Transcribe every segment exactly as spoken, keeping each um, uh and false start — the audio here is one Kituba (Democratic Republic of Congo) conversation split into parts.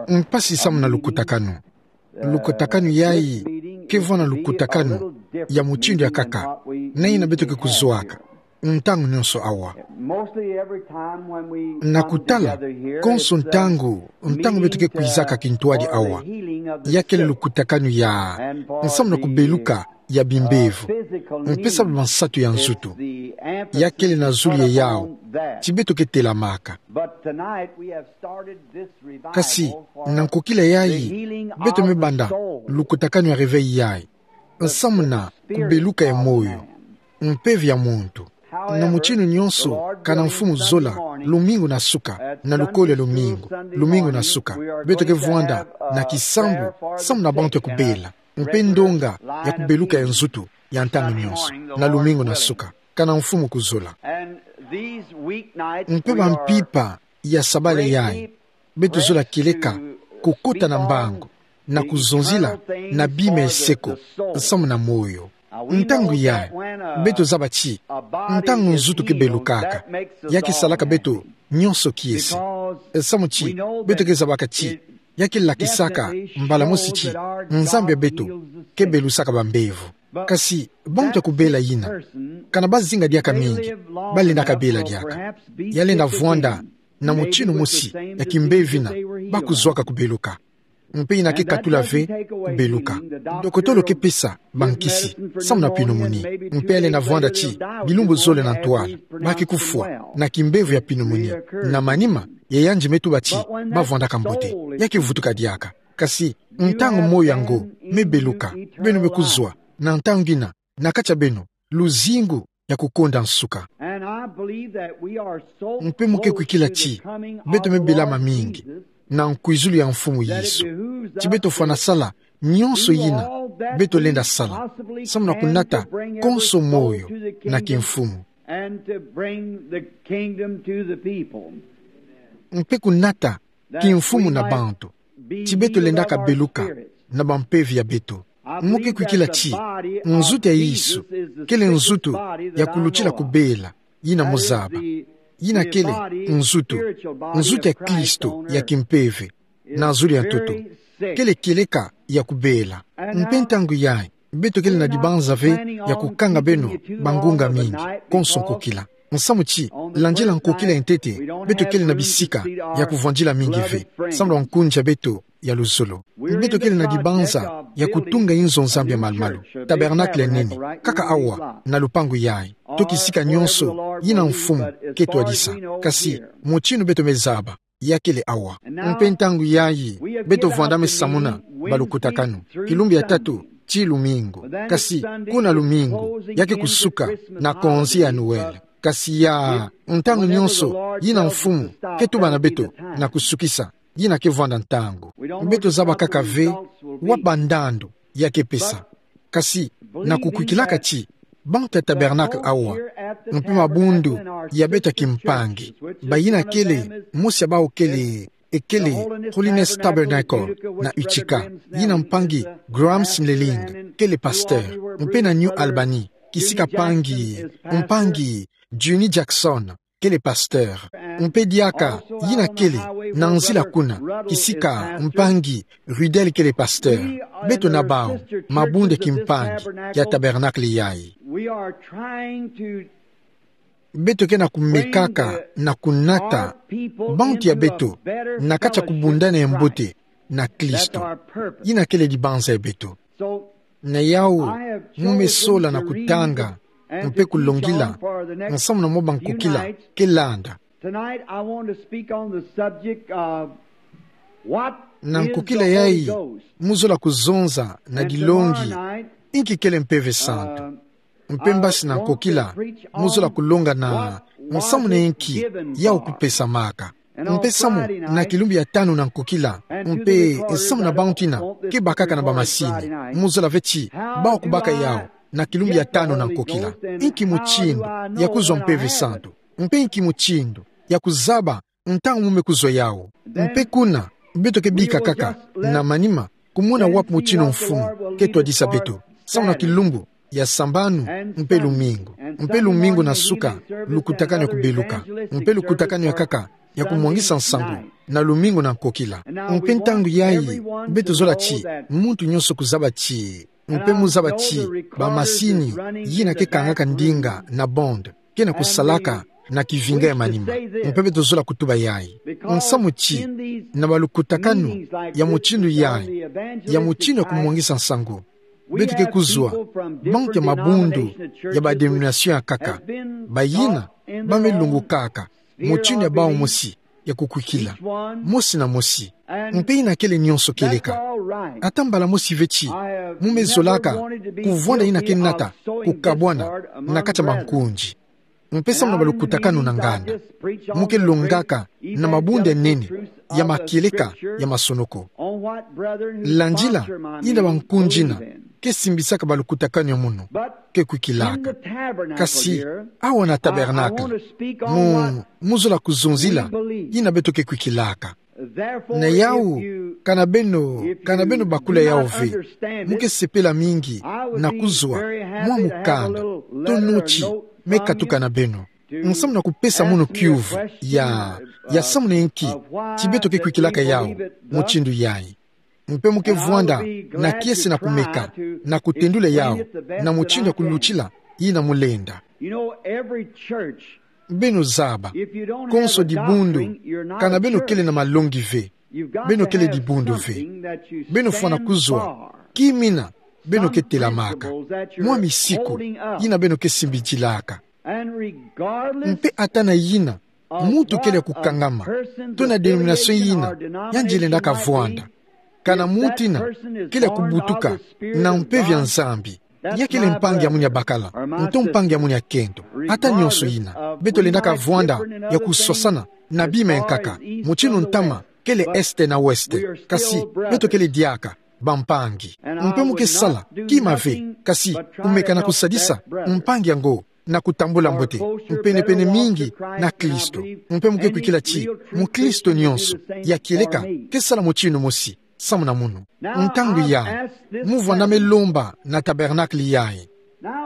Mpasi samu na lukutakanu. Lukutakanu yayi, ke vwanda lukutakanu ya mutindu ya kaka na ina beto ke kuzwaka ntangu nionso awa. Na kutala, konso ntangu, ntangu beto ke kwizaka kintwadi awa, ya kele lukutakanu ya nsamu na kubeluka ya bimbevo, mpe sababu nsatu ya nzutu, ya kele na zulu ya yawu ti beto ke telamaka. Kasi, na nkokila yayi, beto me banda lukutakanu ya réveil yayi, nsamu na kubeluka ya moyo, mpeve ya muntu. Na mutindu nionso, kana Mfumu zola, lumingu na suka, na lukolo ya lumingu, lumingu na suka, beto ke vwanda na kisambu samu na bantu ya kubela, mpe ndonga ya kubeluka ya nzutu ya ntangu nionso, na lumingu na suka, kana Mfumu kuzola. Mpe bampimpa ya sabala yayi, beto zola kieleka kukota na mbangu, na kuzonzila na bima ya seko, nsamu na moyo. Ntangu yayi, beto zaba ti ntangu nzutu ke belukaka, ya ke salaka beto nionso kiese. Samu ti beto ke zabaka ti ya ke lakisaka mbala mosi ti Nzambi ya beto ke belusaka bambevo. Kasi, bantu ya kubela yina, kana bazinga diaka mingi, balendaka bela diaka. Ya lenda vwanda na mutindu mosi ya kimbevo yina bakuzwaka kubeluka. Mpe yina ke katula ve kubeluka. Dokotolo ke pesa bankisi samu na pneumonie. Mpe ya lenda vwanda ti bilumbu zole na ntwala, ba ke kufwa na kimbevo ya pneumonie. Na manima, ya yandi me tuba ti bavwandaka mbote. Ya ke vutuka diaka. Kasi, ntangu moyo yango me beluka, beno me kuzwa na ntangu yina na kati ya beno luzingu ya kukonda nsuka. Mpe mo ke kwikila ti beto me bela mamingi na nkwizulu ya Mfumu Yesu, ti beto fwana sala nionso yina beto lenda sala samu na kunata konso moyo na kimfumu. Mpe kunata kimfumu na bantu ti beto lendaka beluka na bampeve ya beto. Mo ke kwikila ti nzutu ya Yesu kele nzutu ya kulutila kubela, yina mo zaba. Yina kele nzutu, nzutu ya Kristo ya kimpeve na zulu ya ntoto. Kele kieleka ya kubela. Mpe ntangu yayi, beto kele na dibanza ve ya kukanga beno bangunga mingi, konso nkokila. Nsamu ti, landila nkokila ya ntete, beto kele na bisika ya kuvwandila mingi ve, samu na nkunzi ya beto ya luzolo. Beto kele na dibanza ya kutunga inzo Nzambi ya malumalu, tabernacle ya nene, kaka awa na lupangu yayi, to kisika nionso yina Mfumu ke twadisa. Kasi, mutindu beto me zaba, ya kele awa. Mpe ntangu yayi, beto vwandame samuna balukutakanu, kilumbu ya tatu ti lumingu. Kasi, kuna lumingu, ya ke kusuka na konzi ya Noël. Kasi ya, ntangu nionso yina Mfumu ke tuba na beto na kusukisa, yina ke vwanda ntangu. Beto zaba kaka ve wa bandandu ya ke pesa. Kasi, na kukwikilaka ti bantu ya tabernacle awa, mpe mabundu ya beto ya kimpangi, bayina kele, mosi ya bawu kele, e kele Holiness Tabernacle na Utica, yina mpangi Graham Snelling kele pasteur, mpe na New Albany, kisika mpangi, mpangi Juni Jackson kele pasteur. Mpe diaka yina kele na nzila kuna, kisika mpangi Ruddell kele pasteur. Beto na bawu, mabundu ya kimpangi ya tabernacle yayi. Beto ke na kumekaka na kunata bantu ya beto na kati ya kubundana ya mbote na Kristo. Yina kele dibanza ya beto. Na yawu, mo me sola na kutanga mpe kulongila nsamu na mwa bankokila ke landa. Tonight I want to speak on the subject of what is the Holy Ghost. Na nkokila yayi, mo zola kuzonza na dilongi, inki kele Mpeve Santu. Mpe mbasi na nkokila, mo zola kulonga na nsamu na inki yawu kupesamaka. Mpe samu na kilumbu ya tanu na nkokila, mpe nsamu na bantu yina ke bakaka na bamasini, mo zola ve ti bawu kubaka yawu na kilumbu ya tanu na nkokila. Inki mutindu ya kuzwa Mpeve Santu? Mpe inki mutindu ya kuzaba ntangu mo me kuzwa yawu? Mpe kuna, beto ke bika kaka na manima kumona wapi mutindu Mfumu ke twadisa beto, samu na kilumbu ya sambanu mpe lumingu, mpe lumingu na suka, lukutakanu ya kubeluka, mpe lukutakanu ya kaka ya kumwangisa nsangu na lumingu na nkokila. Mpe ntangu yayi, beto zola ti muntu nyonso kuzaba ti, mpe muzaba ti, bamasini yina ke kangaka ndinga na bande ke na kusalaka na kivinga ya manima. Mpe beto zola kutuba yayi. Nsamu ti, na balukutakanu ya mutindu yayi, ya mutindu ya kumwangisa nsangu, beto ke kuzwa bantu ya mabundu ya ba dénomination ya nkaka, bayina ba me lungukaka mutindu ya bawu mosi ya kukwikila, mosi na mosi. Mpe yina kele nyonso kieleka. Ata mbala mosi ve ti mu me zolaka kuvwanda yina ke nata kukabwana na kati ya mankunzi. Mpe samu na balukutakanu na nganda, mu ke longaka na mabundu ya nene ya makieleka ya masonoko. Landila yina bankunzi yina ke simbisaka balukutakanu ya munu ke kwikilaka. Kasi awa na tabernacle, mu, mu zola kuzonzila yina beto ke kwikilaka. Na yawu, kana beno, kana beno bakula yawu ve, mu ke sepela mingi na kuzwa mwa mukanda to noti me katuka na beno, nsamu na kupesa munu kiuvu ya, ya samu na inki ti beto ke kwikilaka yawu mutindu yayi. Mpe mu ke vwanda na kiese na kumeka na kutendula yawu na mutindu ya kulutila yina mu lenda. Beno zaba, konso dibundu, kana beno kele na malongi ve, beno kele dibundu ve. Beno fwana kuzwa ki mina beno ke telamaka, mwa misiku yina beno ke simbidilaka. Mpe ata na yina muntu kele ya kukangama, to na dénomination yina yandi lendaka vwanda, kana muntu yina kele ya kubutuka na mpeve ya Nzambi, ya kele mpangi ya munu ya bakala, nto mpangi ya munu ya kento, ata nyonso yina, beto lendaka vwanda ya kuswasana na bima ya nkaka, mutindu ntama kele est na ouest, kasi beto kele diaka bampangi. Mpe mu ke sala kima ve, kasi kumeka na kusadisa mpangi yango na kutambula mbote, mpenepene mingi na Kristo. Mpe mu ke kwikila ti mukristo nyonso ya kieleka ke sala mutindu mosi samu na munu. Ntangu yayi, mu vwanda me lomba na tabernacle yayi.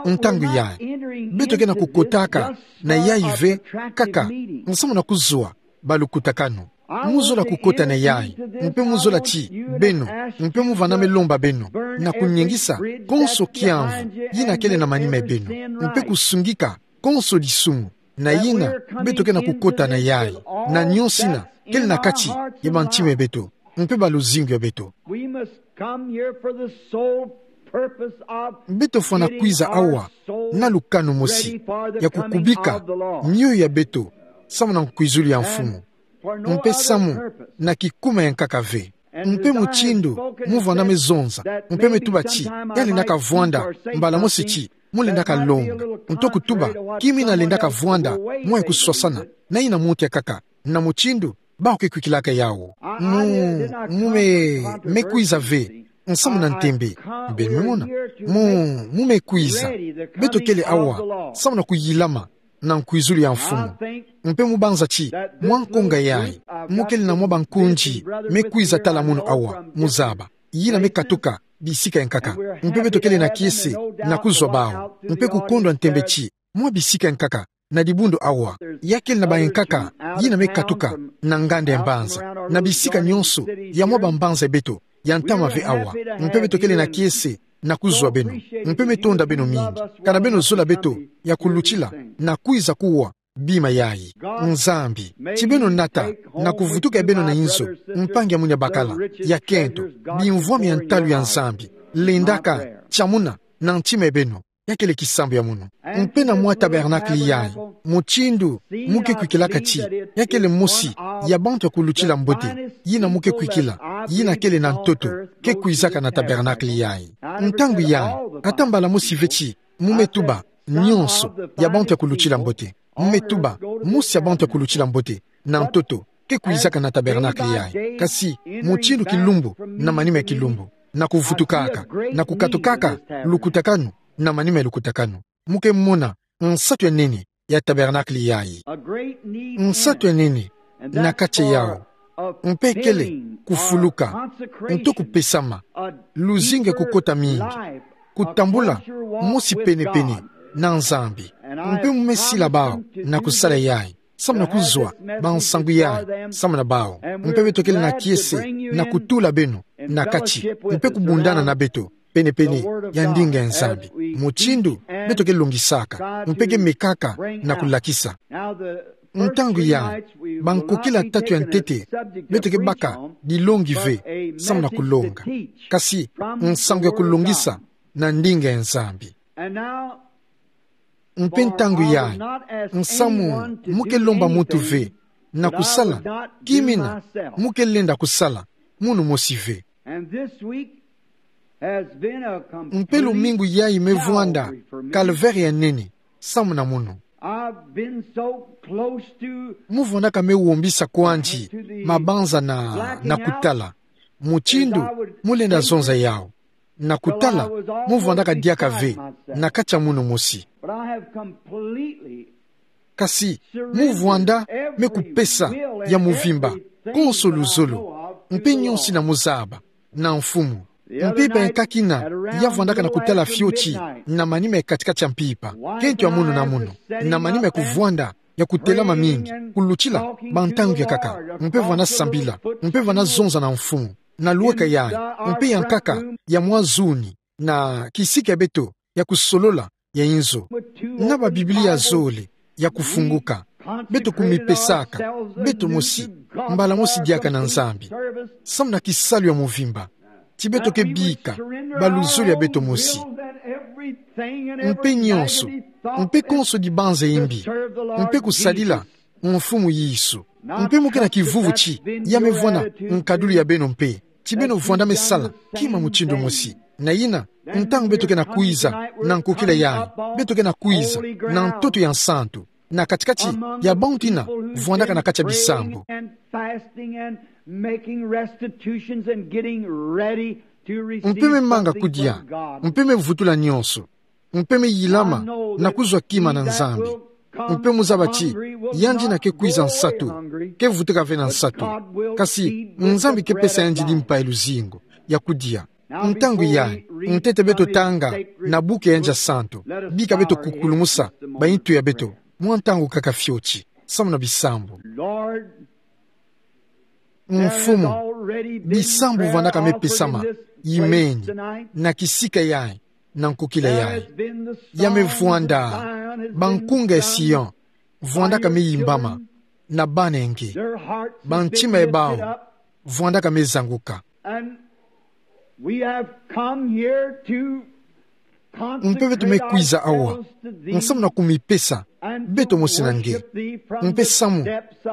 Ntangu yayi, beto ke na kukotaka na yayi ve kaka nsamu na kuzwa balukutakanu. Mu zola kukota na yayi, mpe mu zola ti beno, mpe mu vwanda me lomba beno na kunyengisa konso kiamvu yina kele na manima ya beno, mpe kusungika konso disumu. Na yina, beto ke na kukota na yayi, na nyonso yina kele na kati ya bantima ya beto mpe baluzingu ya beto. We must come here for the sole purpose of Beto fwana kwiza awa na lukanu mosi ya kukubika mioyo ya beto samu na nkwizulu ya Mfumu, mpe samu na kikuma ya nkaka ve. Mpe mutindu mu vwanda me zonza, mpe me tuba ti ya lendaka vwanda mbala mosi ti mu lendaka longa, nto kutuba ki mina lendaka vwanda mwa ya kuswasana na yina muntu ya nkaka, na mutindu bawu ke kwikilaka yawu. Mu, mu me, me kwiza ve nsamu na ntembe. Beno me mona? Mu, mu me kwiza. Beto kele awa samu na kuyilama na nkwizulu ya Mfumu. Mpe mu banza ti mwa nkonga yayi mu kele na mwa bankunzi me kwiza tala munu awa, mu zaba, yina me katuka bisika ya nkaka. Mpe beto kele na kiese na kuzwa bawu, mpe kukondwa ntembe ti mwa bisika ya nkaka na dibundu awa, ya kele na bayankaka yina me katuka na nganda ya mbanza, na bisika nyonso ya mwa bambanza ya beto ya ntama ve awa. Mpe beto kele na kiese na kuzwa beno, mpe me tonda beno mingi kana beno zola beto ya kulutila na kwiza kuwa bima yayi. Nzambi, ti beno nata na kuvutuka ya beno na inzo, mpangi ya munu ya bakala, ya kento, bimvwama ya ntalu ya Nzambi, lendaka, tiamuna na ntima ya beno. Ya kele kisambu ya munu. Mpe na mwa tabernacle yayi, mutindu mu ke kwikilaka ti ya kele mosi ya bantu ya kulutila mbote yina mu ke kwikila, yina kele na ntoto, ke kwizaka na tabernacle yayi. Ntangu yayi, ata mbala mosi ve ti mu me tuba nyonso ya bantu ya kulutila mbote. Mu me tuba mosi ya bantu ya kulutila mbote na ntoto ke kwizaka na tabernacle yayi, kasi mutindu kilumbu na manima ya kilumbu, na kuvutukaka, na kukatukaka lukutakanu na manima ya lukutakanu. Mu ke mona nsatu ya nene ya tabernacle yayi. Nsatu ya nene na kati ya yawu, mpe kele kufuluka, nto kupesama, luzingu ya kukota mingi, kutambula mosi penepene na Nzambi. Mpe mu me sila bawu na kusala yayi, samu na kuzwa bansangu yayi samu na bawu. Mpe beto kele na kiese na kutula beno na kati, mpe kubundana na beto penepene ya ndinga ya Nzambi. Mutindu beto ke longisaka, mpe ke mekaka na kulakisa. Ntangu yayi, bankokila tatu ya ntete, beto ke baka dilongi ve samu na kulonga, kasi nsangu ya kulongisa na ndinga ya Nzambi. Mpe ntangu yayi, nsamu mu ke lomba muntu ve na kusala kimina mu ke lenda kusala, munu mosi ve. Mpe lumingu yayi me vwanda calvaire ya nene samu na munu. Mu vwandaka me wombisa kwandi mabanza na, na kutala mutindu mu lenda zonza yawu. Na kutala, mu vwandaka diaka ve na kati ya munu mosi. Kasi mu vwanda me kupesa ya muvimba konso luzolo, mpe nionso ina mu zaba na Mfumu. Mpe mpaka kina ya vwandaka na kutala fioti na manima ya kati-kati ya mpimpa, kento ya munu na munu, na manima ya kuvwanda ya kutelama mingi, kulutila bantangu ya nkaka, mpe vwanda sambila, mpe vwanda zonza na Mfumu na lweka yayi, mpe ya nkaka ya mwa zuni, na kisika ya beto ya kusolola ya inzo, na ba Biblia zole ya kufunguka. Beto kumipesaka beto mosi, mbala mosi diaka na Nzambi, samu na kisalu ya muvimba, ti beto ke bika baluzolo ya beto mosi, mpe nionso, mpe konso dibanza imbi, mpe kusadila Mfumu Yesu. Mpe mu ke na kivuvu ti ya me vwanda nkadulu ya beno mpe, ti beno vwanda me sala kima mutindu mosi. Na yina, ntangu beto ke na kwiza na nkokila yayi, beto ke na kwiza na ntoto ya nsantu na kati-kati ya bantu ina vwandaka na kati ya bisambu. Mpe me manga kudia, mpe me vutula nionso, mpe me yilama na kuzwa kima na Nzambi. Mpe mu zaba ti yandi ina ke kwiza nsatu, ke vutuka ve na nsatu, kasi Nzambi ke pesa yandi limpa ya luzingu ya kudia. Ntangu yayi, ntete beto tanga na buku ya yandi ya santu, bika beto kukulumusa baintu ya beto mwa ntangu kaka fioti samu na bisambu. Mfumu, bisambu vwandaka me pesama imeni na kisika yayi, na nkokila yayi. Ya me vwanda, bankunga ya Sion vwandaka me yimbama na bana ya nge. Bantima ya bawu vwandaka me zanguka. Mpe beto me kwiza awa nsamu na kumipesa beto mosi na nge, mpe samu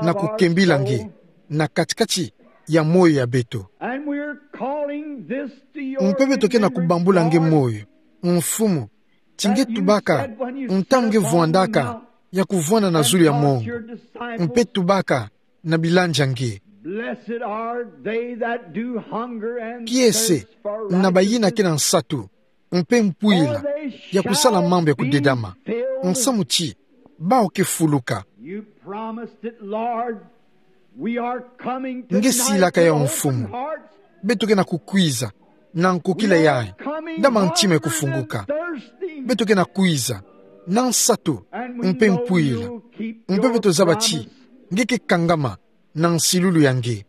na kukembila nge na kati-kati ya moyo ya beto. Mpe beto ke na kubambula nge moyo, Mfumu, ti nge tubaka, ntangu nge vwandaka ya kuvwanda na zulu ya mongo, mpe tubaka na bilandi ya nge: Kiese na bayina ke na nsatu mpe mpwila ya kusala mambu ya kudedama, nsamu ti bawu ke fuluka. Nge silaka yawu, Mfumu. Beto ke na kukwiza na nkokila yayi, na mantima ya kufunguka. Beto ke na kwiza na nsatu mpe mpwila, mpe beto zaba ti nge ke kangama na nsilulu ya nge.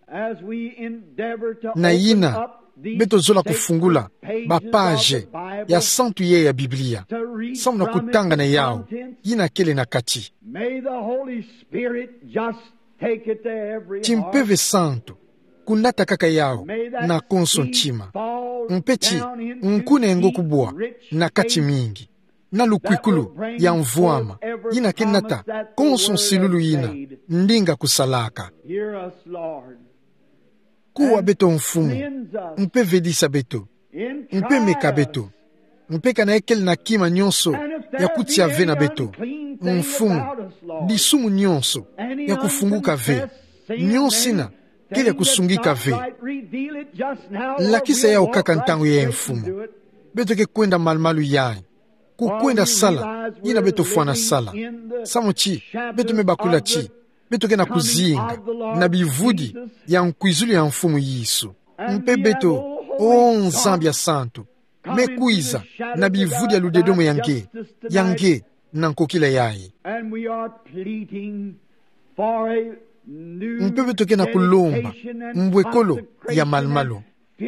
Na yina, beto zola kufungula ba page ya santu yee ya Biblia, samu na kutanga na yawu yina kele na kati. Ti Mpeve Santu kunata kaka yawu na konso ntima, mpe ti nkuna ya ngo kubwa na kati mingi, na lukwikulu ya mvwama yina ke nata konso nsilulu yina ndinga kusalaka. Kuwa beto, Mfumu, mpe vedisa beto, mpe meka beto, mpe kana ya kele na kima nionso ya kutia ve na beto, Mfumu, disumu nionso ya kufunguka ve, nionso yina kele ya kusungika ve. Lakisa yawu kaka ntangu yee, Mfumu. Beto ke kwenda malumalu yayi, kukwenda sala yina beto fwana sala, samu ti beto me bakula ti beto ke na kuzinga na bivudi ya nkwizulu ya Mfumu Yesu. Mpe beto, o Nzambi ya santu, me kwiza na bivudi ya ludedomo ya nge, ya nge na nkokila yayi. Mpe beto ke na kulomba mbwekolo ya malumalu,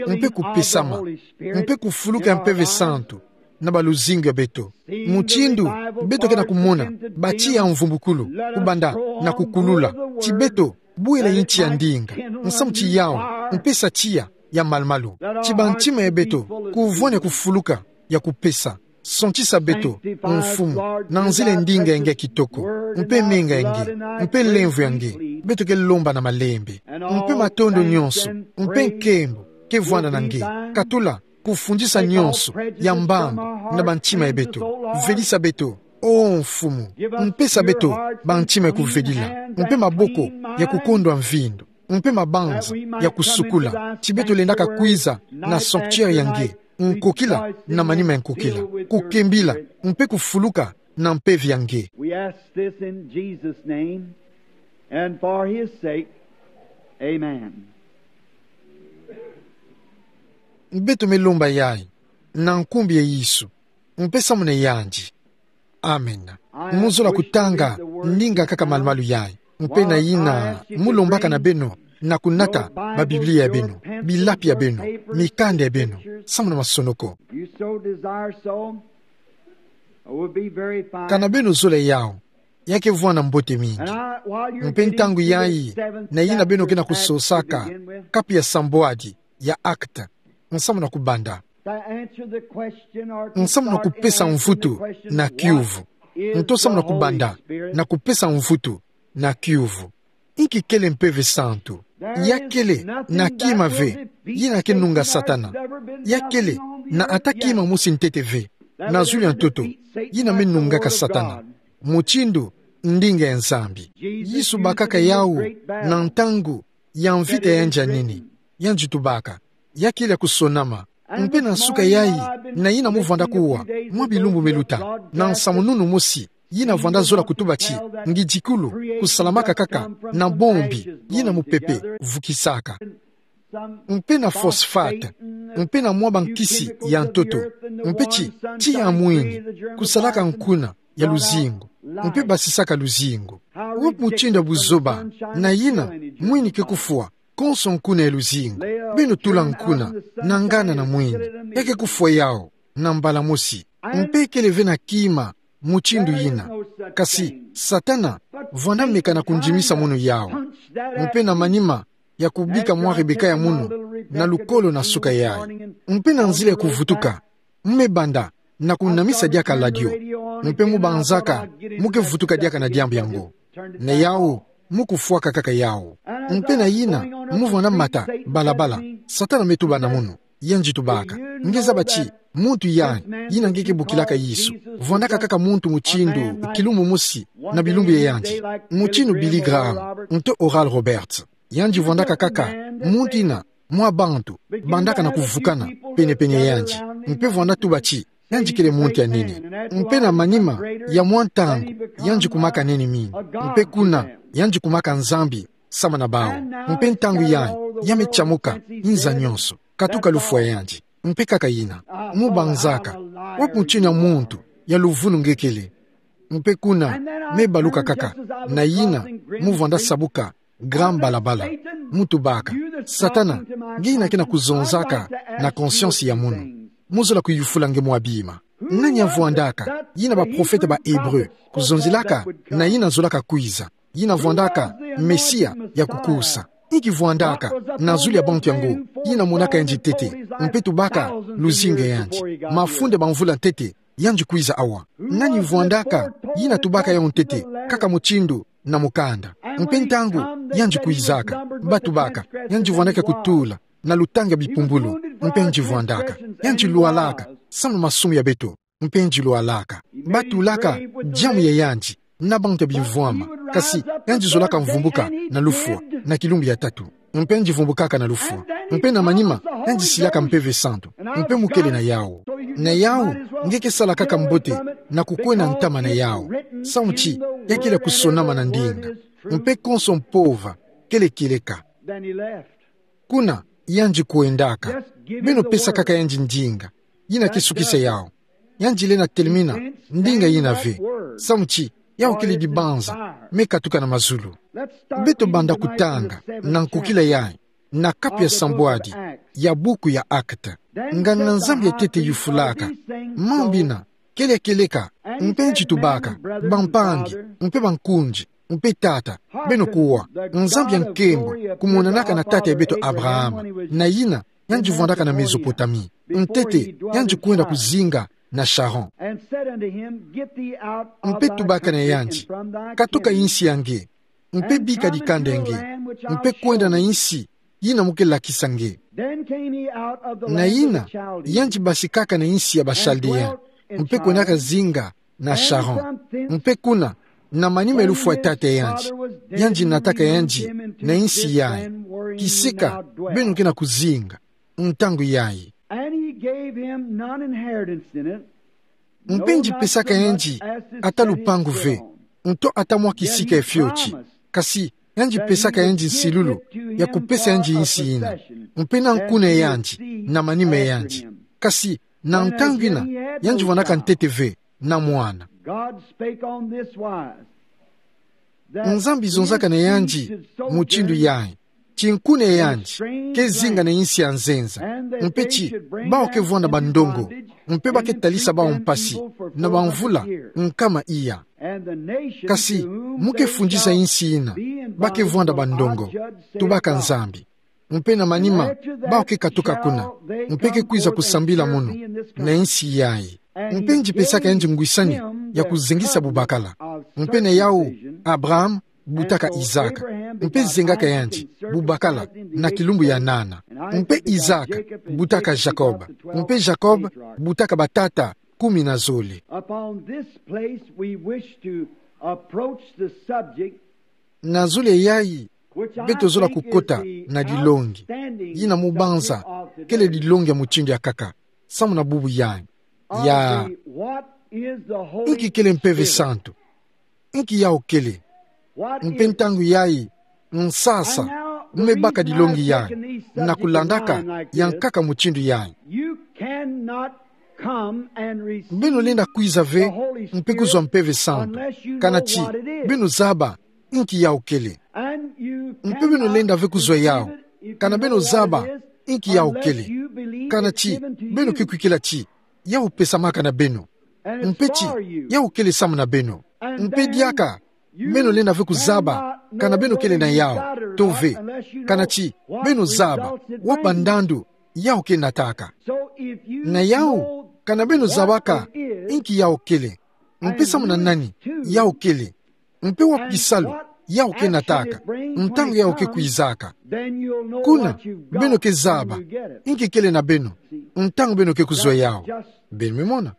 mpe kupesama, mpe kufuluka ya Mpeve Santu na baluzingu ya beto. Mutindu beto ke na kumona batiya mvumbukulu kubanda na kukulula ti beto bwela inti ya ndinga, nsamu ti yawu, mpe sa tiya ya malumalu. Ti bantima ya beto kuvwani kufuluka ya kupesa. Sontisa beto, Mfumu, na nzila ya ndinga ya nge kitoko, mpe menga ya nge, mpe lemvo ya nge, beto ke lomba na malembe. Mpe matondo nyonso, mpe nkembo, ke vwanda na nge. Katula kufundisa nyonso ya mbambu na bantima ya beto. Velisa beto, o Mfumu, mpesa beto bantima ya kuvedila, mpe maboko ya kukondwa mvindu, mpe mabanza ya kusukula, ti beto lendaka kwiza na sanctuaire ya nge, nkokila na manima ya nkokila, kukembila, mpe kufuluka na mpeve ya nge. We ask this in Jesus' name and for his sake. Amen. Beto me lomba yayi na nkumbu ya Yesu, mpe samu na yandi. Amen. Mu zola kutanga ndinga kaka malumalu yayi, mpe na yina mu lombaka na beno na kunata ba Biblia ya beno, bilapi ya beno, mikanda ya beno, samu na masonoko. You so desire so? It would be very fine. Kana beno zola yawu, ya ke vwanda mbote mingi. And I, while you're Mpe getting ntangu to the yayi, seventh na yina beno ke na chapter of Acts to kusosaka begin with, kapi ya sambwadi ya Actes, nsamu na kubanda. To answer the question or to nsamu na start kupesa answering the mvutu question, na what kiuvu. Is Nto samu na the Holy kubanda Spirit? Na kupesa mvutu na kiuvu. Inki kele Mpeve Santu? Ya kele na kima ve yina ke nunga Satana. Ya kele na ata kima mosi ntete ve na zulu ya ntoto yina me nungaka Satana, mutindu ndinga ya Nzambi. Yesu bakaka yawu na ntangu ya mvita yandi ya nini. Yandi tubaka, ya kele ya kusonama. Mpe na nsuka yayi, na yina mu vwanda kuwa mwa bilumbu me luta, na nsamununu mosi yina vwanda zola kutuba ti ngidikulu kusalamaka kaka na bombi yina mupepe vukisaka, mpe na phosphate, mpe na mwa bankisi ya ntoto, mpe ti, tiya mwini kusalaka nkuna ya luzingu, mpe basisaka luzingu. Wapi mutindu ya buzoba na yina mwini ke kufwa konso nkuna ya luzingu? Beno tula nkuna na ngana na mwini, ya ke kufwa yawu na mbala mosi. Mpe kele ve na kima mutindu yina. Kasi Satana vwanda meka na kundimisa munu yawu, mpe na manima ya kubika mwa rebeka ya munu na lukolo na nsuka yayi. Mpe na nzila ya kuvutuka, mu me banda na kunamisa diaka radio, mpe mu banzaka mu ke vutuka diaka na diambu yango. Na yawu, mu kufwaka kaka yawu. Mpe na yina mu vwanda mata balabala, Satana me tuba na munu. Yandi tubaka, nge zaba ti muntu yayi, yina nge ke bokilaka Yesu, vwandaka kaka muntu mutindu kilumbu mosi na bilumbu ya yandi, mutindu Billy Graham nto Oral Roberts. Yandi vwandaka kaka muntu yina mwa bantu bandaka na kuvukana penepene ya yandi, mpe vwanda tuba ti yandi kele muntu ya nene. Mpe na manima ya mwa ntangu, yandi kumaka nene mingi. Mpe kuna, yandi kumaka Nzambi sama na bawu. Mpe ntangu yayi, ya me tiamuka nza nyonso, katuka lufwa ya yandi. Mpe kaka yina, mu banzaka, wapi mutindu ya muntu ya luvunu nge kele? Mpe kuna, me baluka kaka, na yina mu vwanda sabuka grand balabala, mu tubaka, Satana, nge yina ke na kuzonzaka na conscience ya munu, mu zola kuyufula nge mwa bima. Nani ya vwandaka? Yina baprofete ba Hébreu kuzonzelaka, na yina zolaka kwiza, yina vwandaka Mesia ya kukusa. Inki vwandaka na zulu ya bantu yango? Yina monaka yandi ntete, mpe tubaka luzingu ya yandi. Mafunda ma mvula ntete yandi kwiza awa. Nani vwandaka? Yina tubaka yawu ntete, kaka mutindu na mukanda. Mpe ntangu yandi kwizaka, ba tubaka, yandi vwandaka kutula na lutanga bipumbulu, mpe yandi vwandaka. Yandi lwalaka samu na masumu ya beto, mpe yandi lwalaka. Ba tulaka diambu ya yandi na bantu ya bimvwama, kasi yandi zolaka mvumbuka na lufwa na kilumbu ya tatu. Mpe yandi vumbukaka na lufwa. Mpe na manima, yandi silaka Mpeve Santu. Mpe mu kele na yawu. Na yawu, nge ke sala kaka mbote na kukwenda ntama na yawu, samu ti ya kele ya kusonama na ndinga. Mpe konso mpova kele kieleka. Kuna, yandi kwendaka. Beno pesa kaka yandi ndinga. Yina ke sukisa yawu. Yandi lenda telemena ndinga yina ve, samu ti Yawu kele dibanza me katuka na mazulu. Beto banda kutanga na nkokila yayi, na kapu ya sambwadi ya buku ya Actes. Nganga Nzambi ya ntete yufulaka: Mambu mina, kele ya kieleka, mpe nji tubaka, bampangi, mpe bankunji, mpe tata, beno kuwa, Nzambi ya nkembo, kumonanaka na tata ya beto Abraham, na yina yandi vwandaka na Mezopotamie. Ntete, yandi kwenda kuzinga na Charan. Mpe tubaka na yandi: Katuka insi ya nge, mpe bika dikanda ya nge, mpe kwenda na insi yina mu ke lakisa nge. Na yina, yandi basikaka na insi ya Bachaldéens, mpe kwendaka zinga na Charan. Mpe kuna, na manima ya lufwa ya tata ya yandi, yandi nataka yandi na insi yayi, kisika beno ke na kuzinga ntangu yayi. Mpe yandi pesaka yandi ata lupangu ve, nto ata mwa kisika ya fioti. Kasi yandi pesaka yandi nsilulu ya kupesa yandi insi yina, mpe na nkuna ya yandi, na manima ya yandi. Kasi na ntangu yina, yandi vwandaka ntete ve na mwana. Nzambi zonzaka na yandi mutindu yayi, ti nkuna ya yandi ke zinga na insi ya nzenza, mpe ti bawu ke vwanda bandongo, mpe ba ke talisa bawu mpasi na bamvula nkama iya. Kasi mu ke fundisa insi yina ba ke vwanda bandongo, tubaka Nzambi. Mpe na manima, bawu ke katuka kuna, mpe ke kwiza kusambila munu na insi yayi. Mpe yandi pesaka yandi ngwisani ya kuzengisa bubakala. Mpe na yawu, Abraham butaka Isaac, mpe zengaka yandi bubakala na kilumbu ya nana. Mpe Isaac butaka Jacob, mpe Jacob butaka batata kumi na zole. Upon this place we wish to approach the subject. Na zole yayi, beto zola kukota na dilongi yina mu banza kele dilongi ya mutindu ya nkaka samu na bubu yayi. Ya, inki kele Mpeve Santu? Inki yawu kele? Mpe ntangu yayi, nsasa mu me baka dilongi yayi na kulandaka ya nkaka mutindu yayi. Beno lenda kwiza ve mpe kuzwa Mpeve Santu kana ti beno zaba inki yawu kele. Mpe beno lenda ve kuzwa yawu kana beno zaba inki yawu kele, kana ti beno ke kwikila ti yawu pesamaka na beno, mpe ti yawu kele samu na beno. Mpe diaka beno lenda ve kuzaba kana beno kele na yawu to ve, kana ti beno zaba wa bandandu yawu ke nataka. Na yawu, kana beno zabaka inki yawu kele, mpe samu na nani yawu kele, mpe wa bisalu yawu ke nataka, ntangu yawu ke kwizaka, kuna beno ke zaba inki kele na beno ntangu beno ke kuzwa yawu. Beno me mona?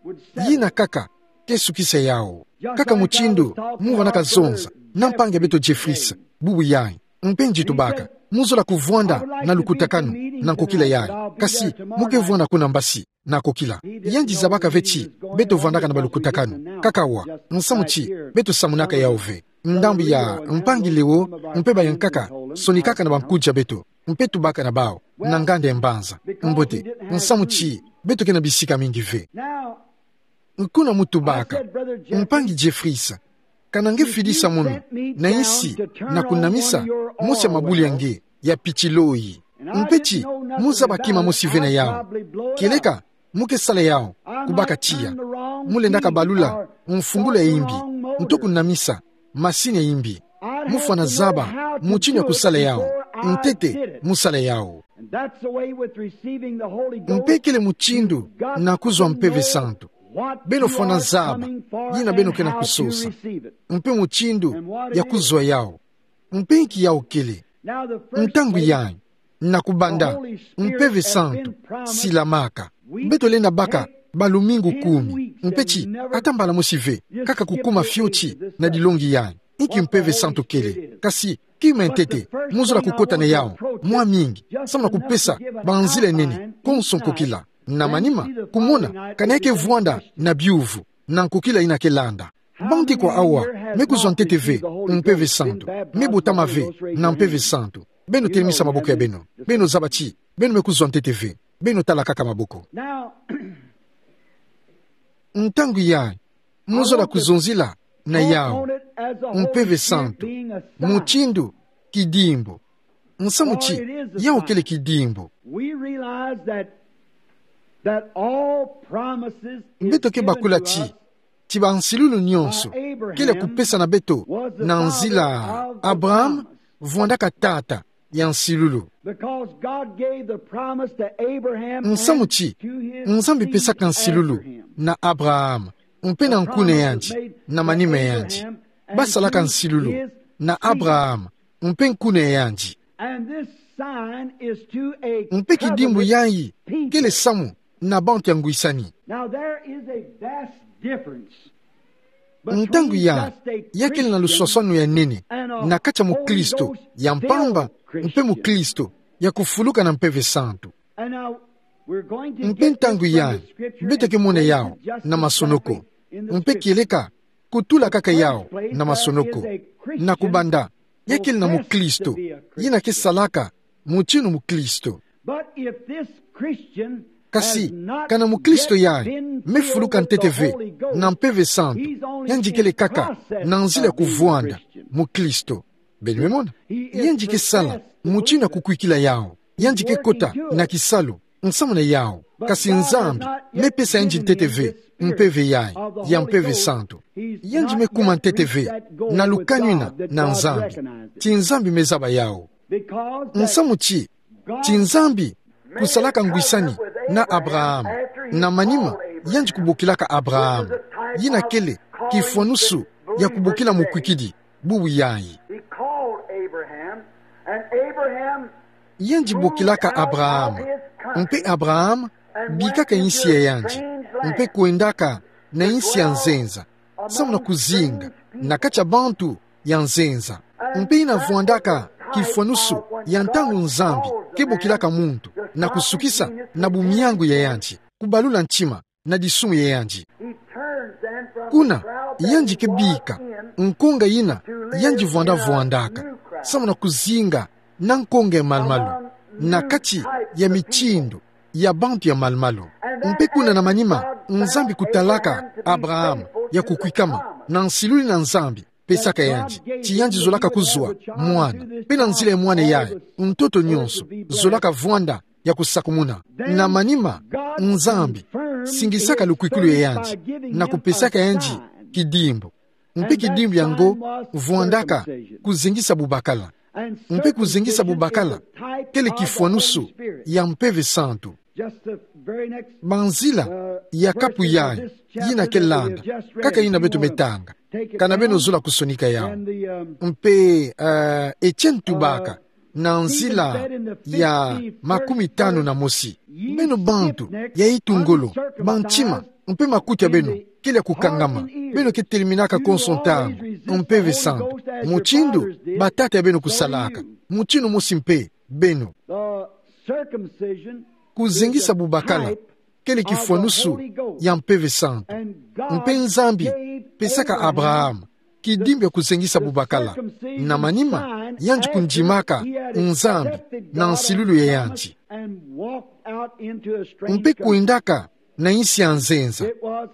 Yina kaka ke sukisa yawu. Kaka mutindu mu vwandaka zonza na mpangi ya beto Jeffries bubu yayi, mpe yandi tubaka: Mu zola kuvwanda na lukutakanu na nkokila yayi, kasi mu ke vwanda kuna mbasi na nkokila. Yandi zabaka ve ti beto vwandaka na balukutakanu kaka awa, nsamu ti beto samunaka yawu ve. Ndambu ya mpangi Leo mpe bayankaka sonikaka na bankudia beto, mpe tubaka na bawu na nganda ya mbanza. Mbote, nsamu ti beto ke na bisika mingi ve. Nkuna mu tubaka: Mpangi Jeffries, kana nge fidisa munu na insi na kunamisa mosi ya mabuli ya nge ya pitiloyi, mpe ti mu zaba kima mosi ve na yawu, kieleka mu ke sala yawu kubaka tiya, mu lendaka balula mfungula ya imbi, nto kunamisa masini ya imbi. Mu fwana zaba mutindu ya kusala yawu. Ntete mu sala yawu. Mpe kele mutindu na kuzwa Mpeve Santu. Beno fwana zaba yina beno ke na kusosa, mpe mutindu ya kuzwa yawu, mpe inki yawu kele. Ntangu yayi, na kubanda, Mpeve Santu silamaka. Beto lenda baka balumingu kumi, mpe ti ata mbala mosi ve, kaka kukuma fioti na dilongi yayi inki Mpeve Santu kele. Kasi kima ya ntete mu zola kukota na yawu mwa mingi, samu na kupesa banzila ya nene konso nkokila. Na manima, kumona kana nge ke vwanda na biuvu na nkokila yina ke landa. Bandi kwa awa me kuzwa ntete ve Mpeve Santu, me botama ve na Mpeve Santu? Beno telemisa maboko ya beno. Beno zaba ti beno me kuzwa ntete ve. Beno tala kaka maboko. Ntangu yayi, mu zola kuzonzila na yau, Mpeve Santu, mutindu kidimbu. Nsamu ti, yau kele kidimbu. We realize that, that all promises is Beto ke bakula ti, ti bansilulu nyonso kele kupesana beto na nzila Abraham, vwandaka tata ya nsilulu. Because God gave the promise to Abraham Nsamu ti, Nzambi pesaka nsilulu na Abraham, mpe na nkuna yandi, na manima yandi. Basalaka nsilulu na Abraham, mpe nkuna yandi. And this sign is to a Mpe kidimbu yayi kele samu na bantu ya ngwisani. Now there is a vast difference. Ntangu ya, ya kele na luswaswanu ya nene na kati ya mukristo ya mpamba mpe mukristo ya kufuluka na Mpeve Santu. Mpe ntangu ya, beto ke mona yau na masonoko. Mpe kieleka kutula kaka yau na masonoko. Na kubanda, ya kele na mukristo yina ke salaka mutinu mukristo. Kasi, kana mukristo yayi me fuluka ntete ve na Mpeve Santu, yandi kele kaka na nzila ya kuvwanda mukristo. Beno me mona? Yandi ke sala mutinu ya kukwikila yau. Yandi ke kota na kisalu nsamu na yau. Kasi Nzambi me pesa yandi ntete ve mpeve yayi ya Mpeve Santu. Yandi me kuma ntete ve na lukani na, na Nzambi. Ti Nzambi me zaba yau. Nsamu ti, ti Nzambi kusalaka ngwisani na Abraham. Na manima, yandi kubokilaka Abraham. Yina kele kifwanusu ya kubokila mukwikidi bubu yayi. He called Abraham, and Abraham Yandi bokilaka Abraham, mpe Abraham bikaka insi ya yandi, mpe kwendaka na insi ya nzenza, samu na kuzinga na kati ya bantu ya nzenza. Mpe yina vwandaka kifwanusu ya ntangu Nzambi ke bokilaka muntu na kusukisa na bumiangu ya yandi, kubalula ntima na disumu ya yandi. Kuna, yandi ke bika nkonga yina yandi vwanda vwandaka, samu na kuzinga na nkonga ya malumalu, na kati ya mitindu ya bantu ya malumalu. Mpe kuna na manima, Nzambi kutalaka Abraham ya kukwikama na nsilulu yina Nzambi pesaka yandi, ti yandi zolaka kuzwa mwana. Mpe na nzila ya mwana yayi, ntoto nyonso zolaka vwanda ya kusakumuna. Na manima, Nzambi singisaka lukwikulu ya yandi na kupesaka yandi kidimbu. Mpe kidimbu yango vwandaka kuzengisa bubakala. Mpe kuzengisa bubakala kele kifwanusu ya Mpeve Santu. Banzila ya kapu yayi, yina ke landa, kaka yina beto me tanga. Kana beno zola kusonika yau. Mpe, eh, Etienne Tubaka, na nzila ya makumi tanu na mosi. Beno bantu ya itu ngolo, bantima mpe makuti ya beno kele ya kukangama. Beno ke teliminaka konso ntangu Mpeve Santu, mutindu batata ya beno kusalaka, mutindu mosi mpe beno. Kuzengisa bubakala kele kifwanusu ya Mpeve Santu. Mpe Nzambi pesaka Abraham kidimbu ya kuzengisa bubakala. Na manima, yandi kundimaka Nzambi na nsilulu ya yandi. Mpe kwendaka na insi ya nzenza.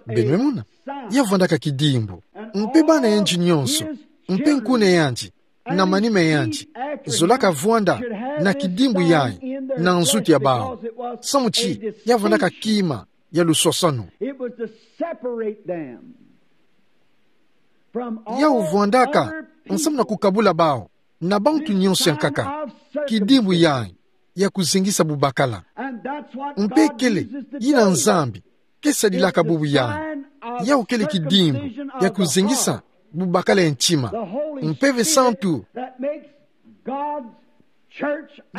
Beno me mona? Ya vwandaka kidimbu. Mpe bana yandi nyonso, mpe nkuna yandi, na manima yandi, zolaka vwanda na kidimbu yayi na nzutu ya bau. Samu ti ya vwandaka kima ya luswaswanu. Yau vwandaka nsamu na kukabula bau na bantu nyonso ya nkaka. Kidimbu yayi ya kuzengisa bubakala. Mpe kele yina Nzambi ke sadilaka bubu yayi. Yau kele kidimbu ya kuzengisa bubakala ya ntima. Mpeve Santu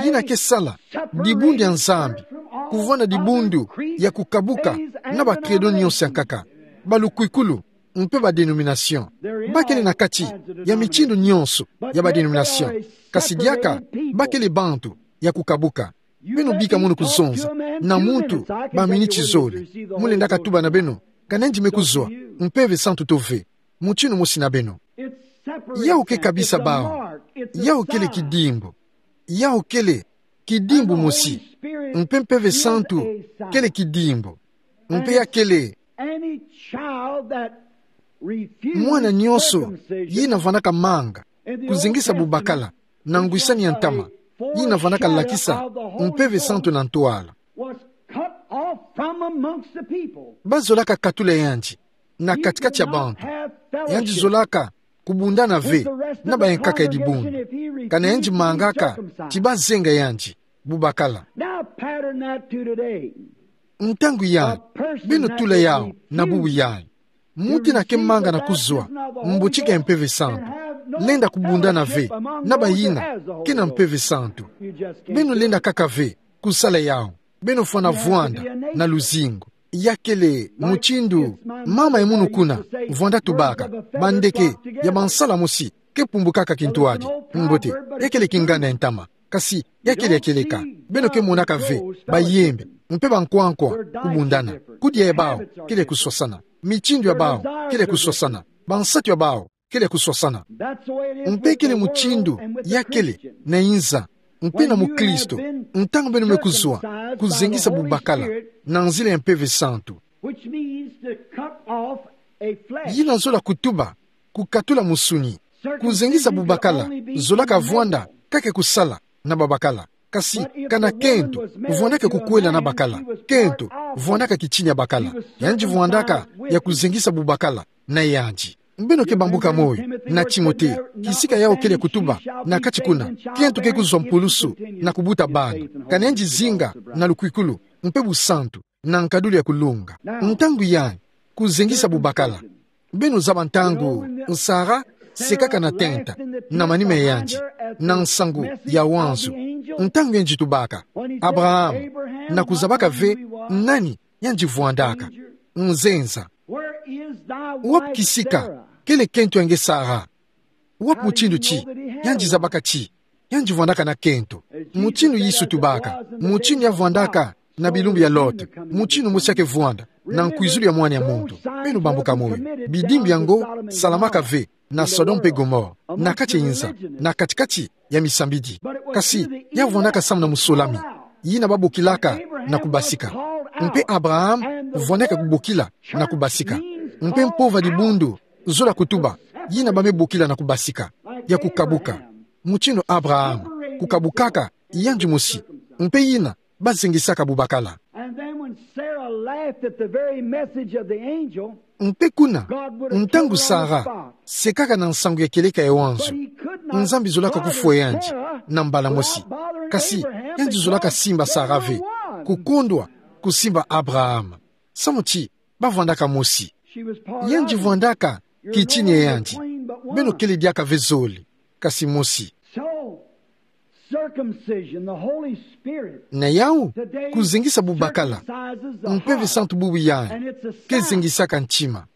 yina ke sala dibundu ya Nzambi, kuvwanda dibundu ya kukabuka na ba credo nyonso ya nkaka, ba lukwikulu, mpe ba dénomination. Ba kele na kati ya mitindu nyonso ya ba dénomination. Kasi diaka ba kele bantu ya kukabuka. Beno bika mono kuzonza na muntu ba miniti zole. Mu lenda katuba na beno kana yandi me kuzwa Mpeve Santu to ve, mutindu mosi na beno. Yau ke kabisa bau. Yau kele kidimbu. Yau kele kidimbu mosi. Mpe Mpeve Santu kele kidimbu. Mpe ya kele Mwana nyonso yina vandaka manga kuzengisa bubakala na ngwisani ya ntama, yina vandaka lakisa Mpeve Santu na ntwala, bazolaka katula yandi na kati-kati ya bantu. Yandi zolaka kubundana ve na bayankaka ya dibundu. Kana yandi mangaka ti bazenga yandi bubakala. Ntangu yayi, beno tula yawu na bubu yayi. Muntu ina ke manga na kuzwa mbotika ya Mpeve Santu lenda kubundana ve na bayina ke na Mpeve Santu. Beno lenda kaka ve kusala yawu. Beno fwana vwanda na luzingu. Ya kele mutindu mama ya munu kuna vwanda tubaka: bandeke ya bansala mosi ke pumbukaka kintwadi. Mbote, ya kele kingana ya ntama. Kasi ya kele ya kieleka. Beno ke monaka ve bayembe mpe bankwankwa kubundana. Kudia ya bawu kele kuswasana. Mitindu ya bawu kele kuswasana. Bansatu ya bawu kele kuswasana. Mpe kele mutindu ya kele na inza mpe na mukristo, ntangu beno me kuzwa kuzengisa bubakala na nzila ya Mpeve Santu. Yina zola kutuba kukatula musuni. Kuzengisa bubakala zolaka vwanda kaka kusala na babakala. Kasi kana kento vwandaka kukwela na bakala, kento vwandaka kitini ya bakala, yandi vwandaka ya kuzengisa bubakala na yandi. Beno ke bambuka moyo na Timote, kisika yawu kele kutuba na kati kuna: kento ke kuzwa mpulusu na kubuta bana, kana yandi zinga na lukwikulu mpe busantu na nkadulu ya kulunga. Ntangu yayi, kuzengisa bubakala. Beno zaba ntangu Sara sekaka na tenta na manima ya yandi na nsangu ya wanzu. Ntangu yandi tubaka Abraham, na kuzabaka ve nani yandi vwandaka. Nzenza. Wapi kisika kele kento ya nge Sara? Wapi mutindu ti yandi zabaka ti yandi vwandaka na kento? Mutindu Yesu tubaka, mutindu ya vwandaka na bilumbu ya Lot, mutindu mosi ya ke vwanda na nkwizulu ya Mwana ya Muntu. Beno bambuka moyo. Bidimbu yango salamaka ve na Sodome mpe Gomore, na kati ya inza, na kati-kati ya misambidi. Kasi ya vwandaka samu na musolami, yina babokilaka na kubasika. Mpe Abraham vwandaka kubokila na kubasika. Mpe mpova dibundu zola kutuba yina ba me bokila na kubasika, ya kukabuka. Mutindu Abraham kukabukaka yandi mosi, mpe yina bazengisaka bubakala. And then when Sarah laughed at the very message of the angel, mpe kuna, ntangu Sara sekaka na nsangu ya kieleka ya wanzu, Nzambi zolaka kufwa yandi na mbala mosi. Kasi yandi zolaka simba Sara ve, kukondwa kusimba Abraham, samu ti bavwandaka mosi. Yandi vwandaka kitini ya yandi. Beno kele diaka ve zole, kasi mosi. So, circumcision, the Holy Spirit. Na yawu, kuzengisa bubakala, Mpeve Santu bubu yayi ke zengisaka ntima.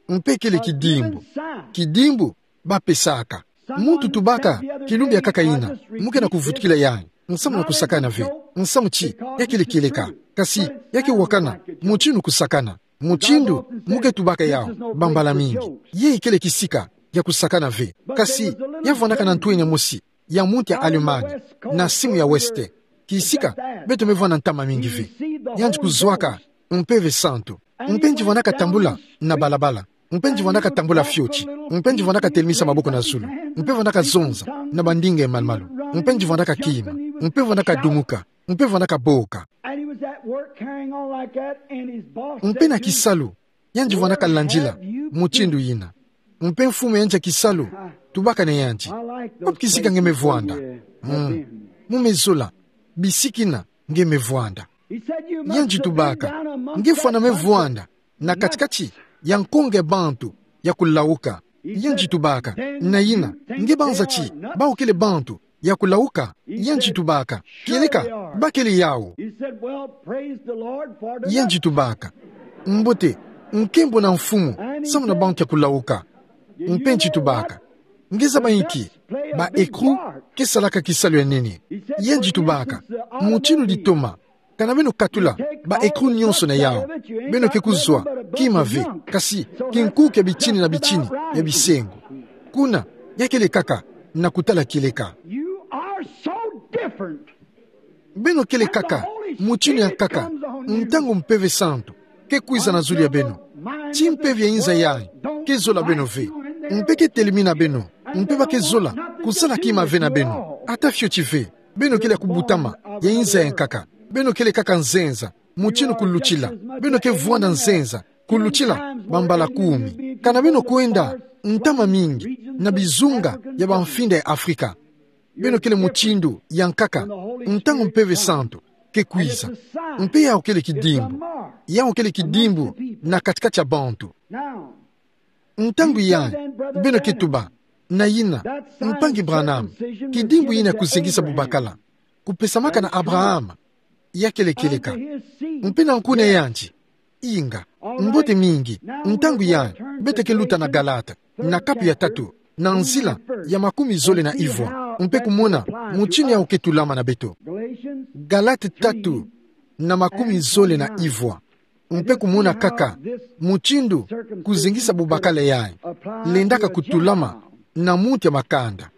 Mpe kele kidimbu, kidimbu bapesaka. Muntu tubaka kilumbu ya nkaka yina, mu ke na kuvutukila yayi, nsamu na kusakana ve, nsamu ti ya kele kieleka. Kasi ya ke wakana mutindu kusakana. Mutindu mu ke tubaka yawu bambala mingi, yayi kele kisika ya kusakana ve. Kasi ya vwandaka na ntwenya mosi ya muntu ya Allemagne, na simu ya West, kisika beto me vwanda ntama mingi ve. Yandi kuzwaka Mpeve Santu. Mpe yandi vwandaka tambula na balabala. Mpe yandi vwandaka tambula fioti. Mpe yandi vwandaka telemisa maboko na zulu. Mpe vwandaka zonza na bandinga ya malumalu. Mpe yandi vwandaka kima. Mpe vwandaka dumuka. Mpe vwandaka boka. And he was at work carrying on like that, and his boss said to him, Mpe na kisalu, yandi vwandaka landila mutindu yina. Mpe mfumu ya yandi ya kisalu tubaka na yandi: Wapi kisika nge me vwanda? Mm. Mu me zola bisika yina nge me vwanda. Yandi tubaka: Nge fwana me vwanda na kati-kati ya nkonge ya bantu ya kulawuka. Yandi tubaka: Na yina, nge banza ti bawu kele bantu ya kulawuka? Yandi tubaka: Kieleka, ba kele yawu. He said, "Well, praise the Lord for the." Yandi tubaka: Mbote, nkembo na Mfumu samu na bantu ya kulawuka. Mpe yandi tubaka: Nge zaba inki? Ba écrou ke salaka kisalu ya nene. Yandi tubaka: Mutindu ditoma, kana beno katula ba écrou nyonso na yawu, beno ke kuzwa kima ve, kasi kinkuke bitini na bitini ya bisengo. Kuna, ya kele kaka na kutala kieleka. You are so different. Beno kele kaka mutindu ya nkaka ntangu Mpeve Santu ke kwiza na zulu ya beno. Ti mpeve ya inza yayi ke zola beno ve. Mpe ke telemina beno, mpe ba ke zola kusala kima ve na beno. Ata fioti ve. Beno kele ya kubutama ya inza ya nkaka. Beno kele kaka nzenza, mutindu kulutila. Beno ke vwanda nzenza kulutila bambala kumi. Kana beno kwenda ntama mingi na bizunga ya bamfinda ya Afrika, beno kele mutindu ya nkaka ntangu Mpeve Santu ke kwiza. Mpe yau kele kidimbu. Yau kele kidimbu na kati-kati ya bantu. Ntangu yai, beno ke tuba: Na yina, Mpangi Branham, kidimbu yina ya kuzengisa bubakala kupesamaka na Abraham, ya kele kieleka. Mpe na nku na yandi. Inga, mbote mingi. Ntangu yai, beto ke luta na Galate, na kapu ya tatu, na nzila ya makumi zole na ivwa, mpe kumona mutindu yau ke tulama na beto. Galate tatu, na makumi zole na ivwa. Mpe kumona kaka mutindu kuzengisa bubakala yai lendaka kutulama na muntu ya makanda.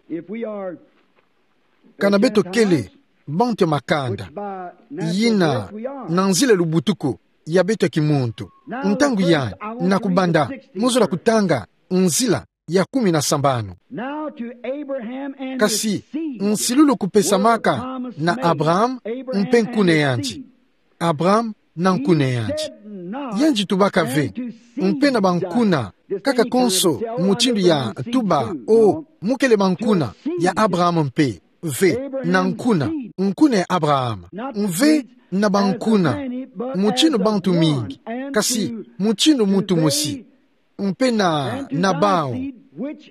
Kana beto kele bantu ya makanda, yina na nzila lubutuku ya beto ya kimuntu. Ntangu yai, na kubanda, mozola kutanga nzila ya kumi na sambanu. Kasi, nsilulu kupesamaka na Abraham mpe nku na yandi. Abraham na nku na yandi. Yandi tubaka ve, mpe na bankuna, kaka konso mutindu ya tuba: O, mu kele bankuna ya Abraham mpe. Ve, na nkuna, nkuna ya Abraham. Mve na bankuna, mutindu bantu mingi, kasi mutindu muntu mosi. Mpe na, na bau,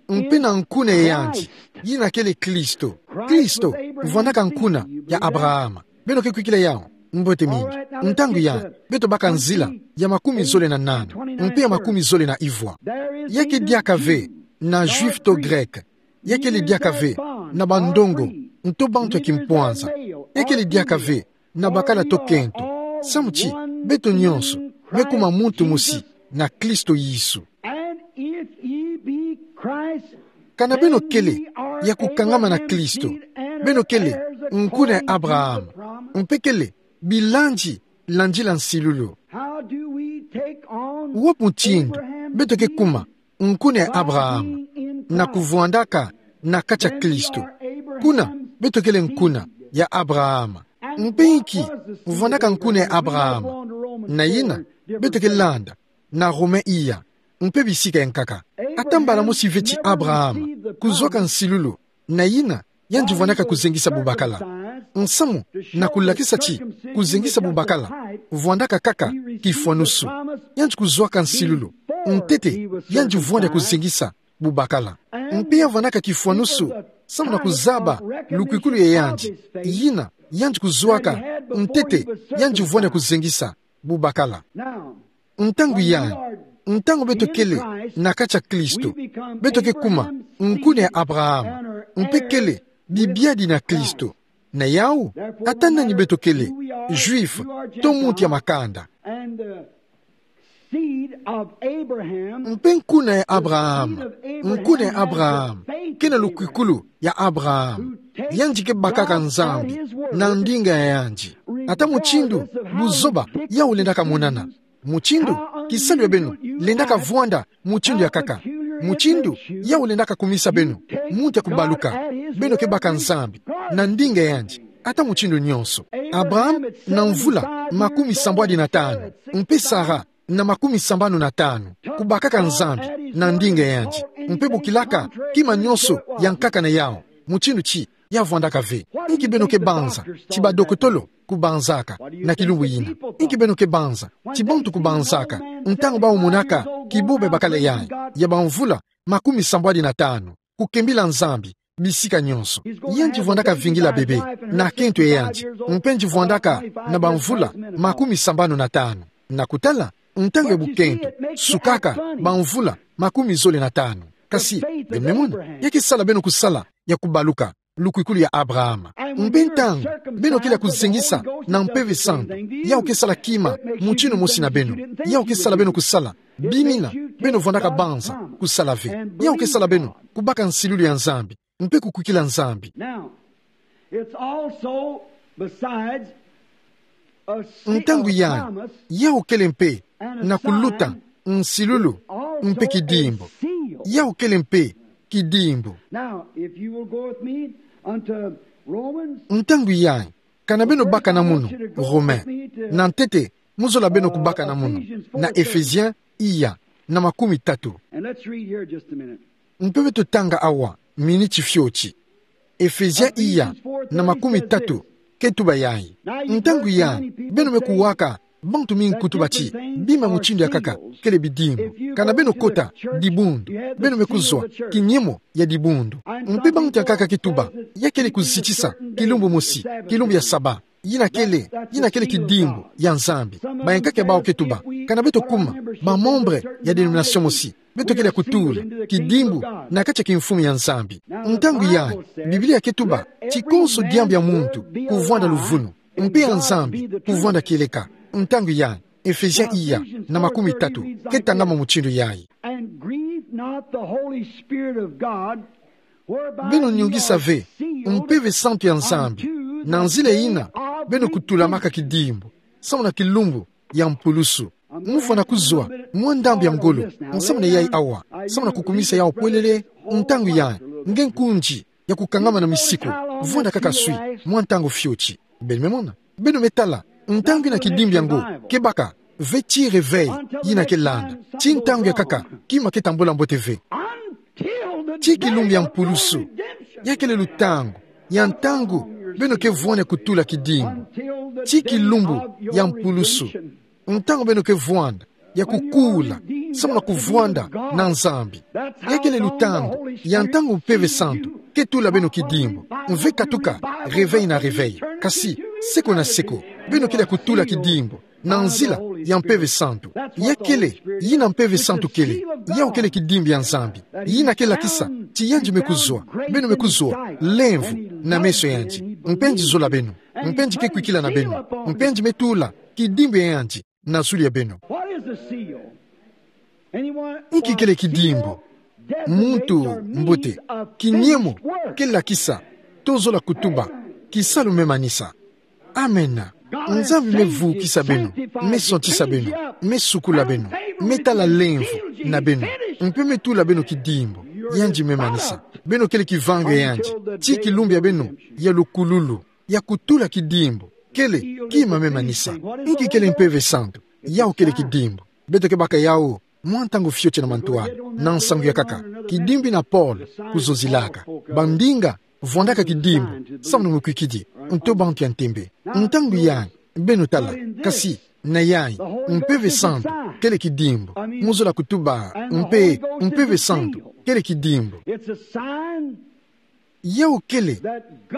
mpe na nku na yandi, yina kele Kristo. Kristo vwandaka nkuna ya Abraham. Beno ke kwikila yau? Mbote mingi. Ntangu yai, beto baka nzila ya makumi zole na nana, mpe ya makumi zole na ivwa. Ya ke diaka ve na Juif to Grek. Ya kele diaka ve na bandongo, nto bantu ya kimpwanza. Ya kele diaka ve na bakala to kento. Samu ti beto nyonso me kuma muntu mosi na Kristo Yesu. Kana beno kele ya kukangama na Kristo, beno kele nkuna ya Abraham, mpe kele bilandi, landila nsilulu. Wapi mutindu beto ke kuma nkuna ya Abraham? Na kuvwandaka na kati ya Kristo. Kuna, beto kele nkuna ya Abraham. Mpe inki vwandaka nkuna ya Abraham? Na yina, beto ke landa na Rome iya, mpe bisika ya nkaka. Ata mbala mosi ve ti Abraham kuzwaka nsilulu, na yina yandi vwandaka kuzengisa bubakala. Nsamu na kulakisa ti kuzengisa bubakala vwandaka kaka kifwanusu. Yandi kuzwaka nsilulu ntete yandi vwanda kuzengisa bubakala. Mpe ya vwandaka kifwanusu samu na kuzaba lukwikulu ya yandi. Yina yandi kuzwaka ntete yandi vwanda kuzengisa bubakala. Ntangu yai, ntangu beto kele na kati ya Kristo, beto ke kuma nkuna ya Abraham, mpe kele bibiadi na Kristo. Na yau, ata nani beto kele, Juif to muntu ya makanda. Mpe nkuna ya Abraham, nkuna ya Abraham, ke na lukwikulu ya Abraham, yandi ke bakaka Nzambi na ndinga ya yandi. Ata mutindu buzoba yau lendaka monana, mutindu kisalu ya beno lendaka vwanda mutindu ya nkaka, mutindu yau lendaka kumisa beno muntu ya kubaluka, beno ke baka Nzambi na ndinga ya yandi ata mutindu nyonso. Abraham na mvula makumi sambwadi na tanu, mpe Sara na makumi sambanu na tanu, kubakaka Nzambi na ndinga ya yandi, mpe bokilaka kima nyonso ya nkaka na yau, mutindu ti ya vwandaka ve. Inki beno ke banza ti badokotolo kubanzaka na kilumbu yina? Inki beno ke banza ti bantu kubanzaka ntangu bau monaka kibobe bakala yai ya bamvula makumi sambwadi na tanu, kukembila Nzambi bisika nyonso? Yandi vwandaka vingila bebe na kento ya yandi, mpe yandi vwandaka na bamvula makumi sambanu na tanu. Na kutala, ntangu ya bukento sukaka bamvula makumi zole na tanu. Kasi, beno me mona, ya ke sala beno kusala ya kubaluka lukwikulu ya Abraham. Mpe ntangu beno kele ya kuzengisa na Mpeve Santu, yau ke sala kima mutindu mosi na beno. Yau ke sala beno kusala bimina beno vwandaka banza kusala ve. Yau ke sala beno kubaka nsilulu ya Nzambi mpe kukwikila Nzambi. Ntangu yai, yau kele mpe na kuluta nsilulu Mpe kidimbu. Yau kele mpe kidimbu. Now, if you will go with me unto Romans. Ntangu yayi, kana beno baka na mono Romain. Na ntete, mozola beno kubaka na mono na Ephésiens iya, na makumi tatu. And let's read here just a minute. Mpe beto tanga awa, miniti fioti. Ephésiens iya, na makumi tatu, ke tuba yayi. Ntangu yayi, beno me kuwaka bantu mingi kutuba ti bima mutindu ya nkaka kele bidimbu. Kana beno kota dibundu, beno me kuzwa kinyemo ya dibundu. Mpe bantu ya nkaka ke tuba ya kele kuzitisa kilumbu mosi, kilumbu ya Saba. Yina kele, yina kele kidimbu ya Nzambi. Bayankaka ya bawu ke tuba, kana beto kuma ba membre ya dénomination mosi, beto kele ya kutula kidimbu na kati ya kimfumu ya Nzambi. Ntangu yayi, Biblia ke tuba ti konso diambu ya muntu kuvwanda luvunu, mpe ya Nzambi kuvwanda kieleka. Ntangu yayi, Ephésiens iya, na makumi tatu, ke tangama mutindu yayi. And grieve not the Holy Spirit of God, whereby ye are sealed unto the day of redemption. Beno nyungisa ve Mpeve Santu ya Nzambi, na nzila yina beno kutulamaka kidimbu, samu na kilumbu ya mpulusu. Mufwana kuzwa mwa ndambu ya ngolo, samu na yayi awa, samu na kukumisa yawu pwelele. Ntangu yayi, nge nkunzi ya kukangama na misiku, vwanda kaka swi mwa ntangu fioti. Beno me mona, beno me tala, ntangu yina kidimbu yango ke baka, ve ti réveil yina ke landa. Ti ntangu ya nkaka kima ke tambula mbote ve. Ti kilumbu ya mpulusu, ya kele lutangu ya ntangu beno ke vwanda kutula kidimbu. Ti kilumbu ya mpulusu, ntangu beno ke vwanda ya kukula, samu na kuvwanda na Nzambi. Ya kele lutangu ya ntangu Mpeve Santu ke tula beno kidimbu. Mve katuka, réveil na réveil. Kasi, seko na seko, beno kele ya kutula kidimbu na nzila ya Mpeve Santu. Ya kele yina Mpeve Santu kele, yawu kele kidimbu ya Nzambi. Yina ke lakisa ti yandi me kuzwa, beno me kuzwa lemvo na meso yandi. Mpe yandi zola beno, mpe yandi ke kwikila na beno, mpe yandi me tula kidimbu ya yandi na zulu ya beno. What is a seal? Anyone? Nki kele kidimbu? Muntu mbote, kinyemo ke lakisa, to zola kutuba, kisalu me manisa. Amen. Nzambi me vukisa beno, me santisa beno, me sukula beno, me tala lemvo na beno, mpe me tula beno kidimbu. Yandi me manisa. Beno kele kivangu ya yandi ti kilumbu ya beno ya lukululu ya kutula kidimbu. Kele kima me manisa. Nki kele Mpeve Santu? Yawu kele kidimbu. Beto ke baka yawu mwa ntangu fioti na mantwala, na nsangu ya nkaka. Kidimbu yina Paul kuzonzilaka. Bandinga vwandaka kidimbu samu na mukwikidi, nto bantu ya ntembe. Ntangu yayi, beno tala, kasi na yayi, Mpeve Santu kele kidimbu. Muzola kutuba mpe Mpeve Santu kele kidimbu. It's a sign. Yawu kele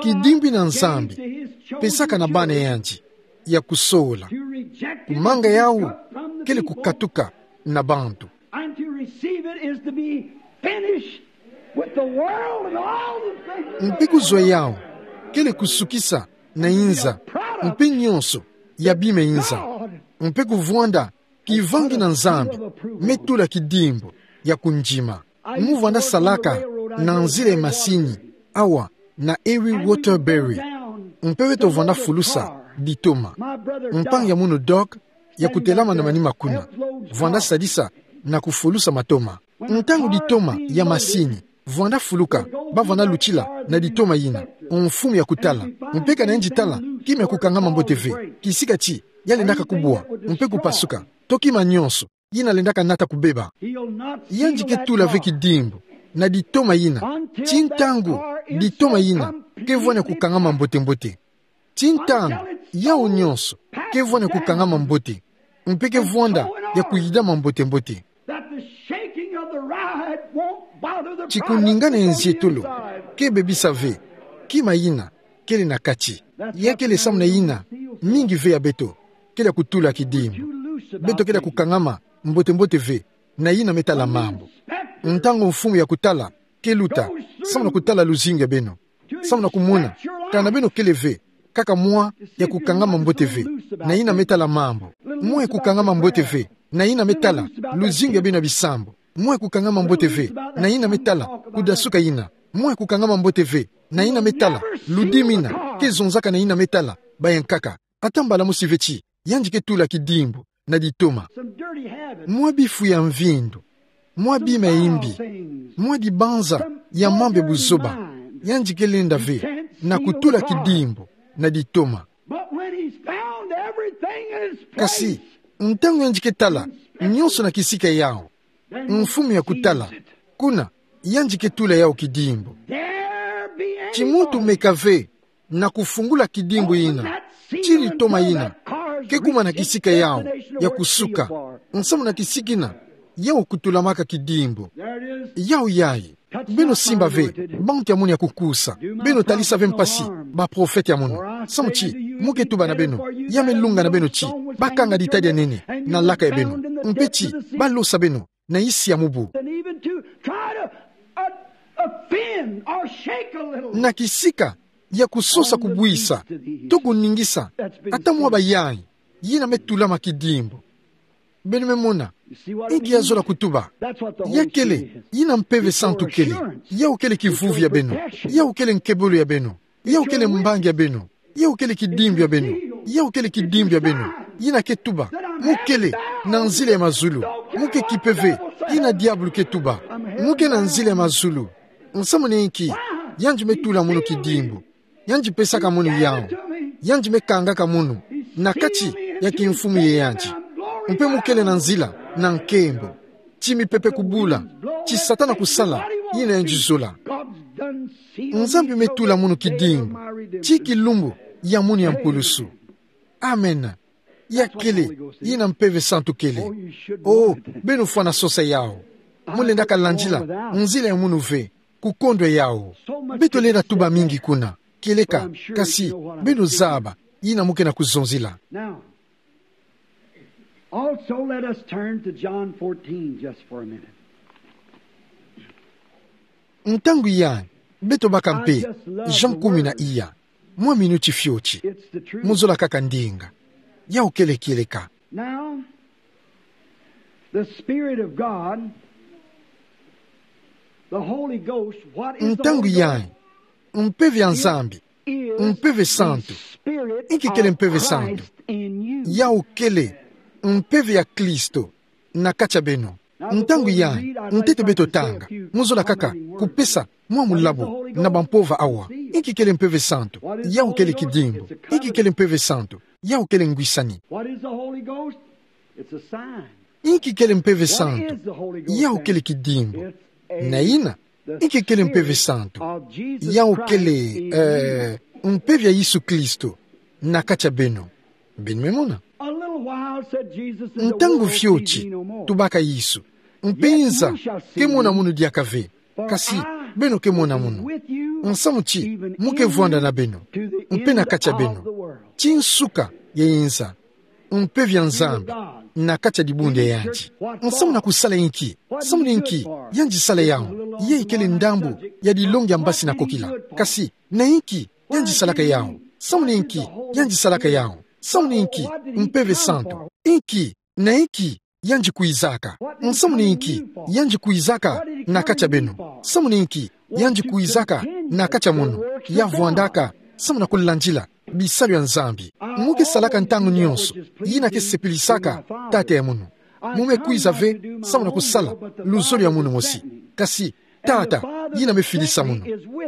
kidimbu yina Nzambi pesaka na bana yandi ya kusola. Kumanga yawu kele kukatuka na bantu. And to receive it is to be finished with the world and all the things. Mpe kuzwa yawu kele kusukisa na inza, mpe nyonso ya bima inza. Mpe kuvwanda kivangi na Nzambi me tula kidimbu ya kundima. Muvwanda salaka na nzila ya masini awa na Erie Waterbury. Mpe beto vwanda fulusa ditoma. Mpangi ya munu Doc ya kutelama na manima kuna, vwanda sadisa na kufulusa matoma. Ntangu ditoma ya masini vwanda fuluka, ba vwanda lutila na ditoma yina, mfumu ya kutala. Mpe kana yandi tala kima ya kukangama mbote ve, kisika ti ya lendaka kubwa mpe kupasuka, to kima nyonso yina lendaka nata kubeba. Yandi ke tula ve kidimbu na ditoma yina ti ntangu ditoma yina ke vwanda kukangama mbote-mbote. Ti ntangu yawu nyonso ke vwanda kukangama mbote, mpe ke vwanda ya kuyidama mbote-mbote. That the shaking of the ride won't bother the product of the inside. Ti kuningana ya nzietolo ke bebisa ve kima yina kele na kati. Ya kele samu na yina mingi ve ya beto kele ya kutula kidimbu. Beto kele ya kukangama mbote-mbote ve na yina me tala mambu. Ntangu mfumu ya kutala ke luta, samu na kutala luzingu ya beno, samu na kumona kana beno kele ve kaka mwa ya kukangama mbote ve na yina me tala mambu, mwa ya kukangama mbote ve na yina me tala luzingu ya beno ya bisambu, mwa ya kukangama mbote ve na yina me tala kudasuka yina, mwa ya kukangama mbote ve na yina me tala ludimi yina ke zonzaka na yina me tala bayankaka. Ata mbala mosi ve ti yandi ke tula kidimbu na ditoma. Mwa bifu ya mvindu mwa bima ya imbi, mwa dibanza ya mambu ya buzoba, yandi ke lenda ve na kutula kidimbu na ditoma. But when he's found everything in its place, kasi ntangu yandi ke tala nyonso na kisika yao, then he mfumu ya kutala, receives it. Kuna yandi ke tula yao kidimbu. There be any ti muntu thought meka ve na kufungula kidimbu yina, ti litoma yina ke kuma na kisika yao ya kusuka, nsamu na kisika yina yao kutulamaka kidimbu. Yao yayi. Beno simba ve bantu ya mono ya kukusa. Beno talisa ve mpasi baprofete ya mono. Samu ti, mo ke tuba na beno, ya me lunga na beno ti bakanga ditadi ya nene na laka ya beno, mpe ti balosa beno na isi ya mubu, and even to try to, uh, offend or shake a little. Na kisika ya kusosa, kubuisa, to kuningisa ata mwa bayayi yina me tulama kidimbu. Beno me mona. Inki yazola kutuba? Ya kele yina Mpeve Santu kele. Yao kele kivuvi ya beno. Yao kele nkebolo ya beno. Yao kele mbangi ya beno. Yao kele kidimbu ya beno. Yao kele kidimbu ya beno. Yina ke tuba: Mo kele na nzila ya mazulu. Mo ke kimpeve yina diabulu ke tuba. Mo ke na nzila ya mazulu. Nsamu na inki yandi me tula mono kidimbu? Yandi pesaka mono yao. Yandi me kangaka mono na kati ya kimfumu ya yandi. Mpe mo kele na nzila na nkembo. Ti mipepe kubula, ti Satana kusala yina yandi zola. Nzambi me tula mono kidimbu, ti kilumbu ya mono ya mpulusu. Amen. Ya kele yina Mpeve Santu kele. Oh, beno fwana sosa yao. Mo lendaka landila nzila ya mono ve, kukondwa yao. Beto lenda tuba mingi kuna, kieleka, kasi beno zaba yina mo ke na kuzonzila. Now, also let us turn to John fourteen just for a minute. Ntangu yayi, beto baka mpe Jean kumi na iya, mwa minuti fioti. It's the truth. Mo zola kaka ndinga. Yao kele kieleka. Now, the Spirit of God, the Holy Ghost, what is the Holy Ghost? Ntangu yayi, Mpeve ya Nzambi, Mpeve Santu. Inki kele Mpeve Santu? Yao kele Mpeve ya Kristo na kati ya beno. Ntangu yayi, ntete beto tanga, mo zola kaka kupesa mwa mulabo na bampova awa. Inki kele Mpeve Santu? Yao kele kidimbu. Inki kele Mpeve Santu? Yao kele ngwisani. What is the Holy Ghost? It's a sign. Inki kele Mpeve Santu? Yao kele kidimbu. Na yina, inki kele Mpeve Santu? Yao kele, eh, Mpeve ya Yesu Kristo na kati ya beno. Beno me mona. A little while, said Jesus, and the world will see me no more. Ntangu fioti, tubaka Yesu. Mpe inza ke mona mono diaka ve. Kasi beno ke mona mono. Nsamu ti mo ke vwanda na beno, mpe na kati ya beno, ti nsuka ya inza. Mpeve ya Nzambi na kati ya dibundu ya yandi. Nsamu na kusala inki? Samu na inki yandi sala yao? Yayi kele ndambu ya dilongi ya mbasi na kokila. Kasi na inki yandi salaka yao? Samu na inki yandi salaka yao? Samu na inki Mpeve Santu? Inki na inki yandi kwizaka? Nsamu na inki yandi kwizaka na kati ya beno? Samu na inki yandi kwizaka na kati ya mono? Ya vwandaka samu na kulandila bisalu ya Nzambi. Mo ke salaka ntangu nyonso yina ke sepilisaka Tata ya mono. Mo me kwiza ve samu na kusala luzolo ya mono mosi. Kasi Tata yina me fidisa mono.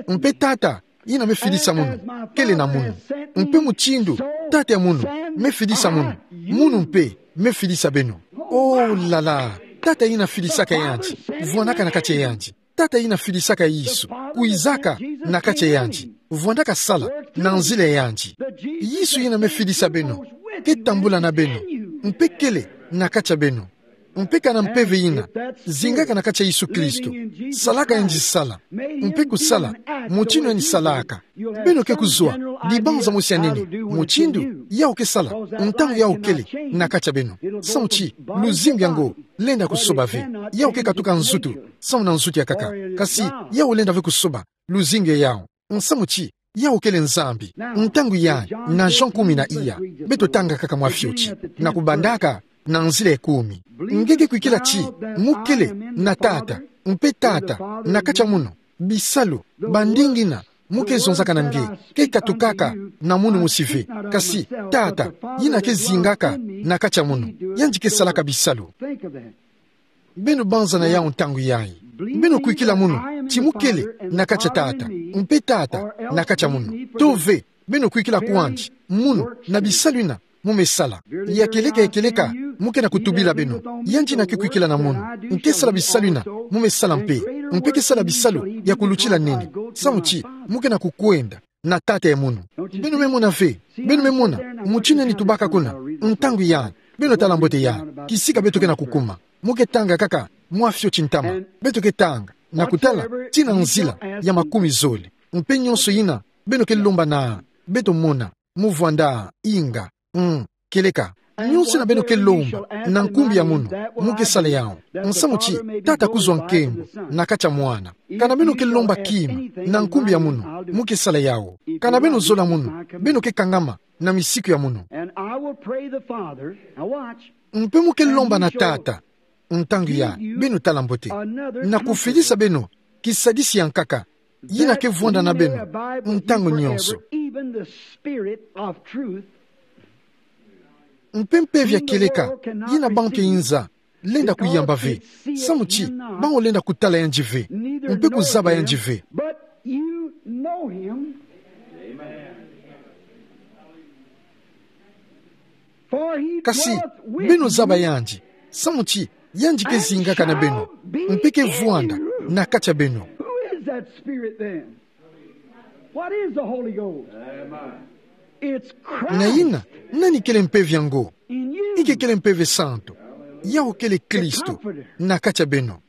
Mpe Tata yina me fidisa mono kele na mono. Mpe mutindu Tata ya mono me fidisa mono, mono mpe me fidisa beno. Oh là là, Tata yina fidisaka yandi, vwandaka na kati ya yandi. Tata yina fidisaka Yesu kwizaka na kati ya yandi, vwandaka sala na nzila ya yandi. Yesu yina me fidisa beno ke tambula na beno, mpe kele na kati ya beno. Mpe kana mpeve yina zingaka na kati ya Yesu Kristo, salaka yandi sala, mpe kusala mutindu yandi salaka, beno ke kuzwa dibanza mosi ya nene mutindu yao ke sala, ntangu yao kele na kati ya beno. Samu ti luzingu yango lenda kusoba ve. Yao ke katuka nzutu samu na nzutu ya nkaka. Kasi yao lenda ve kusoba luzingu ya yao. Nsamu ti yao kele Nzambi. Ntangu yayi, na Jean kumi na iya, beto tanga kaka mwa fioti, na kubandaka na nzila ya kumi. Nge ke kwikila ti mo kele na Tata, mpe Tata na kati ya mono? Bisalu, bandingi yina mo ke zonzaka na nge ke katukaka na mono mosi ve. Kasi Tata yina ke zingaka na kati ya mono, yandi ke salaka bisalu. Beno banzana yawu ntangu yayi. Beno kwikila munu ti mu kele na katsa Tata, mpe Tata na katsa munu. To ve, beno kwikila kwandi munu na bisalu yina mu me sala. Ya kieleka, ya kieleka mu ke na kutubila beno. Yandi yina ke kwikila na munu, nke sala bisalu yina mu me sala mpe. Mpe ke sala bisalu ya kulutila nene. Samu ti mu ke na kukwenda na Tata ya munu. Beno me mona ve, beno me mona mutindu nani tubaka kuna. Ntangu yandi, beno tala mbote yandi, kisika beto ke na kukuma. Mu ke tanga kaka mwa fioti ntama. Beto ke tanga na kutala tii na nzila ya makumi zole. Mpe nionso yina beno ke lomba na beto mona, mu vwanda inga. Mm, kieleka. Nionso yina beno ke lomba na nkumbu ya munu, mu ke sala yawu. Nsamu ti Tata kuzwa nkembo na katsa Mwana. Kana beno ke lomba kima na nkumbu ya munu, mu ke sala yawu. Kana beno zola munu, beno ke kangama na misiku ya munu. And I will pray the Father. Now watch. Mpe mu ke lomba na Tata. Ntangu ya, beno tala mbote, na kufidisa beno kisadisi ya nkaka, yina ke vwanda na beno ntangu nionso. Even the Spirit of truth. Mpe mpeve ya kieleka, yina bantu ya inza lenda kuyamba ve. Samu ti bawu lenda kutala yandi ve, mpe kuzaba yandi ve. But you know him. Kasi beno zaba yandi, samu ti yandi ke zingaka na beno, mpe ke vwanda na kati ya beno. Who is that Spirit then? What is the Holy Ghost? It's Christ. Na yina, nani kele mpeve yango? Inki kele Mpeve Santu? Yawu kele Kristo na kati ya beno.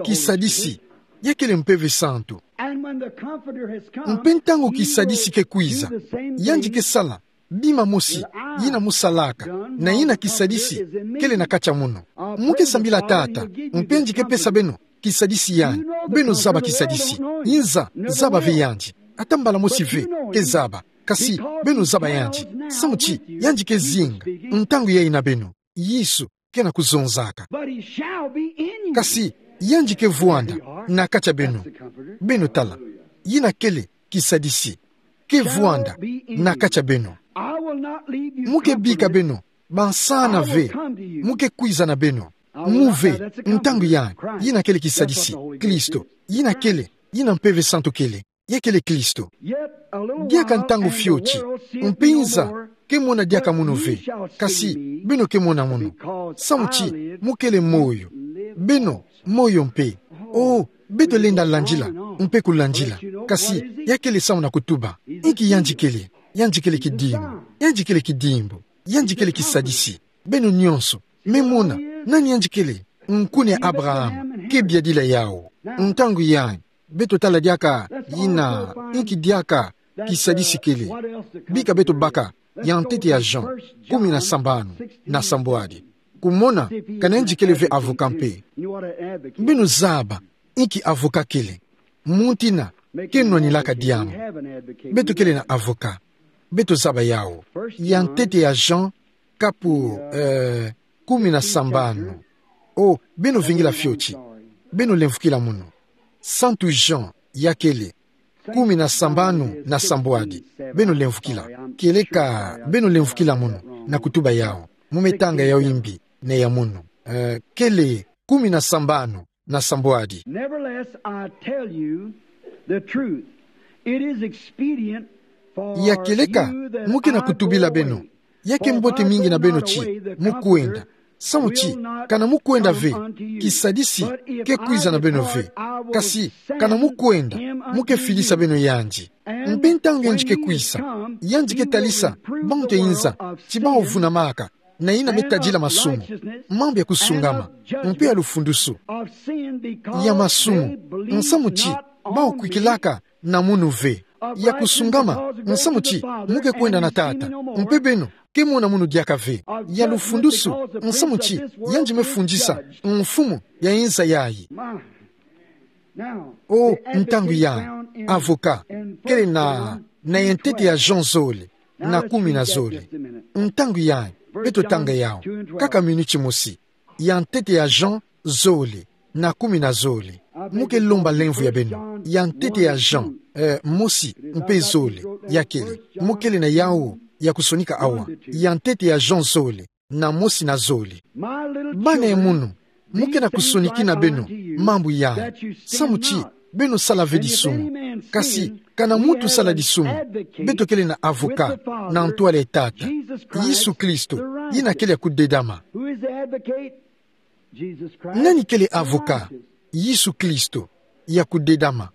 Kisadisi, ya kele Mpeve Santu. And when the Comforter has come, mpe ntangu kisadisi ke kwiza, yandi ke sala bima mosi yina mu salaka, na yina kisadisi kele na kati ya munu. Mu ke sambila Tata, mpe yandi ke pesa beno kisadisi yandi. Beno zaba kisadisi. Inza zaba ve yandi. Ata mbala mosi ve ke zaba. Kasi beno zaba yandi. Samu ti yandi ke zinga ntangu yayi na beno. Yesu ke na kuzonzaka. But he shall be in you. Kasi yandi ke vwanda na kati ya beno. Beno tala. Yina kele kisadisi. Ke vwanda na kati ya beno. I will not leave you comfortless. Mu ke bika beno bansana ve. I will come to you. Mu ke kwiza na beno. Mu ve, ntangu ya, yina kele kisadisi, Kristo. Yina kele, yina Mpeve Santu kele. Ya kele Kristo. Diaka ntangu fioti, mpe inza ke mona diaka munu ve. Kasi beno ke mona munu. Samu ti mu kele moyo. Beno moyo mpe. Oh, beto lenda landila, mpe kulandila. Kasi ya kele samu na kutuba. Inki yandi kele? Yandi kele kidimbu. Yandi kele kidimbu. Yandi kele kisadisi. Beno nionso me mona nani yandi kele. Nkuna ya Abraham ke biadila yawu. Ntangu yayi, beto tala diaka yina, inki diaka kisadisi kele. Bika beto baka ya ntete ya Jean kumi na sambanu na sambwadi. Kumona kana yandi kele ve avocat mpe. Beno zaba inki avocat kele. Muntu yina ke nwanilaka diambu. Beto kele na avocat. Beto zaba yawu. Ya ntete ya Jean, kapu, eh, kumi na sambanu. Oh, beno vingila fioti. Beno lemvukila munu. Santu Jean, ya kele kumi na sambanu na sambwadi. Beno lemvukila. Kieleka beno lemvukila munu na kutuba yawu. Mu me tanga yawu imbi na ya munu. Eh, kele kumi na sambanu na sambwadi. Nevertheless, I tell you the truth. It is expedient for you that I go away. Ya kieleka, mu ke na kutubila beno. Ya ke mbote mingi na beno ti mu kwenda. Samu ti kana mu kwenda ve, kisadisi ke kwiza na beno ve. Kasi kana mu kwenda, mu ke fidisa beno yandi. Mpe ntangu yandi ke kwiza, yandi ke talisa bantu ya inza ti bawu vunamaka na yina me tadila masumu, mambu ya kusungama, mpe ya lufundusu ya masumu, nsamu ti bawu kwikilaka na munu ve. Ya kusungama, nsamu ti mu ke kwenda na Tata, mpe beno ke mona munu diaka ve. Ya lufundusu, nsamu ti yandi me fundisa mfumu ya inza yayi. Oh, ntangu ya avocat kele na, na ya ntete ya Jean zole na kumi na zole. Ntangu yayi, beto tanga yawu kaka miniti mosi. Ya ntete ya Jean zole na kumi na zole. Mu ke lomba lemvo ya beno. Ya ntete ya Jean, eh, mosi mpe zole, ya kele. Mu kele na yawu ya kusonika awa. Ya ntete ya Jean zole na mosi na zole. Bana ya munu, Mo ke na kusonikina beno mambu yayi, samu ti beno sala ve disumu. Kasi, kana muntu sala disumu, beto kele na avocat na ntwala ya Tata, Yesu Kristo, yina kele ya kudedama. Nani kele avocat? Yesu Kristo, ya kudedama.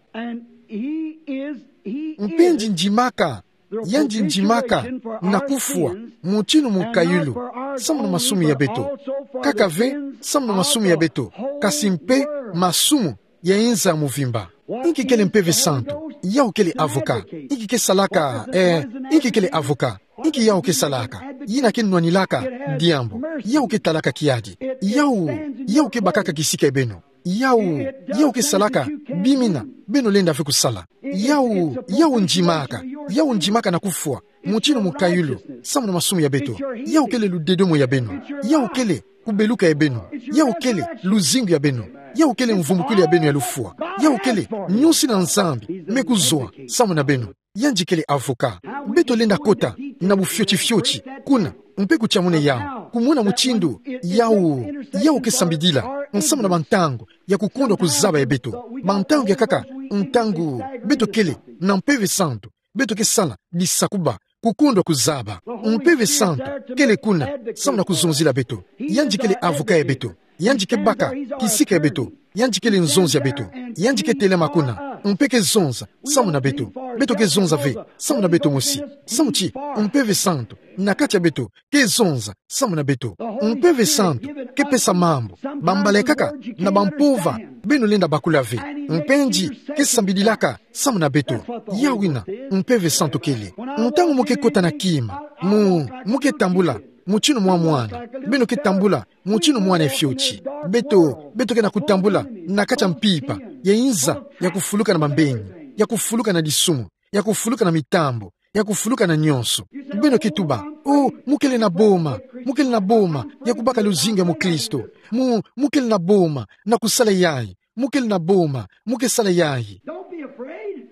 Mpe ndindimaka, yandi ndimaka na kufwa, mutinu mukayulu, samu na masumu ya beto. Kaka ve, samu na masumu ya beto, kasi mpe masumu ya inza muvimba. Inki kele Mpeve Santu? Yawu kele avocat. Inki ke salaka, eh, inki kele avocat? Inki yawu ke salaka? Yina ke nwanilaka diambu. Yawu ke talaka kiadi. Yawu, yawu ke bakaka kisika ya beno. Yawu, yawu ke salaka bimina beno lenda ve kusala. Yawu, yawu ndimaka, yawu ndimaka na kufwa, mutinu mukayulu, samu na masumu ya beto. Yawu kele ludedomo ya beno. Yawu kele kubeluka ya beno. Yawu kele luzingu ya beno. Yawu kele mvumbukulu ya beno ya lufwa. Yawu kele nyosi na Nzambi me kuzwa samu na beno. Yandi kele avocat. Beto lenda kota na bufiotifioti kuna, mpe kutia muna yawu, kumona mutindu yawu, yawu ke sambidila nsamu na bantangu ya kukondwa kuzaba ya beto. Bantangu ya nkaka, ntangu beto kele na Mpeve Santu, beto ke sala disakuba, kukondwa kuzaba. Mpeve Santu kele kuna samu na kuzonzila beto. Yandi kele avocat ya beto. Yandi ke baka kisika ya beto. Yandi kele nzonzi ya beto. Yandi ke telema kuna, mpe ke zonza samu na beto. Beto ke zonza ve samu na beto mosi, samu ti Mpeve Santu na kati ya beto ke zonza samu na beto. Mpeve Santu ke pesa mambu, bambala ya nkaka na bampova beno lenda bakula ve. Mpe yandi ke sambidilaka samu na beto. Yawu yina Mpeve Santu kele. Ntangu mo ke kota na kima, mo, mo ke tambula mutinu mwa mwana. Beno ke tambula mutinu mwana ya fioti. Beto, beto ke na kutambula na kati ya mpimpa ya inza ya kufuluka na mambeni, ya kufuluka na disumu, ya kufuluka na mitambu, ya kufuluka na nyonso. Beno ke tuba: "Oh, mo kele na boma, mo kele na boma ya kubaka luzingu ya mukristo. Mo, mo kele na boma na kusala yayi. Mo kele na boma, mo ke sala yayi." Don't be afraid.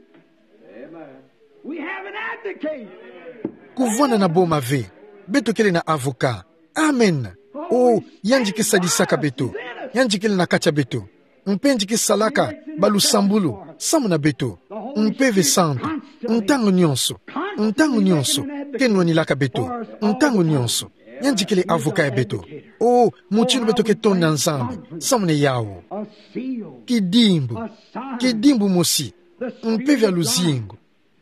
We have an advocate. Kuvwanda na boma ve. Beto kele na avocat. Amen. Oh, yandi ke sadisaka beto. Yandi kele na kati ya beto. Mpe yandi ke salaka balusambulu samu na beto. Mpeve Santu, ntangu nyonso, ntangu nyonso, ke nwanilaka beto. Ntangu nyonso. Yandi kele avocat ya beto. Oh, mutinu beto ke tonda Nzambi samu na yawu. Kidimbu, kidimbu mosi, Mpeve ya luzingu,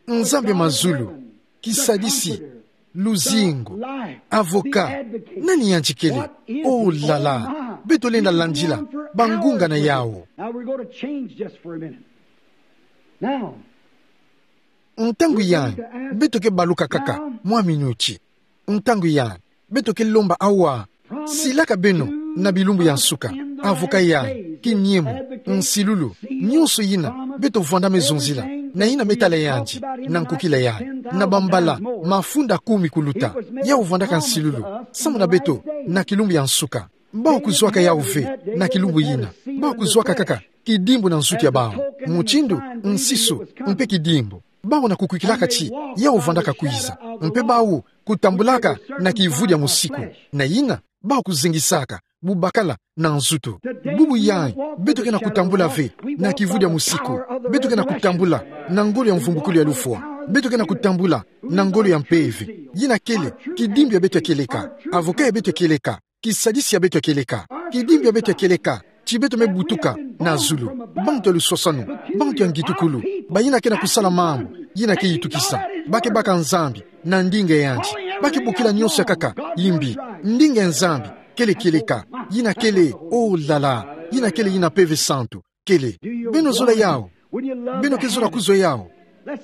Nzambi ya mazulu, kisadisi, luzingu, avocat. Nani yandi kele? Oh là là. Beto lenda landila bangunga na yawu. Now we're going to change just for a minute. Now, ntangu yayi, beto ke baluka kaka mwa minuti. Ntangu yayi, beto ke lomba awa: Silaka beno na bilumbu ya nsuka, avocat yayi, kiniemo, nsilulu, nyonso yina beto vwandame zonzila, na yina me tala yandi na nkukila yayi, na bambala mafunda kumi kuluta. Yawu vwandaka nsilulu samu na beto na kilumbu ya nsuka. Bawu kuzwaka yawu ve na kilumbu yina. Bawu kuzwaka kaka kidimbu na nsuka ya bawu, mutindu nsisu mpe kidimbu. Bawu na kukwikilaka ti yawu vwandaka kwiza, mpe bawu kutambulaka na kivudia musiku. Na yina, bawu kuzengisaka bubakala na nzutu. Bubu yayi, beto ke na kutambula ve na kivudia musiku. Beto ke na kutambula na ngolo ya mvumbukulu ya lufwa. Beto ke na kutambula na ngolo ya mpeve. Yina kele kidimbu ya beto ya kieleka, avocat ya beto ya kieleka, kisadisi ya beto ya kieleka. Kidimbu ya beto ya kieleka, ti beto me butuka na zulu, bantu ya luswaswanu, bantu ya ngitukulu, bayina ke na kusala mambu yina ke yitukisa. Ba ke baka Nzambi na ndinga ya yandi. Ba ke bokila nyonso ya nkaka yimbi. Ndinga ya Nzambi kele kieleka. Yina kele, oh là là, yina kele yina Mpeve Santu kele. Beno zola yawu? Beno ke zola kuzwa yawu?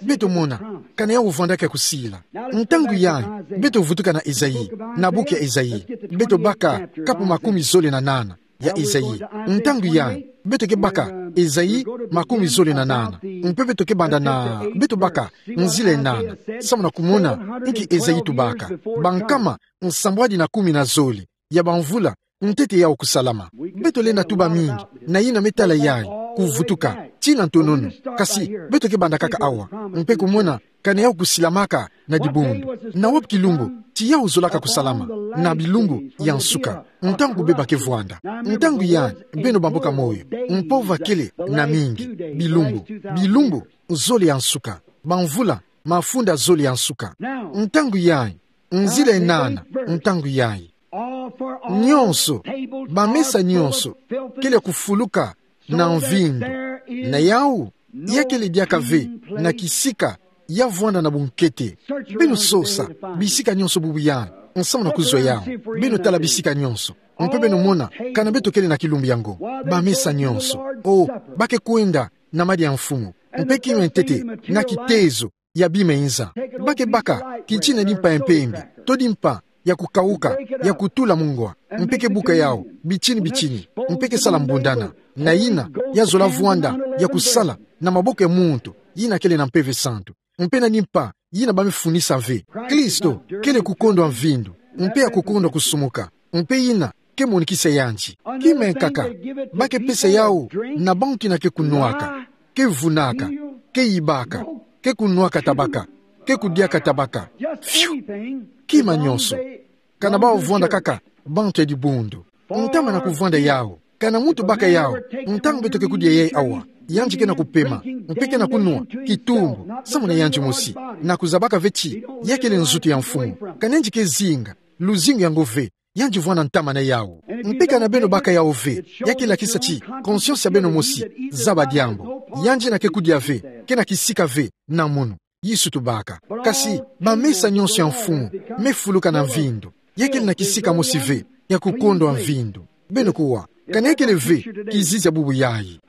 Beto mona kana yawu vwandaka ya kusila. Ntangu yayi, beto vutuka na Esaïe, na buku ya Esaïe. Beto baka kapu makumi zole na nana ya Esaïe. Ntangu yayi, beto ke baka Esaïe makumi zole na nana. Mpe beto ke banda na, beto baka nzila ya nana, samu na kumona inki Esaïe tubaka. Bankama nsambwadi na kumi na zole ya bamvula ntete yawu kusalama. Beto lenda tuba mingi na yina me tala yayi, kuvutuka, tina ntonono. Kasi beto ke banda kaka awa, mpe kumona Kana yau kusilamaka na dibundu. Na wapi kilumbu ti yau zolaka kusalama? Na bilumbu ya nsuka, ntangu beba ke vwanda. Ntangu yai, beno bamboka moyo, mpova kele na mingi. Bilumbu, bilumbu zole ya nsuka. Bamvula, mafunda zole ya nsuka. Ntangu yai, nzila enana, ntangu yai. Nionso, bamesa nionso kele kufuluka na mvindu. Na yau, ya kele diaka ve na kisika ya vwanda na bunkete. Beno sosa bisika nionso bubu yai, nsamu na kuzwa yau. Beno tala bisika nionso, mpe beno mona kana beto kele na kilumbu yango. Bamesa nionso, o, ba ke kwenda na madia ya mfumu, mpe kima ntete na kitezo ya bima inza. Ba ke baka kiti na dimpa ya mpembe, to dimpa ya kukauka, ya kutula mungwa, mpe ke buka yau bitini bitini, mpe ke sala mbundana. Na yina ya zola vwanda ya kusala na maboko ya muntu yina kele na Mpeve Santu, mpe na dimpa yina ba me funisa ve. Kristo kele kukondwa mvindu, mpe ya kukondwa kusumuka, mpe yina ke monikisa yandi. Kima nkaka ba ke pesa yau na bantu yina ke kunwaka, ke vunaka, ke yibaka, ke kunwaka tabaka, ke kudiaka tabaka. Fiu! Kima nionso. Kana bau vwanda kaka bantu ya dibundu. Ntama na kuvwanda yau. Kana muntu baka yau, ntangu beto ke kudia yai awa, yandi ke na kupema, mpe ke na kunwa kitumbu, samu na yandi mosi, na kuzabaka ve ti ya kele nzutu ya mfumu. Kana yandi ke zinga luzingu yango ve, yandi vwanda ntama na yau. Mpe kana beno baka yau ve, ya ke lakisa ti conscience ya beno mosi zaba diambu. Yandi yina ke kudia ve ke na kisika ve na munu. Yesu tubaka. Kasi bamesa nionso ya mfumu me fuluka na mvindu. Ya kele na kisika mosi ve ya kukondwa mvindu. Beno kuwa, kana ya kele ve kizizi ya bubu yai.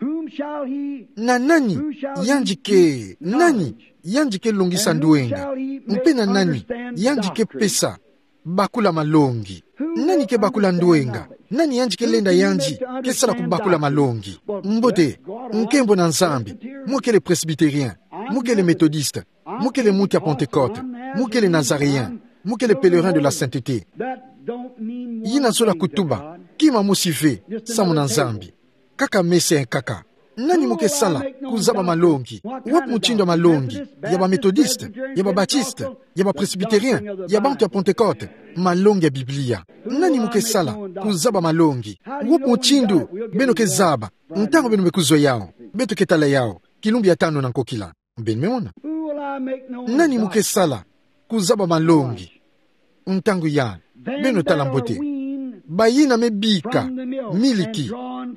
Na nani yandi ke, nani yandi ke longisa ndwenga? Mpe na nani yandi ke pesa bakula malongi? Nani ke bakula ndwenga? Nani yandi ke lenda yandi ke sala kubakula malongi? Mbote, nkembo na Nzambi, mu kele presbytérien, mu kele méthodiste, mu kele muntu ya Pentecôte, mu kele nazaréen, mu kele pèlerin de la sainteté. Yina zola kutuba kima mosi ve samu na Nzambi. Kaka mesa nkaka. Nani mu ke sala kuzaba malongi? Wapi mutindu ya malongi? Ya ba méthodiste, ya ba baptiste, ya ba presbytérien, ya bantu ya Pentecôte? Malongi ya Biblia. Nani mu ke sala kuzaba malongi? Wapi mutindu beno ke zaba ntangu beno me kuzwa yau? Beto ke tala yau kilumbu ya tanu na nkokila. Beno me mona. Nani mu ke sala kuzaba malongi ntangu yai? Beno tala mbote. Bayina me bika miliki,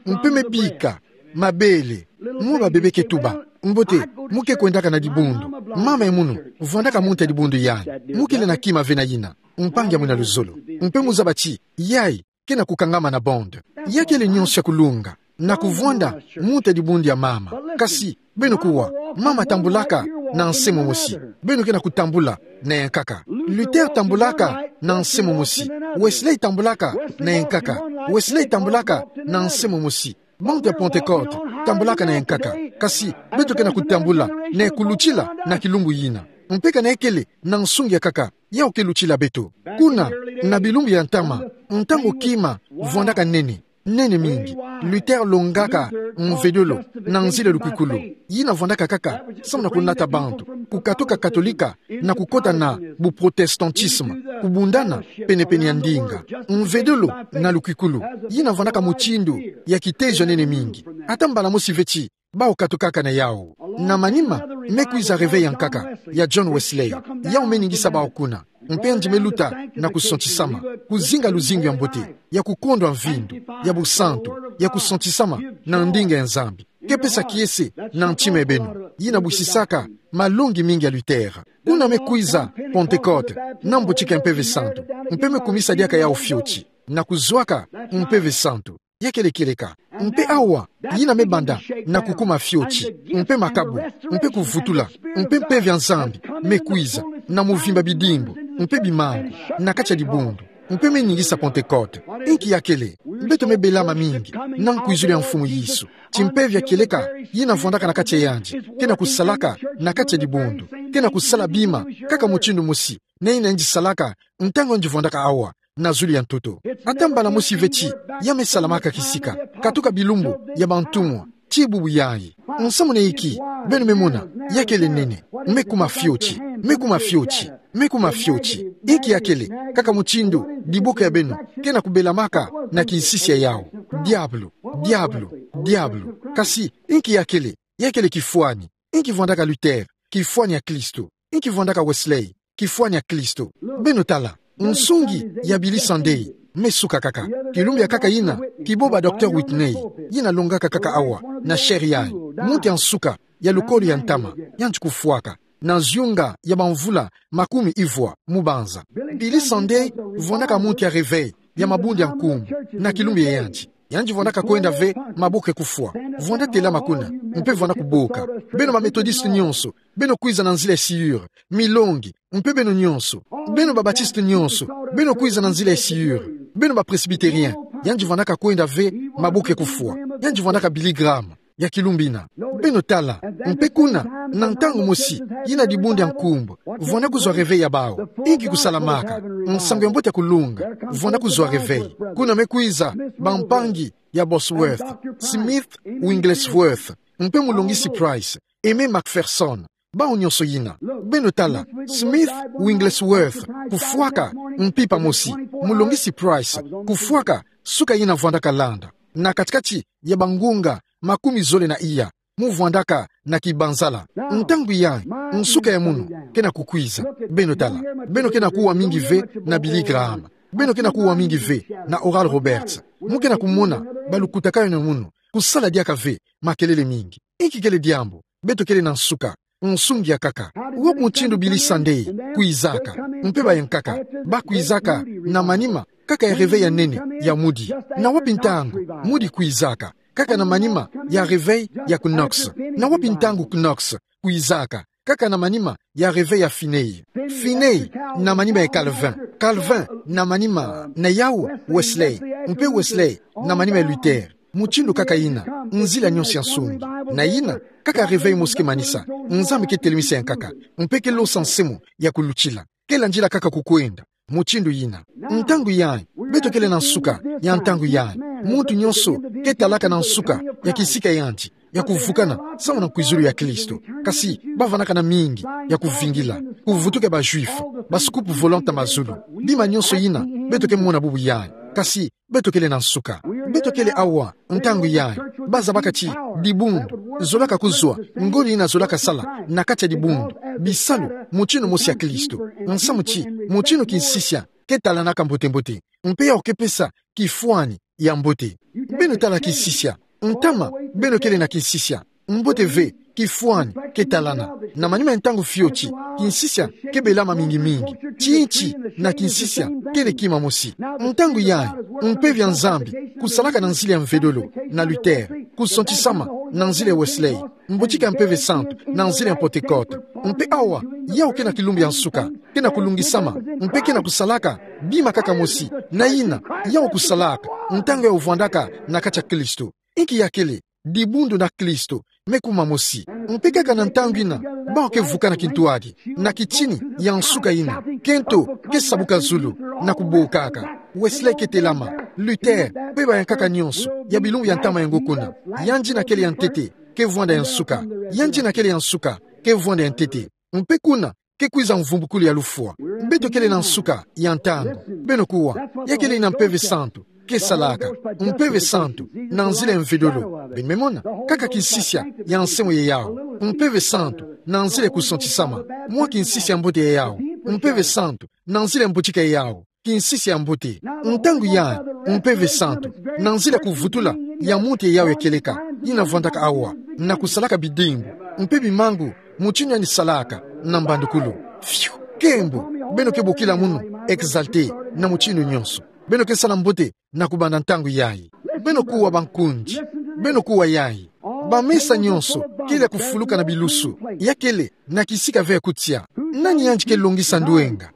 mpe me bika mabele. Mwa babebe ke tuba: Mbote, mu ke kwendaka na dibundu. Mama ya munu vwandaka muntu ya dibundu yai. Mu kele na kima ve na yina, mpangi ya mwina luzolo. Mpe mu zaba ti yai ke na kukangama na bande. Ya kele nionso ya kulunga na kuvwanda muntu ya dibundu ya mama. Kasi beno kuwa, mama tambulaka na nse momosi, beno ke na kutambula na ya nkaka. Luther tambulaka na nse momosi. Wesley tambulaka na ya nkaka. Wesley tambulaka na nse momosi. Bantu ya Pentecôte tambulaka na ya nkaka. Kasi beto ke na kutambula na ya kulutila na kilumbu yina. Mpe kana ya kele na nsungi ya nkaka, yau ke lutila beto. Kuna, na bilumbu ya ntama, ntangu kima vwandaka nene, nene mingi, Luther longaka mvedolo na nzila ya lukwikulu, yina vwandaka kaka samu na kunata bantu kukatuka Katolika na kukota na buprotestantisme, kubundana penepene ya ndinga. Mvedolo na lukwikulu, yina vwandaka mutindu ya kitezo ya nene mingi. Ata mbala mosi ve ti bau katukaka na yau. Na manima me kwiza Réveil ya nkaka ya John Wesley. Yau me ningisa bau kuna. Mpe yandi me luta na kusantisama, kuzinga luzingu ya mbote, ya kukondwa mvindu, ya busantu, ya kusantisama na ndinga ya Nzambi. Ke pesa kiese na ntima ya beno. Yina bwisisaka malongi mingi ya Luther. Kuna me kwiza Pentecôte, na mbotiki ya Mpeve Santu, mpe me kumisa diaka yau fioti na kuzwaka Mpeve Santu. Ya kele kieleka. Mpe awa, yina me banda na kukuma fioti, mpe makabu, mpe kuvutula, mpe Mpeve ya Nzambi me kwiza na muvimba bidimbu mpe bimangu na kati ya dibundu, mpe me ningisa Pentecôte. Inki ya kele? Beto me belama mingi na nkwizulu ya Mfumu Yesu. Timpeve ya kieleka yina vwandaka na kati ya yandi ke na kusalaka na kati ya dibundu, ke na kusala bima kaka mutindu mosi na yina yandi salaka ntangu yandi vwandaka awa na zulu ya ntoto. Ata mbala mosi ve ti ya me salamaka kisika, katuka bilumbu ya bantumwa, Ti bubu yayi. Nsamu na inki, beno me mona, ya kele nene, me kuma fioti, me kuma fioti, me kuma fioti. Inki ya kele, kaka mutindu diboko ya beno kena kubelamaka na kinsisia yawu. Diabulu, diabulu, diabulu. Kasi, inki ya kele, ya kele kifwani. Inki vwandaka Luther, kifwani ya Kristo. Inki vwandaka Wesley, kifwani ya Kristo. Beno tala, nsungi ya Billy Sunday me suka kaka. Kilumbu ya nkaka yina, kibo ba Docteur Whitney, yina longaka kaka awa na chaire yayi. Muntu ya nsuka ya lukolo ya ntama, yandi kufwaka na nzunga ya bamvula makumi ivwa mu banza. Billy Sunday vwandaka muntu ya réveil ya mabundu ya nkumbu na kilumbu ya yandi. Yandi vwandaka kwenda ve maboko ya kufwa. Vwanda telama kuna, mpe vwanda kuboka: Beno ba Methodiste nyonso, beno kwiza na nzila ya sciure. Milongi, mpe beno nyonso. Beno ba Baptiste nyonso, beno kwiza na nzila ya sciure. Beno ba Presbytérien. Yandi vwandaka kwenda ve maboko ya kufwa. Yandi vwandaka Billy Graham ya kilumbu yina. Beno tala, mpe kuna, na ntangu mosi, yina dibundu ya nkumbu vwanda kuzwa réveil ya bawu. Inki kusalamaka? Nsangu ya mbote ya kulunga vwanda kuzwa réveil. Kuna me kwiza bampangi ya Bosworth, Smith Wigglesworth, mpe Mulongisi Price, Aimé McPherson, bawu nyonso yina. Beno tala, Smith Wigglesworth kufwaka mpimpa mosi, Mulongisi Price kufwaka suka yina vwandaka landa, na kati-kati ya bangunga makumi zole na iya mu vwandaka na kibanzala. Ntangu yayi, nsuka ya munu kena kukwiza. Beno tala, beno kena kuwa mingi ve na Billy Graham. Beno kena kuwa mingi ve na Oral Roberts. Mu kena kumona balukutakanu ya munu kusala diaka ve makelele mingi. Inki kele diambu? Beto kele na nsuka. Nsungi ya nkaka. Wapi mutindu Billy Sunday kwizaka, mpe bayankaka, ba kwizaka na manima kaka ya réveil ya nene ya mudi? Na wapi ntangu mudi kwizaka? Kaka na manima ya réveil ya Knox. Na wapi ntangu Knox kwizaka? Kaka na manima ya réveil ya Finney. Finney na manima ya Calvin. Calvin na manima na yawu Wesley. Mpe Wesley na manima ya Luther. Mutindu kaka yina, nzila nyonso ya nsungi. Na yina, kaka réveil mosi ke manisa, Nzambi ke telemisa yankaka, mpe ke losa nse mo ya kulutila. Ke landila kaka kukwenda mutindu yina. Ntangu yayi, beto kele na nsuka ya ntangu yayi. Muntu nyonso ke talaka na nsuka ya kisika ya yandi ya kuvukana samu na nkwizulu ya Kristo. Kasi bavwandaka na mingi ya kuvingila, kuvutuka ba Juifs, ba scoop volant ya mazulu. Bima nyonso yina beto ke mona bubu yayi. Kasi beto kele na nsuka. Beto kele awa ntangu yayi. Bazabaka ti dibundu zolaka kuzwa, ngolo yina zolaka sala na kati ya dibundu, bisalu mutindu mosi ya Kristo. Nsamu ti mutindu kinsisia ke talanaka mbote-mbote, mpe yawu ke pesa kifwani ya mbote. Beno tala kinsisia. Ntama, beno kele na kinsisia. Mbote ve, kifwani ke talana. Na manima ya ntangu fioti, kinsisia ke belama mingi-mingi. Tinti na kinsisia kele kima mosi. Ntangu yayi, mpeve ya Nzambi kusalaka na nzila ya mvedolo na Luther, kusontisama na nzila ya Wesley, mbotika ya Mpeve Santu na nzila ya Pentecote. Mpe awa, yawu ke na kilumbu ya nsuka, ke na kulungisama, mpe ke na kusalaka bima kaka mosi na yina yawu kusalaka ntangu yawu vwandaka na kati ya Kristo. Inki ya kele dibundu na Kristo, me kuma mosi. Mpe kaka na ntangu yina, bawu ke vukana kintwadi na kitini ya nsuka yina, kento ke sabuka zulu na kubokaka. Wesley ke telama, Luther, mpe bayankaka nyonso ya bilumbu ya ntama yango kuna. Yandi yina kele ya ntete ke vwanda ya nsuka. Yandi yina kele ya nsuka ke vwanda ya ntete. Mpe kuna ke kwiza mvumbukulu ya lufwa. Beto kele na nsuka ya ntangu. Beno kuwa, ya kele yina Mpeve Santu ke salaka. Mpeve Santu na nzila ya mvedolo. Beno me mona, kaka kinsisia ya nse mo ya yawu. Mpeve Santu na nzila ya kusontisama. Mwa kinsisia ya mbote ya yawu. Mpeve Santu na nzila ya mbotika ya yawu. Kinsisia ya mbote. Ntangu yayi, Mpeve Santu na nzila ya kuvutula ya muntu ya yawu ya kieleka, yina vwandaka awa na kusalaka bidimbu mpe bimangu, mutindu yandi salaka na mbandukulu. Fiu! Nkembo, beno ke bokila munu exalté na mutindu nyonso. Beno ke sala mbote na kubanda ntangu yayi. Beno kuwa, bankundi. Beno kuwa yayi. Bamesa nyonso kele ya kufuluka na bilusu. Ya kele na kisika ve ya kutia. Nani yandi ke longisa ndwenga?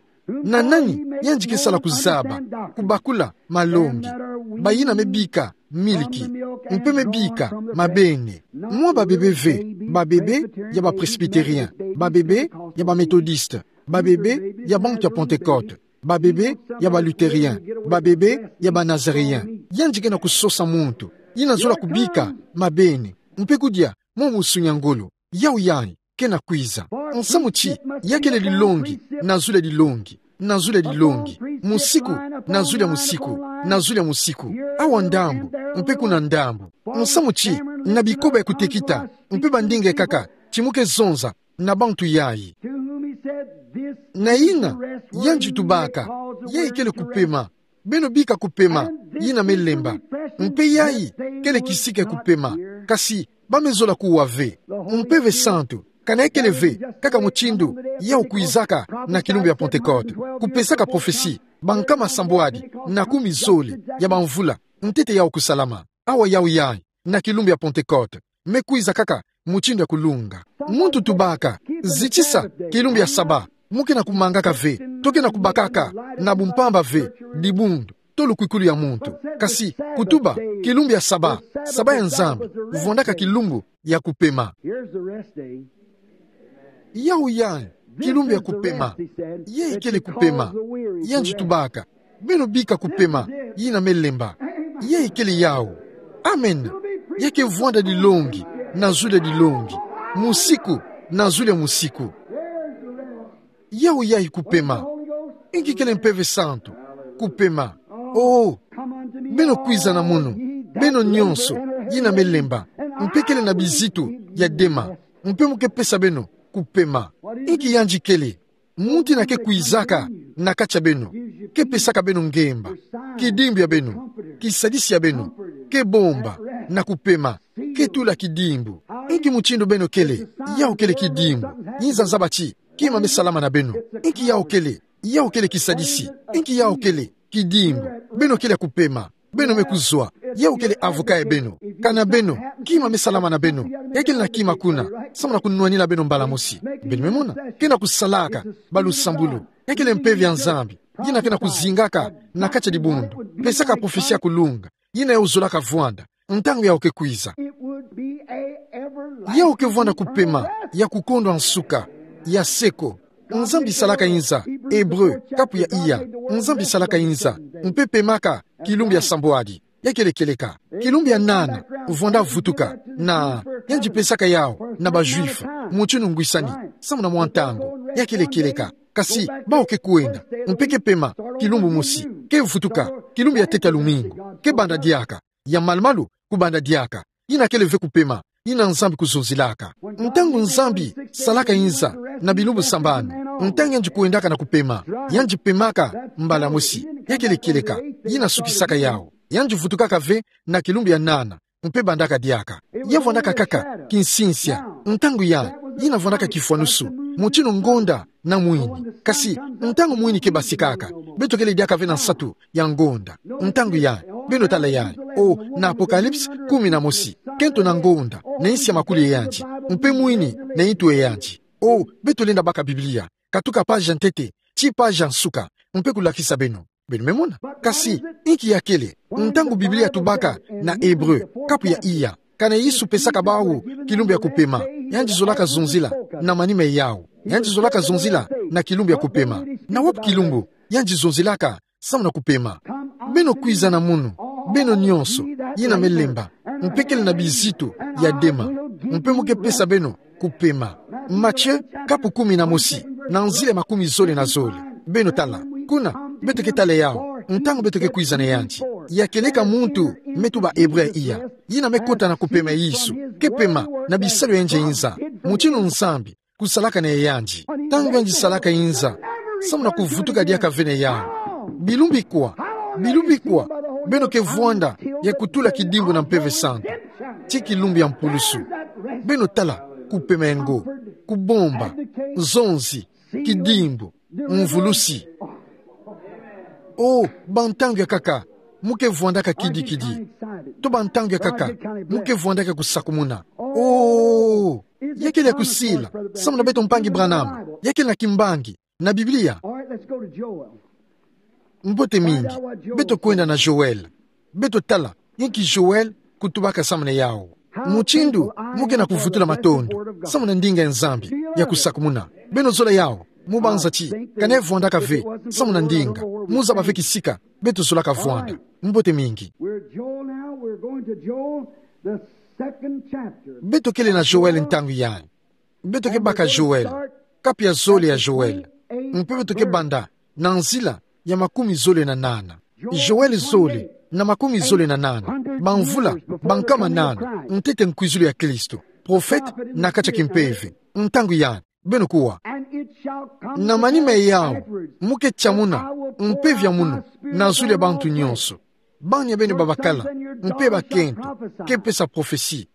Na nani yandi ke sala kuzaba, kubakula malongi? Bayina me bika miliki, mpe me bika mabene. Mwa babebe ve, babebe ya ba Presbytériens, babebe ya ba Méthodistes, babebe ya bantu ya Pentecôte, babebe ya ba Luthériens, babebe ya ba Nazaréens. Yandi ke na kusosa muntu yina zola kubika mabene, mpe kudia mwa musu nia ngolo. Yau yayi kena kwiza. Nsamu ti, ya kele dilongi, na zulia dilongi, na zulia dilongi, musiku, na zulia musiku, na zulia musiku, awa ndambu, mpe kuna ndambu. Nsamu ti, na bikoba ya kutekita, mpe bandinga ekaka, ti mu ke zonza na bantu yayi. Na yina yandi tubaka, yayi kele kupema. Beno bika kupema, yina me lemba. Mpe yayi kele kisika ya kupema. Kasi ba me zola kuwa ve. Mpeve santu, kana ya kele ve kaka mutindu yau kwizaka na kilumbu ya Pentekote, kupesaka prophetie, bankama sambwadi na kumi zole ya bamvula ntete yau kusalama. Awa yau yayi, na kilumbu ya Pentekote, me kwiza kaka mutindu ya kulunga. Muntu tubaka, zitisa kilumbu ya Saba, mu kena kumangaka ve, to kena kubakaka na bumpamba ve, dibundu, to lukwikulu ya muntu. Kasi kutuba, kilumbu ya Saba, Saba ya Nzambi, vwandaka kilumbu ya kupema. Yau yayi, kilumbu ya kupema. Yayi kele kupema. Yandi tubaka, beno bika kupema, yina me lemba. Yayi kele yau. Amen. Ya ke vwanda dilongi, na zulia dilongi, musiku, na zulia musiku. Yau yayi kupema. Inki kele Mpeve Santu? Kupema. Oh, beno kwiza na mono, beno nyonso, yina me lemba, mpe kele na bizitu ya dema, mpe mu ke pesa beno kupema. Inki yandi kele? Muntu yina ke kwizaka na kati ya beno, ke pesaka beno ngemba, kidimbu ya beno, kisadisi ya beno, ke bomba, na kupema, ke tula kidimbu. Inki mutindu beno kele? Yau kele kidimbu. Yinza zaba ti kima me salama na beno. Inki yau kele? Yau kele kisadisi. Inki yau kele? Kidimbu. Beno kele ya kupema. Beno me kuzwa. Yau kele avocat ya beno. Kana beno, kima me salama na beno. Ya kele na kima kuna, samu na kunwanina beno mbala mosi. Beno me mona, kena kusalaka balusambulu. Ya kele mpeve ya Nzambi, yina kena kuzingaka na kati ya dibundu, pesaka prophetie ya kulunga, yina yau zolaka vwanda ntangu yau ke kwiza. Yau ke vwanda kupema ya kukondwa nsuka, ya seko. Nzambi salaka yinza, Ebre, kapu ya iya. Nzambi salaka yinza, mpe pemaka kilumbu ya sambwadi. Ya kele kieleka. Kilumbu ya nana, vwanda vutuka, na yandi pesaka yau na ba Juifs mutindu ngwisani, samu na mwa ntangu. Ya kele kieleka. Kasi bawu ke kwenda, mpe ke pema kilumbu mosi, ke vutuka kilumbu ya teta lumingu, ke banda diaka, ya malumalu kubanda diaka. Yina kele ve kupema, yina Nzambi kuzonzilaka. Ntangu Nzambi salaka yinza na bilumbu sambanu, ntangu yandi kwendaka na kupema, yandi pemaka mbala mosi. Ya kele kieleka. Yina sukisaka yau. Yandi vutukaka ve na kilumbu ya nana, mpe bandaka diaka. Ya vwandaka kaka kinsinsia. Ntangu yayi, yina vwandaka kifwanusu, mutindu ngonda na mwini. Kasi ntangu mwini ke basikaka, beto kele diaka ve na nsatu ya ngonda. Ntangu yayi, beno tala yayi. O, na Apocalypse kumi na mosi, kento na ngonda na insi ya makuli ya yandi, mpe mwini na intu ya yandi. O, beto lenda baka Biblia, katuka page ya ntete tii page ya nsuka, mpe kulakisa beno. Beno me mona. Kasi inki ya kele? Ntangu Biblia tubaka na Ebre, kapu ya iya, kana Yesu pesaka bawu kilumbu ya kupema, yandi zolaka zonzila na manima yau. Yandi zolaka zonzila na kilumbu ya kupema. Na wapi kilumbu yandi zonzilaka samu na kupema? Beno kwiza na munu, beno nyonso yina me lemba, mpe kele na bizitu ya dema, mpe mu ke pesa beno kupema. Matthieu, kapu kumi na mosi, na nzila ya makumi zole na zole. Beno tala. Kuna, beto ke tala yau, ntangu beto ke kwiza na yandi. Ya kieleka muntu me tuba Ebre ya iya, yina me kota na kupema ya Yesu, ke pema na bisalu ya yandi ya yinza, mutindu Nzambi kusalaka na yandi. Ntangu yandi salaka yinza, samu na kuvutuka diaka ve na yau. Bilumbu ikwa, bilumbu ikwa beno ke vwanda ya kutula kidimbu na Mpeve Santu, tii kilumbu ya mpulusu. Beno tala kupema ya ngo, kubomba, zonzi, kidimbu, mvulusi. O, bantangu ya nkaka mu ke vwandaka kidikidi. To bantangu ya nkaka mu ke vwandaka kusakumuna. O, ya kele ya kusila samu na beto, mpangi Branham? Ya kele na kimbangi na Biblia? Mbote mingi. Beto kwenda na Joël. Beto tala inki Joël kutubaka samu na yau. Mutindu mu ke na kuvutula matondo samu na ndinga ya Nzambi ya kusakumuna. Beno zola yau, mu banza ti kana ya vwandaka ve samu na ndinga, mu zaba ve kisika beto zolaka vwanda. Mbote mingi. We're at Joel now. We're going to Joel, the Beto kele na Joël ntangu yayi. Beto ke baka Joël, kapu ya zole ya Joël. Mpe beto ke banda na nzila ya makumi zole na nana. Joël zole na makumi zole na nana. Bamvula bankama nana ntete nkwizulu ya Kristo. Profete na kati ya kimpeve. Ntangu yayi, beno kuwa: Na manima yawu, mu ke tiamuna mpeve ya munu na zulu ya bantu nyonso. Bani ya beno babakala mpe bakento ke pesa profesi.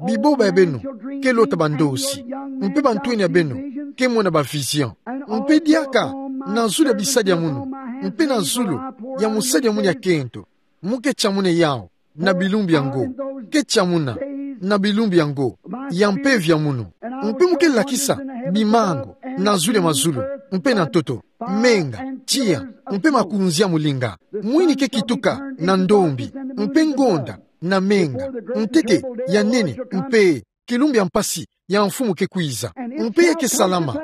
Biboba ya beno ke lota bandosi, mpe bantwenia ya beno ke mona ba vision. Mpe diaka na zulu ya bisadi ya munu, mpe na zulu ya mosadi ya munu ya kento, mu ke tiamuna yawu na bilumbu yango. Ke tiamuna na bilumbu yango ya mpeve ya munu. Mpe mu ke lakisa bimangu na zulu ya mazulu, mpe na ntoto, menga, tiya, mpe makunzi ya molinga. Mwini ke kituka na ndombi, mpe ngonda na menga, ntete ya nene, mpe kilumbu ya mpasi ya Mfumu ke kwiza. Mpe ya ke salama,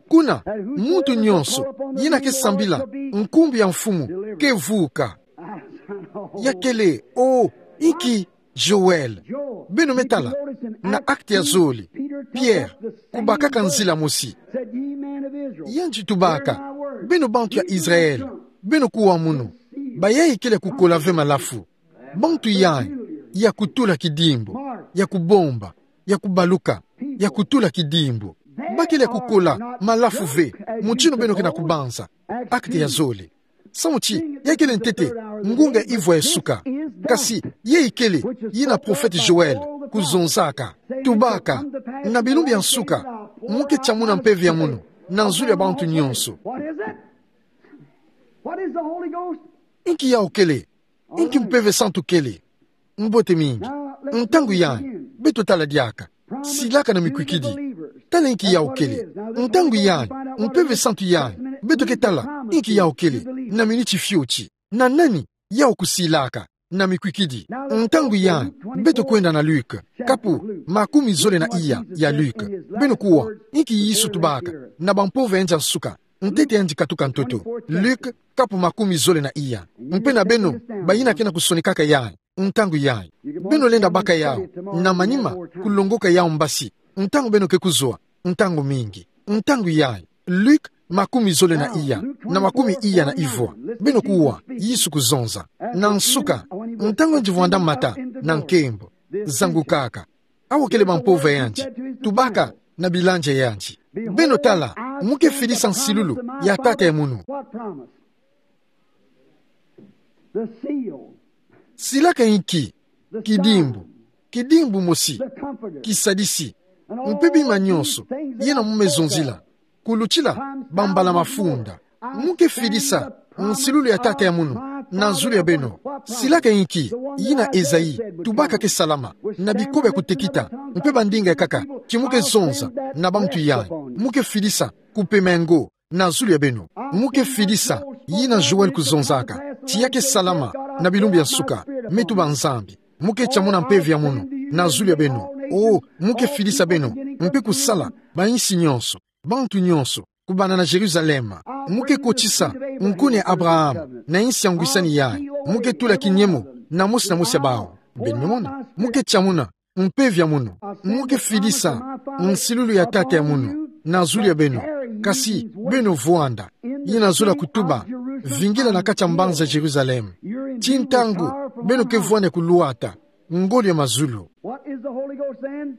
kuna muntu nyonso yina ke sambila nkumbu ya Mfumu ke vuka. Ya kele, o, inki Joël. Beno me tala na Actes ya zole, Pierre kubakaka nzila mosi. Yandi tubaka: Beno bantu ya Israël, beno kuwa munu. Bayayi kele ya kukola ve malafu. Bantu yayi ya kutula kidimbu, ya kubomba, ya kubaluka, ya kutula kidimbu. Ba kele ya kukola malafu ve, mutindu beno ke na kubanza. Actes ya zole. Samu ti ya kele ntete ngunga ivwa ya suka. Kasi yayi kele yina profete Joël kuzonzaka. Tubaka: Na bilumbu ya nsuka, mu ke tiamuna mpeve ya munu na zulu ya bantu nyonso. What is it? What is the Holy Ghost? Inki yawu kele? Inki Mpeve Santu kele? Mbote mingi. Ntangu yayi, beto tala diaka. Silaka na mikwikidi. Tala inki yawu kele. Ntangu yayi, Mpeve Santu yayi, beto ke tala inki yawu kele na miniti fioti. Na nani yawu kusilaka na mikwikidi? Ntangu yayi, beto kwenda na Luc, kapu makumi zole na iya ya Luc. Beno kuwa inki Yesu tubaka na bampova ya nsuka ntete yandi katuka ntoto. Luc, kapu makumi zole na iya. Mpe na beno bayina ke na kusonekaka yayi, ntangu yayi, beno lenda baka yawu na manima, kulongoka yawu mbasi ntangu beno ke kuzwa, ntangu mingi. Ntangu yayi, Luc makumi zole na iya, na makumi iya na ivwa. Beno kuwa Yesu kuzonza. Na nsuka, ntangu yandi vwanda mata na nkembo, zangukaka, awa kele bampova yandi, tubaka na bilandia yandi: Beno tala, mu ke fidisa nsilulu ya Tata ya munu. What promise? The seal. Silaka inki? Kidimbu. Kidimbu mosi. Kisadisi. Mpe bima nyonso yina mu me zonzila, kulutila bambala mafunda. Mu ke fidisa nsilulu ya Tata ya munu na zulu ya beno. Silaka inki? Yina Esaïe tubaka ke salama, na bikoba ya kutekita mpe bandinga ya nkaka, ti mu ke zonza na bantu yayi. Mu ke fidisa kupema yango na zulu ya beno. Mu ke fidisa yina Joël kuzonzaka, ti ya ke salama na bilumbu ya nsuka. Me tuba Nzambi, mu ke tiamuna mpeve ya munu na zulu ya beno. O, mu ke fidisa beno mpe kusala bayinsi nyonso, bantu nyonso, kubanda na Jérusalem. Mu ke kotisa nkuna ya Abraham na yinsi ya ngwisani yayi. Mu ke tula kinyemo na mosi na mosi ya bawu. Beno me mona? Mu ke tiamuna mpeve ya munu. Mu ke fidisa nsilulu ya Tata ya munu na zulu ya beno. Kasi beno vwanda, yina zola kutuba: vingila na kati ya mbanza Jérusalem. Ti ntangu beno ke vwanda ya kulwata ngolo ya mazulu. What is the Holy Ghost then?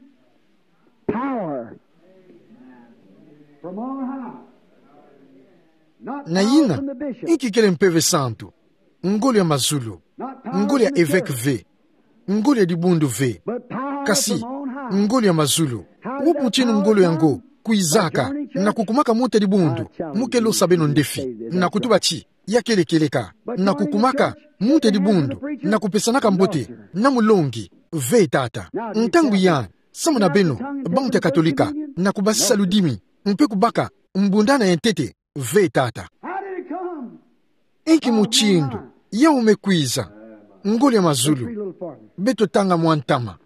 Power from on high. Not power from the bishop. Na yina, inki kele Mpeve Santu? Ngolo ya mazulu. Ngolo ya eveke ve. Ngolo ya dibundu ve. Kasi ngolo ya mazulu. Wubu mutindu ngolo yango kwizaka? Na kukumaka muntu ya dibundu. Mu ke losa beno ndefi na kutuba ti ya kele kieleka. Na kukumaka muntu ya dibundu na kupesanaka mbote na mulongi? Ve tata. Ntangu yayi, samu na beno bantu ya Katolika, na kubasisa ludimi mpe kubaka mbundana ya ntete. Ve tata. How did it come? Inki mutindu yawu me kwiza? Ngolo ya mazulu. Beto tanga mwa ntama.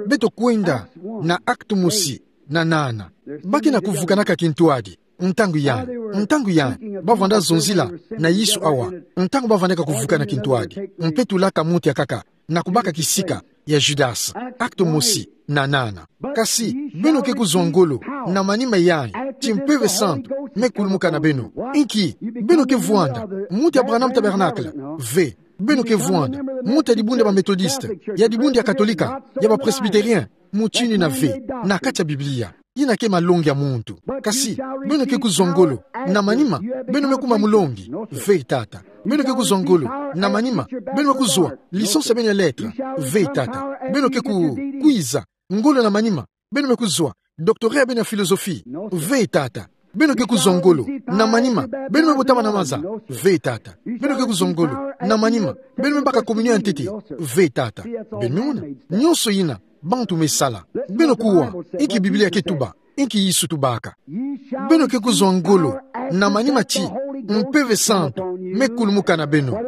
Beto kwenda na Actes mosi na nana. Ba ke na kuvukanaka kintwadi. Ntangu yayi, ntangu yayi, ba vwanda zonzila na Yesu awa, ntangu ba vwandaka kuvukana kintwadi. Mpe tulaka muntu ya nkaka na kubaka kisika ya Judas. Actes mosi, na nana. Kasi, beno ke kuzwa ngolo na manima yayi, ti Mpeve Santu me kulumuka na beno. Inki, beno ke vwanda muti ya Branham Tabernacle? Ve. Beno ke vwanda muti ya dibundu ya ba Methodiste, ya dibundu ya Katolika, ya ba Presbytérien? Mutindu ina ve na kati ya Biblia. Ina ke malongi ya muntu. Kasi, beno ke kuzwa ngolo na manima beno me kuma mulongi? Ve tata. Beno ke kuzwa ngolo na manima beno me kuzwa licence ya beno ya lettres? Ve tata. Beno ke ku-, kwiza ngolo na manima beno me kuzwa doctorat ya beno ya philosophie? Ve tata. Beno ke kuzwa ngolo na manima beno me botama na maza? Ve tata. Beno ke kuzwa ngolo na manima beno me baka communion ya ntete? Ve tata. Beno me mona, nyonso ina bantu me sala. Beno kuwa, inki Biblia ke tuba, inki Yesu tubaka. Beno ke kuzwa ngolo na manima ti Mpeve Santu me kulumuka na beno.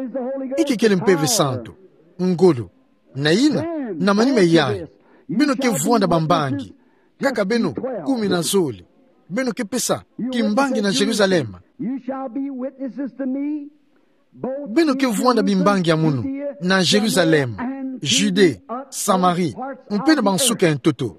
Inki kele Mpeve Santu? Ngolo. Na ina, na manima yayi, beno ke vwanda bambangi. Kaka beno kumi na zole. Beno ke pesa kimbangi na Jerusalem. Beno ke vwanda bimbangi ya munu na Jerusalem, Judée, Samarie, mpe na bansuka ya ntoto.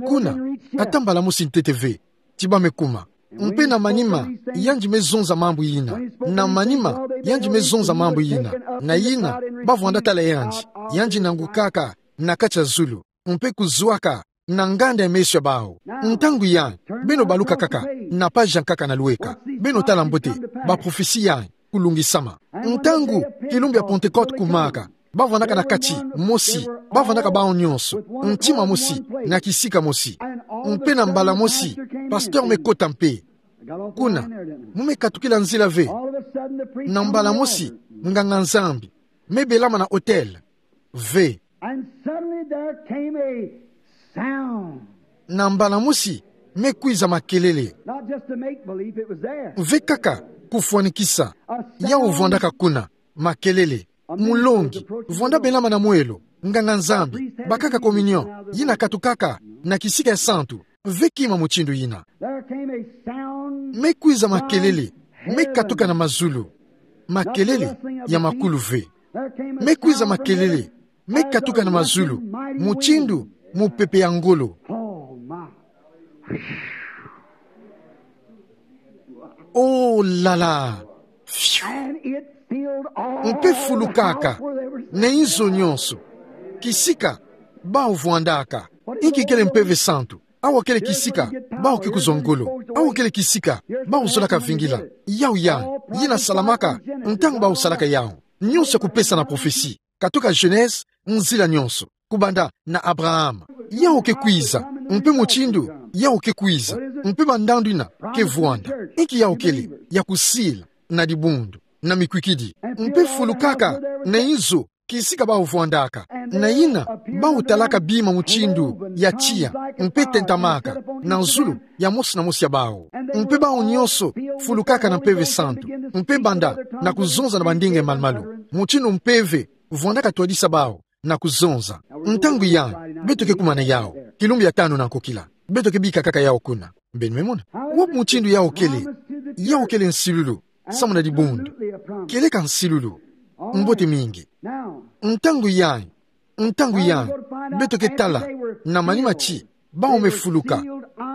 Kuna, ata mbala mosi ntete ve ti ba me kuma. Mpe na manima yandi me zonza mambu ina. Na manima yandi me zonza mambu ina. Na ina, ba vwanda tala yandi, yandi nangukaka na kati ya zulu, mpe kuzwaka na nganda ya meso ya bawu. Ntangu yayi, beno baluka kaka na page ya nkaka na lweka. Beno tala mbote ba prophetie yayi kulungisama. Ntangu kilumbu ya Pentecôte kumaka, ba vwandaka na kati mosi, ba vwandaka bawu nyonso ntima mosi, na kisika mosi, mpe na mbala mosi pasteur me kota mpe. Kuna, mu me katukila nzila ve. Na mbala mosi, nganga-Nzambi me belama na autel. Ve. And suddenly there came a sound. Na mbala mosi, me kwiza makelele. Not just to make believe it was there. Ve kaka kufwanikisa. Yawu vwandaka kuna, makelele. Mulongi vwanda belama na mwelo, nganga-Nzambi, bakaka communion, yina katukaka na kisika ya santu. Ve kima mutindu yina. There came a sound. Me kwiza makelele me katuka na mazulu. Makelele ya makulu ve. Me kwiza makelele me katuka na mazulu, mutindu mupepe ya ngolo. Oh, my. Oh, la, la. Phew. And it filled all the house where they were sitting. Mpe fulukaka na inzo nyonso, kisika bawu vwandaka. Inki kele Mpeve Santu? Awa kele kisika bawu ke kuzwa ngolo. Awa kele kisika bawu zolaka vingila. Yawu yayi, yina salamaka ntangu bawu salaka yawu. Nyonso ya kupesa na prophetie, katuka Genèse, nzila nyonso, kubanda na Abraham. Yawu ke kwiza, mpe mutindu yawu ke kwiza, mpe bandandu yina ke vwanda. Inki yawu kele? Ya kusila na dibundu, na mikwikidi. Mpe fulukaka na inzo, kisika bawu vwandaka. Na yina, bawu talaka bima mutindu ya tiya, mpe tentamaka na zulu ya mosi na mosi ya bawu. Mpe bawu nyonso fulukaka na Mpeve Santu, mpe banda na kuzonza na bandinga ya malumalu, mutindu mpeve vwandaka twadisa bawu na kuzonza. Ntangu yayi, beto ke kuma na yawu, kilumbu ya tanu na nkokila. Beto ke bika kaka yawu kuna. Beno me mona. Wapi mutindu yawu kele? Yawu kele nsilulu samu na dibundu. Kieleka nsilulu. Mbote mingi. Ntangu yayi, ntangu yayi, beto ke tala na manima ti bawu me fuluka,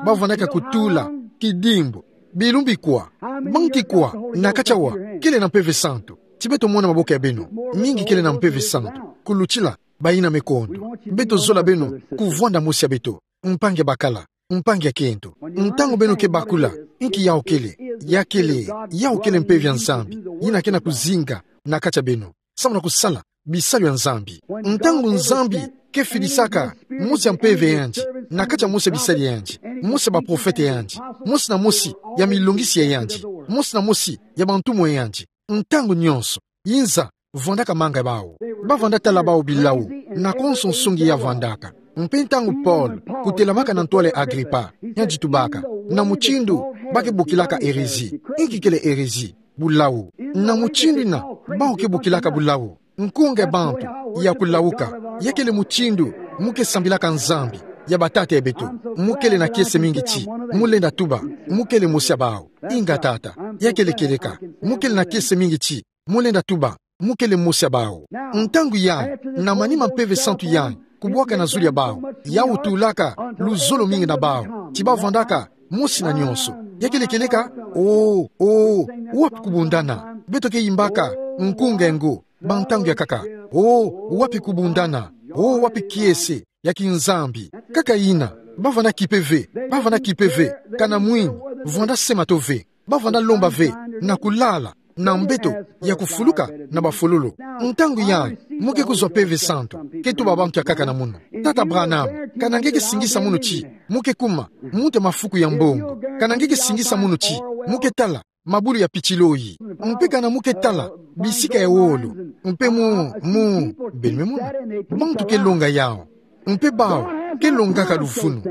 ba vwandaka kutula kidimbu. Bilumbu bikwa, bantu ikwa na kati awa kele na Mpeve Santu? Ti beto mona maboko ya beno. Mingi kele na Mpeve Santu kulutila bayina me kondo. Beto zola beno kuvwanda mosi ya beto, mpangi ya bakala, mpangi ya kento. Ntangu beno ke bakula inki yawu kele, ya kele, yawu kele Mpeve ya Nzambi yina ke na kuzinga na kati ya beno samu na kusala bisalu ya Nzambi. Ntangu Nzambi ke fidisaka mosi ya mpeve ya yandi na kati ya mosi ya bisali ya yandi, mosi ya baprofete ya yandi, mosi na mosi ya milongisi ya yandi, mosi na mosi ya bantumwa ya yandi, ntangu nyonso, yinza vwandaka manga ya bawu. Ba vwanda tala bawu bilawu na konso nsungi ya vwandaka. Mpe ntangu Paul kutelamaka na ntwala ya Agripa, yandi tubaka na mutindu ba ke bokilaka hérésie. Inki kele hérésie? Bulawu. Na mutindu yina bawu ke bokilaka bulawu, nkunga ya bantu ya kulawuka. Ya kele mutindu mu ke sambilaka nzambi ya batata ya beto. Mu kele na kiese mingi ti mu lenda tuba mu kele mosi ya bawu. Inga tata, ya kele kieleka. Mu kele na kiese mingi ti mu lenda tuba mu kele mosi ya bawu. Ntangu yayi, na manima mpeve santu yayi kubwaka na zulu ya bawu, yawu tulaka luzolo mingi na bawu, ti bavwandaka mosi na nyonso. Ya kele kieleka, oh, oh, wapi kubundana? Beto ke yimbaka nkunga ngo, ba ntangu ya nkaka. Oh, wapi kubundana? Oh, wapi kiese ya kinzambi? Nkaka yina, bavwanda kipe ve, bavwanda kipe ve, kana mwini, vwanda sema to ve, bavwanda lomba ve, na kulala, na mbeto ya kufuluka na bafololo. Ntangu yayi, mu ke kuzwa mpeve santu, ke tuba bantu ya nkaka na munu: Tata Branham, kana nge ke singisa munu ti mu ke kuma, mu nte mafuku ya mbongo. Kana nge ke singisa munu ti mu ke tala mabulu ya pitilo yi. Mpe kana mu ke tala bisika ya wolo. Mpe mu, mu, beno me mona. Bantu ke longa yawu. Mpe bawu ke longaka luvunu.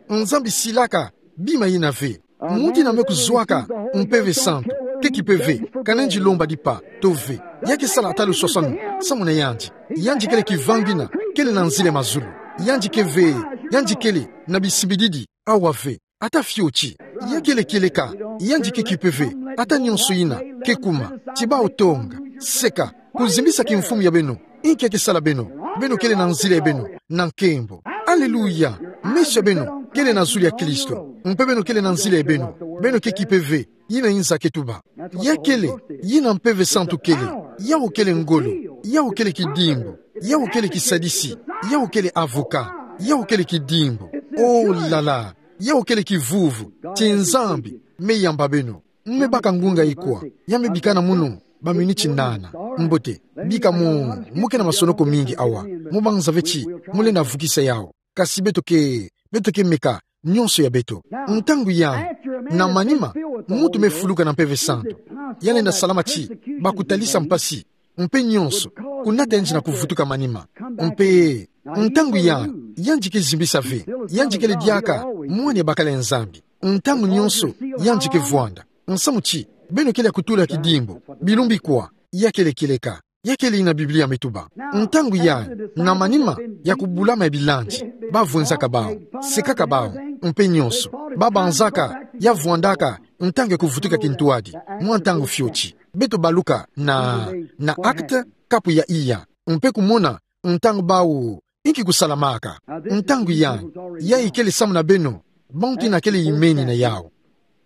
Nzambi silaka bima yina ve. Muntu yina me kuzwaka mpeve santu ke kipe ve, kana nge lomba dipa to ve. Ya ke sala ata luswaswanu samu na yandi. Yandi kele kivangina, kele na nzila ya mazulu. Yandi ke ve, yandi kele na bisimbididi awa ve. Ata fioti. Ya kele kieleka, yandi ke kipe ve. Ata nyonso yina ke kuma, ti bawu tonga, seka, kuzimbisa kimfumu ya beno. Inki ya ke sala beno? Beno kele na nzila ya beno na nkembo. Aleluya! Meso ya beno kele na zulu ya Kristo. Mpe beno kele na nzila ya beno. Beno ke kipe ve. Yina inza ke tuba. Ya kele yina mpeve santu kele. Yawu kele ngolo. Yawu kele kidimbu. Yawu kele kisadisi. Yawu kele avocat. Yawu kele kidimbu. Oh là là. Yawu kele kivuvu ti Nzambi me yamba beno. Mu me baka ngunga ikwa, ya me bika na munu ba miniti nana. Mbote, bika mu, mu ke na masonoko mingi awa. Mu banza ve ti mu lenda vukisa yawu. Kasi beto ke, beto ke meka nyonso ya beto. Ntangu yayi, na manima muntu me fuluka na mpeve santu, ya lenda salama ti bakutalisa mpasi, mpe nyonso, kunata yandi na kuvutuka manima. Mpe ntangu yayi, yandi ke zimbisa ve. Yandi kele diaka mwana ya bakala ya Nzambi. Ntangu nyonso yandi ke vwanda. Nsamu ti beno kele ya kutula kidimbu, bilumbu ikwa. Ya kele kieleka. Ya kele yina Biblia me tuba. Ntangu yayi, na manima ya kubulama ya bilandi, bavwenzaka bawu, sekaka bawu, mpe nyonso, babanzaka ya vwandaka ntangu ya kuvutuka kintwadi, mwa ntangu fioti. Beto baluka na, na Actes, kapu ya iya, mpe kumona ntangu bawu inki kusalamaka. Ntangu yayi, yayi kele samu na beno bantu yina kele yimeni na yawu.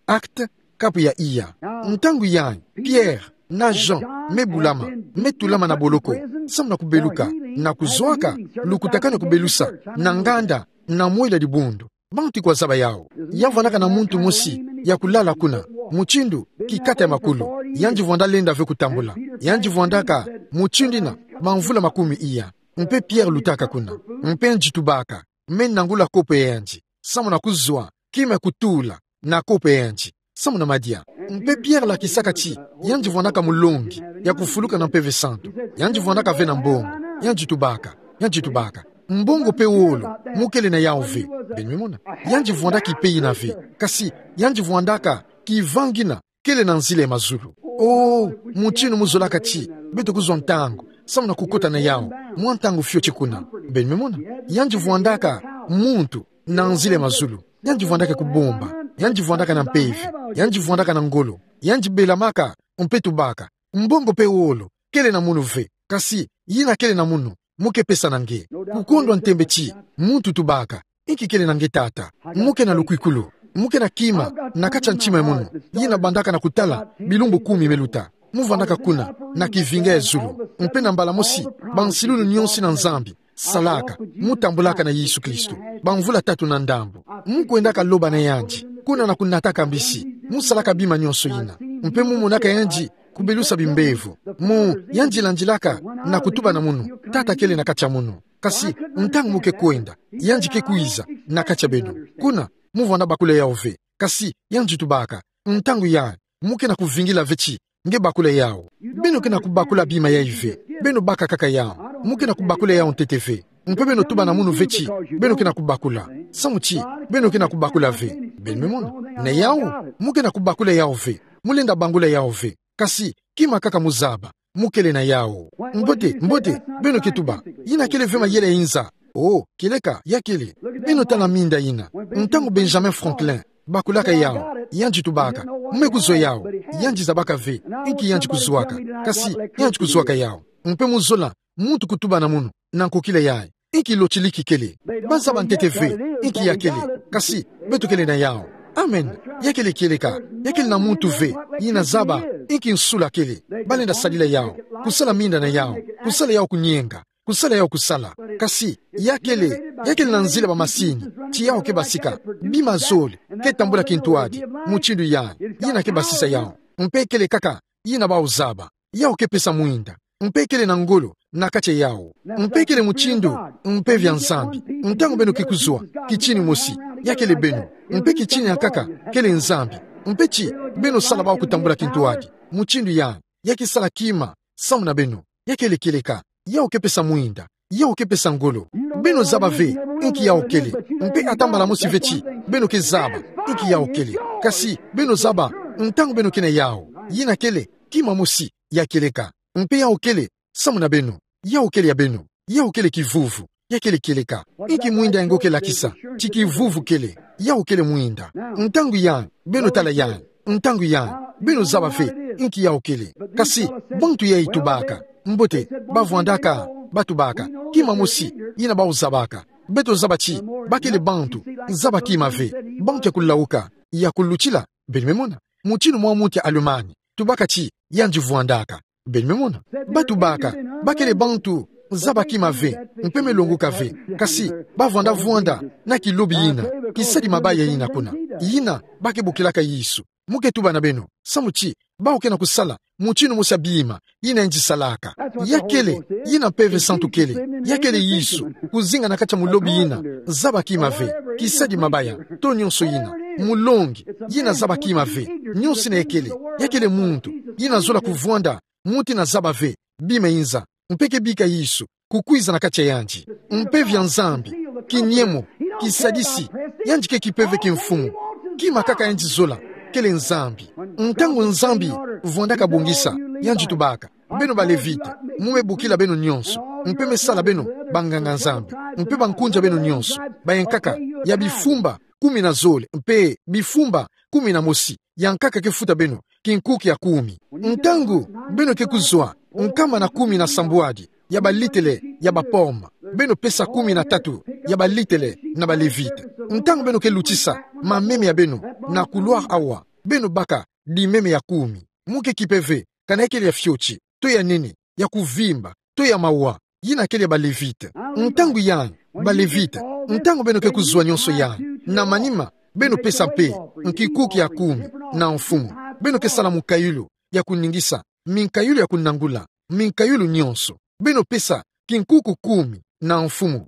Actes, kapu ya iya. Ntangu yayi, Pierre na Jean me bulama, me tulama na boloko, samu na kubeluka, na kuzwaka lukutakanu ya kubelusa na nganda na mwela dibundu. Bantu kwa zaba yawu. Ya vwandaka na muntu mosi ya kulala kuna, mutindu kikata ya makulu. Yandi vwanda lenda ve kutambula. Yandi vwandaka mutindu yina bamvula makumi iya. Mpe Pierre lutaka kuna. Mpe yandi tubaka, me nangula kopo ya yandi, samu na kuzwa kima ya kutula na kopo ya yandi, samu na madia. Mpe Pierre lakisaka ti yandi vwandaka mulongi ya kufuluka na mpeve santu. Yandi vwandaka ve na mbongo. Yandi tubaka, yandi tubaka: Mbongo mpe wolo mu kele na yawu ve. Beno me mona. Yandi vwanda kipe yina ve. Kasi yandi vwandaka kivangina, kele na nzila ya mazulu. Oh, mutindu mu zolaka ti beto kuzwa ntangu samu na kukota na yawu, mwa ntangu fioti kuna. Beno me mona. Yandi vwandaka muntu na nzila ya mazulu. Yandi vwandaka kubomba. Yandi vwandaka na mpeve. Yandi vwandaka na ngolo. Yandi belamaka, mpe tubaka: Mbongo mpe wolo kele na munu ve. Kasi yina kele na munu, mu ke pesa na nge. Kukondwa ntembe ti muntu tubaka: Inki kele na nge, tata? Mu ke na lukwikulu. Mu ke na kima na kati ya ntima ya munu. Yina bandaka na kutala bilumbu kumi me luta. Mu vwandaka kuna na kivinga ya zulu. Mpe na mbala mosi, bansilulu nyonso na Nzambi salaka, mu tambulaka na Yesu Kristo bamvula tatu na ndambu. Mu kwendaka loba na yandi kuna na kunataka mbisi. Mu salaka bima nyonso yina. Mpe mu monaka yandi kubelusa bimbevo. Mu, yandi landilaka na kutuba na munu: Tata kele na kati ya munu. Kasi ntangu mu ke kwenda, yandi ke kwiza na kati ya beno. Kuna, mu vwanda bakula yawu ve. Kasi yandi tubaka: Ntangu yayi, mu ke na kuvingila ve ti nge bakula yawu. Beno ke na kubakula bima yayi ve. Beno baka kaka yawu. Mu ke na kubakula yawu ntete ve. Mpe beno tuba na munu ve ti beno ke na kubakula, samu ti beno ke na kubakula ve. Beno me mona. Na yawu, mu ke na kubakula yawu ve. Mu lenda bangula yawu ve. Kasi kima kaka mu zaba, mu kele na yawu. Mbote, mbote, beno ke tuba: Yina kele ve mayele ya inza. Oh, kieleka, ya kele. Beno tala minda yina. Ntangu Benjamin Franklin Bakulaka yawu, yandi tubaka, mu me kuzwa yawu, yandi zabaka ve, inki yandi kuzwaka, kasi yandi kuzwaka yawu. Mpe mu zola, muntu kutuba na munu, na nkokila yayi, inki lotiliki kele. Bazaba ntete ve, inki ya kele, kasi, beto kele na yawu. Amen. Ya kele kieleka, ya kele na muntu ve, yina zaba, inki nsula kele, balenda sadila yawu, kusala minda na yawu, kusala yawu kunyenga, kusala yawu kusala. Kasi, ya kele, ya kele na nzila ba masini, ti yawu ke basika, bima zole, ke tambula kintwadi, mutindu yayi, yina ke basisa yawu. Mpe kele kaka, yina bawu zaba. Yawu ke pesa mwinda. Mpe kele na ngolo, na kati ya yawu. Mpe kele mutindu, mpeve ya Nzambi. Ntangu beno ke kuzwa, kitini mosi, ya kele beno. Mpe kitini ya nkaka, kele Nzambi. Mpe ti, beno sala bawu kutambula kintwadi. Mutindu yayi, ya ke sala kima, samu na beno. Ya kele kieleka, yawu ke pesa mwinda. Yawu ke pesa ngolo. Beno zaba ve, inki yawu kele. Mpe ata mbala mosi ve ti, beno ke zaba, inki yawu kele. Kasi, beno zaba, ntangu beno ke na yawu. Yina kele, kima mosi, ya kieleka. Mpe yawu kele, samu na beno. Yawu kele ya beno. Yawu kele kivuvu. Ya kele kieleka. Inki mwinda yango ke lakisa. Ti kivuvu kele. Yawu kele mwinda. Ntangu yayi, beno tala yayi. Ntangu yayi, beno zaba ve, inki yawu kele. Kasi, bantu yayi tubaka. Mbote, bavwandaka, batubaka. Kima mosi, yina bawu zabaka. Beto zaba ti, ba kele bantu, zaba kima ve. Bantu ya kulawuka, ya kulutila, beno me mona. Mutindu mwa muntu ya Allemagne, tubaka ti, yandi vwandaka. Beno me mona. Batubaka, ba kele bantu, zaba kima ve, mpe me longoka ve. Kasi, bavwanda vwanda, na kilobi yina, kisadi mabaya yina kuna. Yina, ba ke bokilaka Yesu. Mu ke tuba na beno, samu ti, bawu ke na kusala, mutindu mosi ya bima, yina yandi salaka. Ya kele, yina Mpeve Santu kele, ya kele Yesu, kuzinga na kati ya mulobi yina, zaba kima ve, kisadi mabaya, to nyonso yina, mulongi, yina zaba kima ve, nyonso yina ya kele, ya kele muntu, yina zola kuvwanda, muntu yina zaba ve, bima yinza, mpe ke bika Yesu, kukwiza na kati ya yandi. Mpeve ya Nzambi, kinyemo, kisadisi, yandi ke kipeve ki mfumu. Kima kaka yandi zola, kele Nzambi. Ntangu Nzambi, vwandaka bongisa, yandi tubaka. Beno ba Levite, mu me bokila beno nyonso, mpe me sala beno, banganga-Nzambi, mpe bankunja beno nyonso, bayankaka, ya bifumba, kumi na zole, mpe, bifumba, kumi na mosi, ya nkaka ke futa beno, kinkuki ya kumi. Ntangu, beno ke kuzwa, nkama na kumi na sambwadi, ya balitele, ya ba pomme. Beno pesa kumi na tatu, ya balitele, na ba Levite. Ntangu beno ke lutisa, mameme ya beno, na couloir awa, beno baka, dimeme ya kumi. Mu ke kipeve, kana ya kele ya fioti, to ya nene, ya kuvimba, to ya mawa, yina kele ya ba Levite. Ntangu yayi, ba Levite, ntangu beno ke kuzwa nyonso yayi, na manima, beno pesa mpe, nkinkuki ya kumi, na mfumu. Beno ke sala mukayulu, ya kuningisa, minkayulu ya kunangula, minkayulu nyonso. Beno pesa, kinkuki kumi, na mfumu.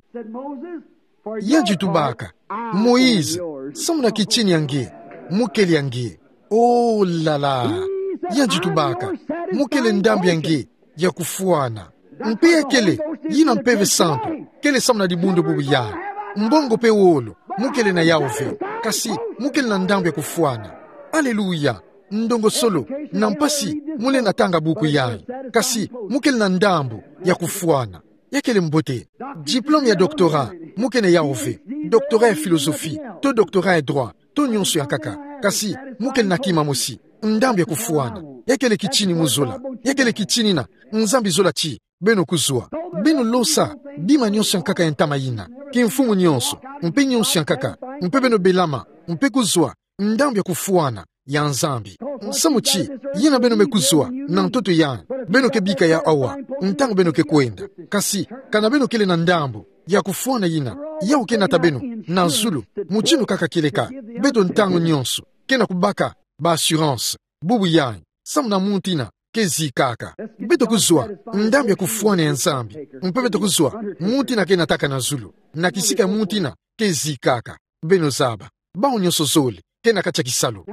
Yandi tubaka, Moïse, samu na kitini ya nge, mu kele ya nge. Oh là là. Yandi tubaka, mu kele ndambu ya nge, ya kufwana. Mpe ya kele, yina Mpeve Santu, kele samu na dibundu bubu yayi. Mbongo mpe wolo, mu kele na yawu ve. Kasi, mu kele na ndambu ya kufwana. Aleluya. Ndongosolo, na mpasi, mu lenda tanga buku yayi. Kasi, mu kele na ndambu, ya kufwana. Ya kele mbote. Diplôme ya doctorat, mu ke na yawu ve. Doctorat ya philosophie, to doctorat ya droit, to nyonso ya nkaka. Kasi, mu kele na kima mosi. Ndambu ya kufwana. Ya kele kitini mu zola. Ya kele kitini yina, Nzambi zola ti, beno kuzwa. Beno losa, bima nyonso ya nkaka ya ntama yina. Kimfumu nyonso, mpe nyonso ya nkaka. Mpe beno belama, mpe kuzwa, ndambu ya kufwana, ya Nzambi. Samu ti, yina beno me kuzwa, na ntoto yayi, beno ke bika yawu awa, ntangu beno ke kwenda. Kasi, kana beno kele na ndambu, ya kufwana yina, yawu ke nata beno, na zulu, mutindu kaka kieleka, beto ntangu nyonso, ke na kubaka, ba assurance, bubu yayi, samu na muntu yina, ke zikaka. Beto kuzwa, ndambu ya kufwana ya Nzambi, mpe beto kuzwa, muntu yina ke nataka na zulu, na kisika muntu yina, ke zikaka. Beno zaba. Bawu nyonso zole, ke na kati ya kisalu.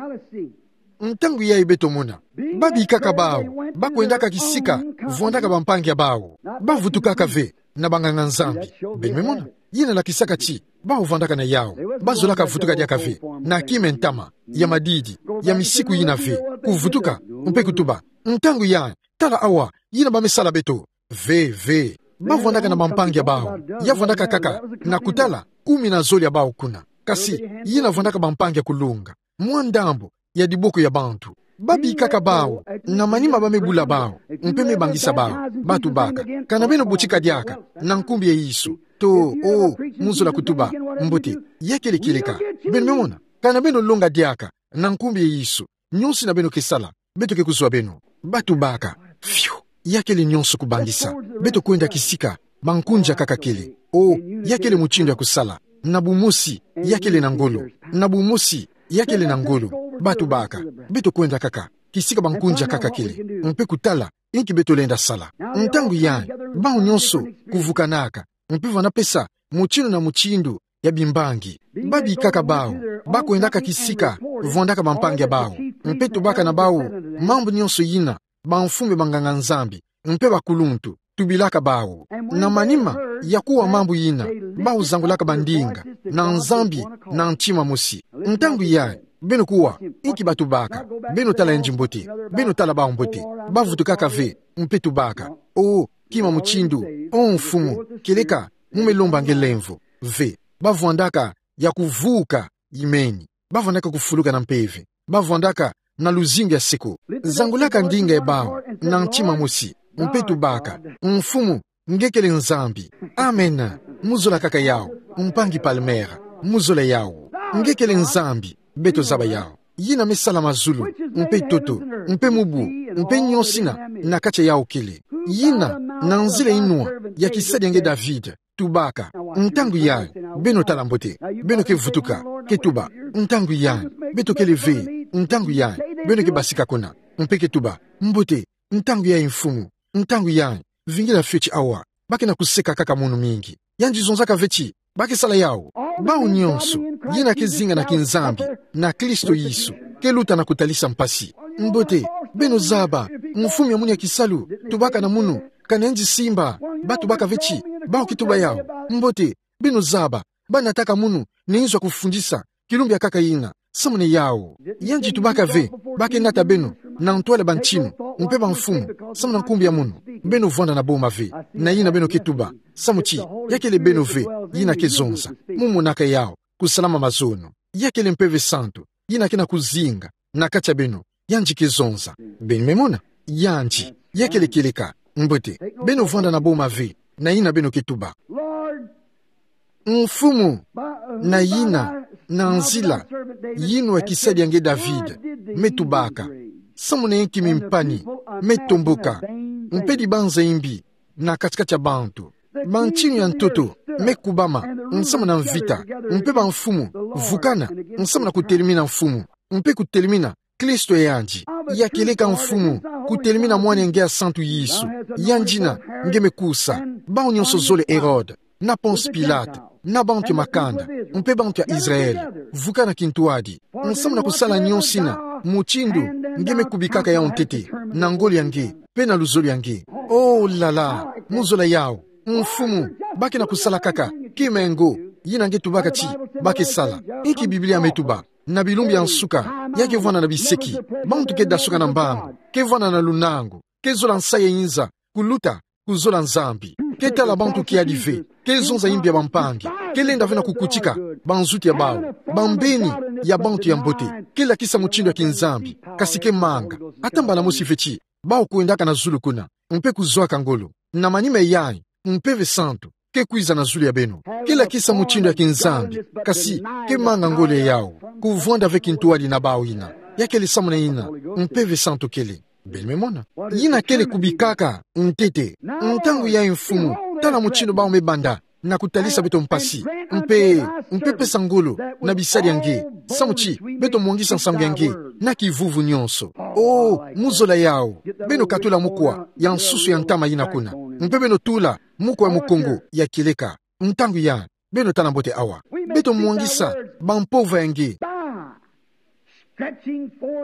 Ntangu yayi beto mona. Babikaka bawu, ba kwendaka kisika, vwandaka bampangi ya bawu. Ba vutukaka ve, na banganga-Nzambi. Beno me mona. Yina lakisaka ti, bawu vwandaka na yawu. Ba zolaka vutuka diaka ve, na kima ya ntama, ya madidi, ya misiku yina ve. Kuvutuka, mpe kutuba. Ntangu yayi, tala awa, yina ba me sala beto. Ve, ve. Ba vwandaka na bampangi ya bawu. Ya vwandaka kaka, na kutala, kumi na zole ya bawu kuna. Kasi yina vwandaka bampangi ya kulunga. Mwa ndambu ya diboko ya bantu. Babikaka bawu, na manima ba me bula bawu, mpe me bangisa bawu, batubaka: Kana beno botika diaka, na nkumbu ya Yesu. To, o, mu zola kutuba: Mbote, ya kele kieleka. Beno me mona, kana beno longa diaka, na nkumbu ya Yesu. Nionso yina beno ke sala, beto ke kuzwa beno. Batubaka: Fiu, ya kele nionso kubangisa. Beto kwenda kisika bankunzi akaka kele. O, ya kele mutindu ya kusala. Na bumosi, ya kele na ngolo. Na bumosi, ya kele na ngolo. Batubaka: Beto kwenda kaka kisika bankunzi akaka kele, mpe kutala inki beto lenda sala. Ntangu yayi, bawu nionso kuvukanaka, mpe vwanda pesa mutindu na mutindu ya bimbangi. Babikaka bawu, bakwendaka kisika vwandaka bampangi ya bawu, mpe tubaka na bawu mambu nionso yina bamfumu ya banganga-Nzambi mpe bakuluntu tubilaka bawu. Na manima ya kuwa mambu yina, bawu zangulaka bandinga na Nzambi na ntima mosi. Ntangu yayi, beno kuwa inki batubaka. Beno tala yandi mbote. Beno tala bawu mbote. Bavutukaka ve, mpe tubaka: O, kima mutindu, o Mfumu, kieleka mu me lomba nge lemvo. Ve, bavwandaka ya kuvuka imeni. Bavwandaka kufuluka na mpeve. Bavwandaka na luzingu ya seko. Zangulaka ndinga ya bawu na ntima mosi, mpe tubaka: Mfumu, nge kele Nzambi. Amen. Mu zola kaka yawu, mpangi Palmera. Mu zola yawu. Nge kele Nzambi. Beto zaba yawu. Yina me sala mazulu, mpe ntoto, mpe mubu, mpe nionso yina na kati ya yawu kele. Yina, na nzila inwa ya kisadi ya nge David, tubaka: Ntangu yayi, beno tala mbote, beno ke vutuka, ke tuba: Ntangu yayi, beto kele ve. Ntangu yayi, beno ke basika kuna, mpe ke tuba: Mbote, ntangu yayi, Mfumu, ntangu yayi, vingila fioti awa. Ba ke na kuseka kaka munu mingi. Yandi zonzaka ve ti ba ke sala yawu. Bawu nionso yina ke zinga na kinzambi na Kristo Yesu, ke luta na kutalisa mpasi. Mbote, beno zaba, mfumu ya munu ya kisalu, tubaka na munu: Kana yandi simba? Batubaka ve ti bawu ke tuba yawu. Mbote, beno zaba, ba nataka munu na inzo ya kufundisa, kilumbu ya nkaka yina, samu na yawu. Yandi tubaka ve: Ba ke nata beno na ntwala ya bantinu mpe bamfumu, samu na nkumbu ya munu beno vwanda na boma ve. Na yina beno ke tuba, samu ti ya kele beno ve yina ke zonza. Mu monaka yawu kusalama mazono. Ya kele Mpeve Santu yina ke na kuzinga na kati ya beno. Yandi ke zonza. Beno me mona? Yandi, ya kele kieleka. Mbote, beno vwanda na boma ve na yina beno ke tuba. Mfumu, na yina, na nzila yinwa ya kisadi ya nge David me tubaka, samu na inki mimpani me tomboka, mpe dibanza imbi na kati-kati ya bantu? Bantinu ya ntoto me kubama nsamu na mvita, mpe bamfumu vukana nsamu na kutelemina mfumu, mpe kutelemina Kristo ya yandi. Ya kieleka mfumu, kutelemina mwana ya nge ya santu Yesu. Yandi yina nge me kusa. Bawu nionso zole: Herode, na Ponce Pilate, na bantu ya makanda, mpe bantu ya Israël, vukana kintwadi nsamu na kusala nionso yina, mutindu nge me kubikaka yawu ntete, na ngolo ya nge mpe na luzolo ya nge. Oh là là, mu zola yawu. Mfumu, ba ke na kusala kaka kima ya ngo yina nge tubaka ti ba ke sala. Inki Biblia me tuba? Na bilumbu ya nsuka, ya ke vwanda na biseki, bantu ke dasuka na mbangu, ke vwanda na lunangu, ke zola nsayi ya inza, kuluta kuzola Nzambi. Ke tala bantu kiadi ve, ke zonza imbi ya bampangi, ke lenda ve na kukutika banzutu ya bawu, bambeni ya bantu ya mbote, ke lakisa mutindu ya kinzambi, kasi ke manga. Ata mbala mosi ve ti bawu kwendaka na zulu kuna, mpe kuzwaka ngolo. Na manima yayi, Mpeve Santu ke kwiza na zulu ya beno. Ke lakisa mutindu ya kinzambi, kasi ke manga ngolo ya yawu, kuvwanda ve kintwadi na bawu yina. Ya kele samu na yina Mpeve Santu kele. Beno me mona? Yina kele kubikaka ntete. Ntangu yayi mfumu, tala mutindu bawu me banda na kutalisa beto mpasi, mpe, mpe pesa ngolo na bisadi ya nge, samu ti beto mwangisa nsangu ya nge na kivuvu nionso. Oh, mu zola yawu. Beno katula mukwa ya nsusu ya ntama yina kuna, mpe beno tula mukwa ya mukongo ya kieleka. Ntangu yayi, beno tala mbote awa. Beto mwangisa bampova ya nge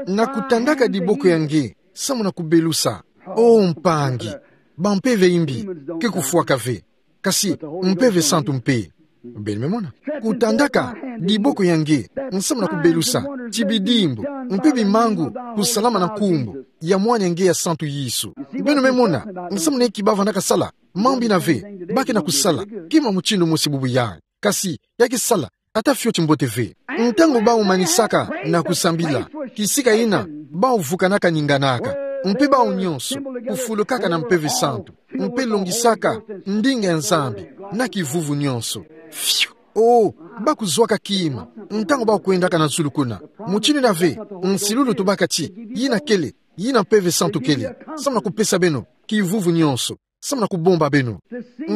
na kutandaka diboko ya nge samu na kubelusa. Oh mpangi, bampeve ya imbi ke kufwaka ve, kasi Mpeve Santu mpe. Beno me mona? Kutandaka diboko ya nge nsamu na kubelusa ti bidimbu mpe bimangu kusalama na nkumbu ya mwana ya nge ya santu Yesu. Beno me mona nsamu na inki ba vandaka sala mambu yina ve? Ba ke na kusala kima mutindu mosi bubu yayi, kasi ya ke sala Ata fioti mbote ve. Ntangu bau manisaka na kusambila, kisika ina bau vukanaka ninganaka, mpe bau nyonso kufulukaka na Mpeve Santu, mpe longisaka ndinga ya Nzambi na kivuvu nyonso. Fiu! Oh, bau kuzwaka kima ntangu bau kwendaka na zulu kuna. Mutindu ina ve, nsilulu tubaka ti yina kele, yina Mpeve Santu kele, samu na kupesa beno kivuvu nyonso, samu na kubomba beno,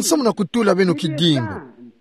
samu na kutula beno kidimbu,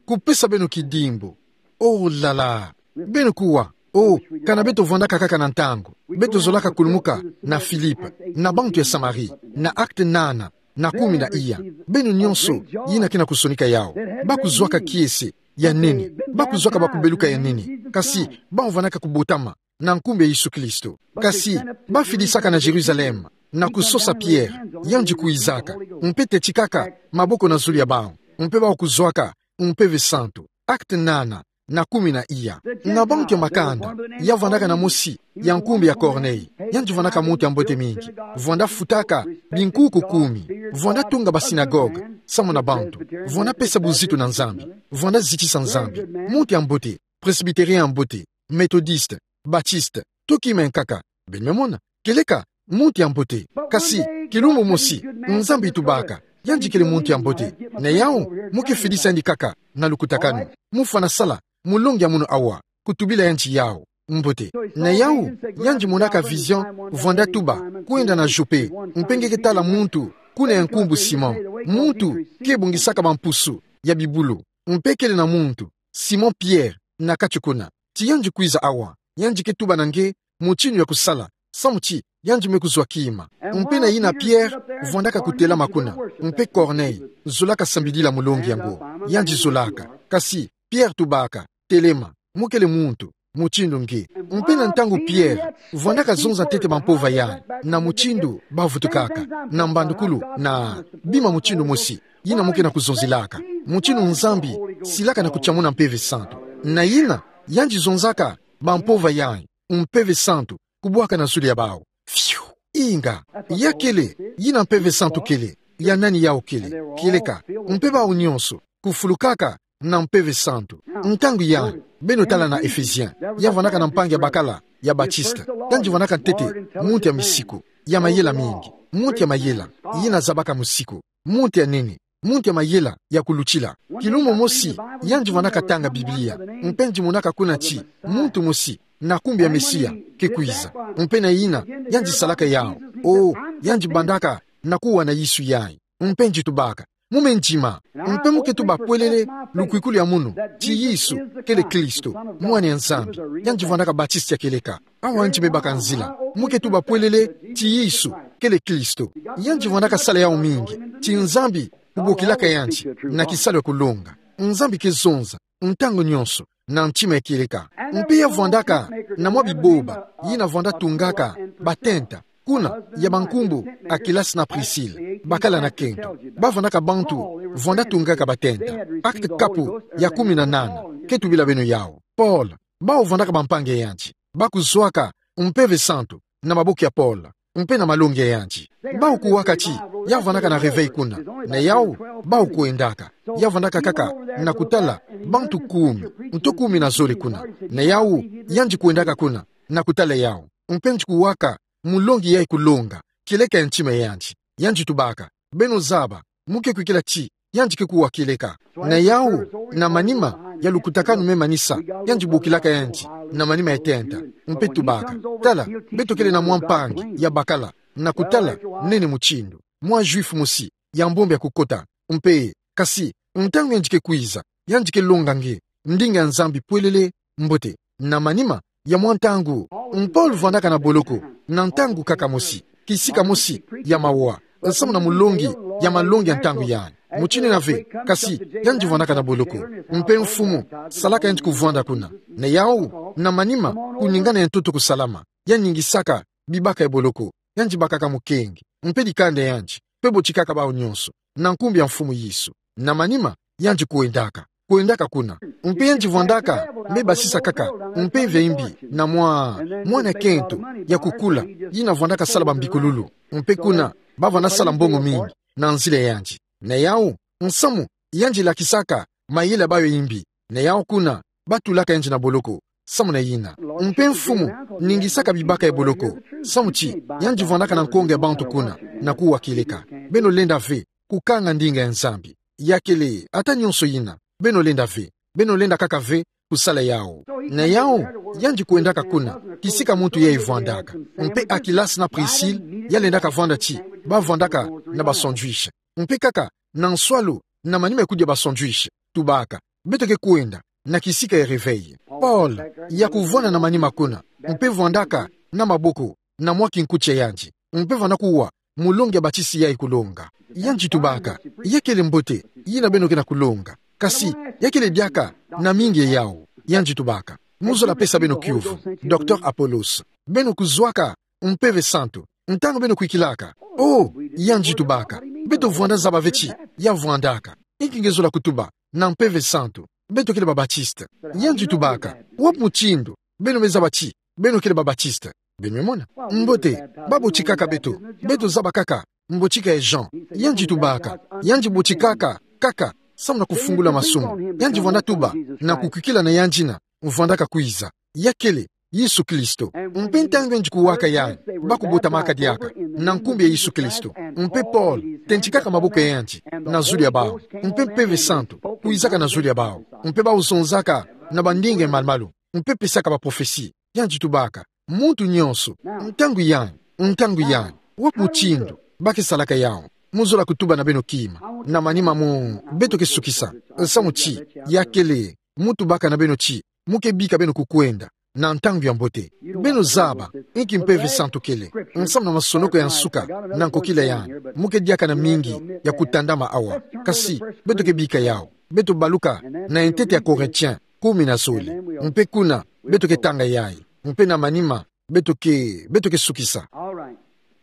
kupesa beno kidimbu. Oh là là! Beno kuwa, oh, kana beto vwandaka kaka na ntangu, beto zolaka kulumuka na Filipe, na bantu ya Samari, na Actes nana, na kumi na iya. Beno nyonso yina ke na kusonika yau. Bau kuzwaka kiese ya nene, bau kuzwaka bakubeluka ya nene, kasi bau vwandaka kubotama na nkumbu ya Yesu Kristo. Kasi bau fidisaka na Jérusalem, na kusosa Pierre, yandi kwizaka, mpe tetikaka maboko na zulu ya bau, mpe bau kuzwaka Mpeve Santu. Actes nana, na kumi na iya. Na bantu ya makanda, ya vwandaka na mosi ya nkumbu ya Corneille, yandi vwandaka muntu ya mbote mingi, vwanda futaka binkuku kumi, vwanda tunga basinagoga samu na bantu, vwanda pesa buzitu na Nzambi, vwanda zitisa Nzambi, muntu ya mbote, presbytérien ya mbote, méthodiste, baptiste, to kima ya nkaka. Beno me mona, kieleka muntu ya mbote. Kasi kilumbu mosi, Nzambi tubaka, yandi kele muntu ya mbote. Na yau, mu ke fidisa yandi kaka na lukutakanu. Mu fwana sala mulongi ya munu awa, kutubila yandi yau. Mbote. Na yau, yandi monaka vision, vwanda tuba, kwenda na Jope, mpe nge ke tala muntu kuna ya nkumbu Simon. Muntu ke bongisaka bampusu ya bibulu, mpe kele na muntu, Simon Pierre, na kati kuna. Ti yandi kwiza awa, yandi ke tuba na nge mutindu ya kusala, samu ti yandi me kuzwa kima. Mpe na yina Pierre vwandaka kutelama kuna, mpe Corneille zolaka sambidila mulongi yango. Yandi zolaka. Kasi Pierre tubaka, telema, mu kele muntu mutindu nge. Mpe na ntangu Pierre vwandaka zonza ntete bampova yayi, na mutindu bavutukaka na mbandukulu, na bima mutindu mosi, yina mu ke na kuzonzelaka, mutindu Nzambi silaka na kutiamuna Mpeve Santu. Na yina, yandi zonzaka bampova yayi, Mpeve Santu kubwaka na zulu ya bau. Fiu! Inga, ya kele, yina Mpeve Santu kele, ya nani yau kele, kieleka, mpe bau nyonso kufulukaka na Mpeve Santu. Ntangu yayi, beno tala na Ephésiens, ya vwandaka na mpangi ya bakala ya baptiste, yandi vwandaka ntete muntu ya misiku, ya mayela mingi, muntu ya mayela, yina zabaka musiku, muntu ya nene, muntu ya mayela ya kulutila. Kilumbu mosi, yandi vwandaka tanga Biblia, mpe yandi monaka kuna ti muntu mosi na nkumbu ya Mesia ke kwiza. Mpe na yina, yandi salaka yau. Oh, yandi bandaka na kuwa na Yesu yayi. Mpe yandi tubaka, mu me ndima, mpe mu ke tuba pwelele lukwikulu ya munu, ti Yesu kele Kristo, Mwana ya Nzambi. Yandi vwandaka baptiste ya kieleka. Awa yandi me baka nzila. Mu ke tuba pwelele ti Yesu kele Kristo. Yandi vwandaka sala yau mingi, ti Nzambi kubokilaka yandi na kisalu ya kulonga. Nzambi ke zonza ntangu nyonso na ntima ya kieleka. Mpe ya vwandaka na mwa biboba, yina vwanda tungaka batenta, kuna ya bankumbu Akilas na Priscille, bakala na kento. Ba vwandaka bantu vwanda tungaka batenta. Actes kapu ya kumi na nana ke tubila beno yau. Paul, bau vwandaka bampangi ya yandi. Bau kuzwaka Mpeve Santu na maboko ya Paul, mpe na malongi ya yandi. Bau kuwaka ti ya vwandaka na réveil kuna. Na yau, bau kwendaka. Ya vwandaka kaka na kutala bantu kumi, nto kumi na zole kuna. Na yau, yandi kwendaka kuna na kutala yau. Mpe yandi kuwaka mulongi yayi kulonga kieleka ya ntima ya yandi. Yandi tubaka, beno zaba, mu ke kwikila ti yandi ke kuwa kieleka. Na yau, na manima ya lukutakanu me manisa, yandi bokilaka yandi na manima ya tenta, mpe tubaka, tala, beto kele na mwa mpangi ya bakala, na kutala nene mutindu, mwa Juif mosi ya mbombo ya kukota. Mpe, kasi, ntangu yandi ke kwiza, yandi ke longa nge ndinga ya Nzambi pwelele. Mbote. Na manima ya mwa ntangu, Paul vwandaka na boloko na ntangu kaka mosi, kisika mosi ya mawa, samu na mulongi ya malongi ya ntangu yayi. Mutindu ina ve, kasi yandi vwandaka na boloko. Mpe mfumu salaka yandi kuvwanda kuna. Na yau, na manima kuningana ya ntoto kusalama, ya ningisaka bibaka ya boloko, yandi bakaka mukenge, mpe dikanda ya yandi, mpe botikaka bau nyonso na nkumbu ya Mfumu Yesu. Na manima, yandi kwendaka, kwendaka kuna. Mpe yandi vwandaka me basisa kaka mpeve ya imbi na mwa, mwa nkento ya kukula, yina vwandaka sala bambikululu. Mpe kuna, ba vwanda sala mbongo mingi na nzila ya yandi. Na yau, nsamu yandi lakisaka mayela ya bau ya imbi. Na yau kuna, batulaka yandi na boloko, samu na yina. Mpe mfumu, ningisaka bibaka ya boloko, samu ti, yandi vwandaka na nkonge ya bantu kuna, na kuwa kieleka. Beno lenda ve, kukanga ndinga ya Nzambi. Ya kele, ata nyonso yina, beno lenda ve, beno lenda kaka ve, kusala yawu. Na yawu, yandi kwendaka kuna, kisika muntu yayi vwandaka. Mpe Akilas na Prisil, ya lendaka vwanda ti, bavwandaka na ba sandwich. Mpe kaka, na nswalu, na manima ya kudia ba sandwich, tubaka, beto ke kwenda, na kisika ya réveil. Paul, ya kuvwanda na manima kuna, mpe vwandaka, na maboko, na mwa kinkuti ya yandi. Mpe vwanda kuwa, mulongi ya batisi yayi kulonga. Yandi tubaka, ya kele mbote, yina beno ke na kulonga. Kasi, ya kele diaka, na mingi ya yawu. Yandi tubaka, mu zola pesa beno kiuvu, docteur Apollos. Beno kuzwaka, Mpeve Santu. Ntangu beno kwikilaka. Oh, yandi tubaka. Beto vwanda zaba ve ti, ya vwandaka. Inki nge zola kutuba, na Mpeve Santu. Beto kele ba Baptiste. Yandi tubaka. Wapi mutindu, beno me zaba ti, beno kele ba Baptiste. Beno me mona. Mbote, babotikaka beto. Beto zaba kaka, mbotika ya Jean. Yandi tubaka. Yandi botikaka, kaka, samu na kufungula masumu. Yandi vwanda tuba, na kukwikila na yandi na, vwandaka kwiza. Ya kele, Yesu Kristo. Mpe ntangu yandi kuwaka yandi, bakubotamaka diaka, na nkumbu ya Yesu Kristo. Mpe Paul, tentikaka maboko ya yandi, na zulu ya bawu. Mpe Mpeve Santu, kwizaka na zulu ya bawu. Mpe bawu zonzaka, na bandinga ya malu-malu. Mpe pesaka ba prophetie. Yandi tubaka. Muntu nyonso. Ntangu yandi. Ntangu yandi. Wapi mutindu. Ba ke salaka yawu. Mu zola kutuba na beno kima. Na manima mu. Beto ke sukisa. Samu ti. Ya kele. Mu tubaka na beno ti. Mu ke bika beno kukwenda. Na ntangu ya mbote. Beno zaba. Inki Mpeve Santu kele. Nsamu na masonoko ya nsuka. Na nkokila yandi. Mu ke diaka na mingi. Ya kutandama awa. Kasi. Beto ke bika yawu. Beto baluka. Na ntete ya Corinthiens. Kumi na zole. Mpe kuna, beto ke tanga yayi. Mpe na manima, beto ke, beto ke sukisa.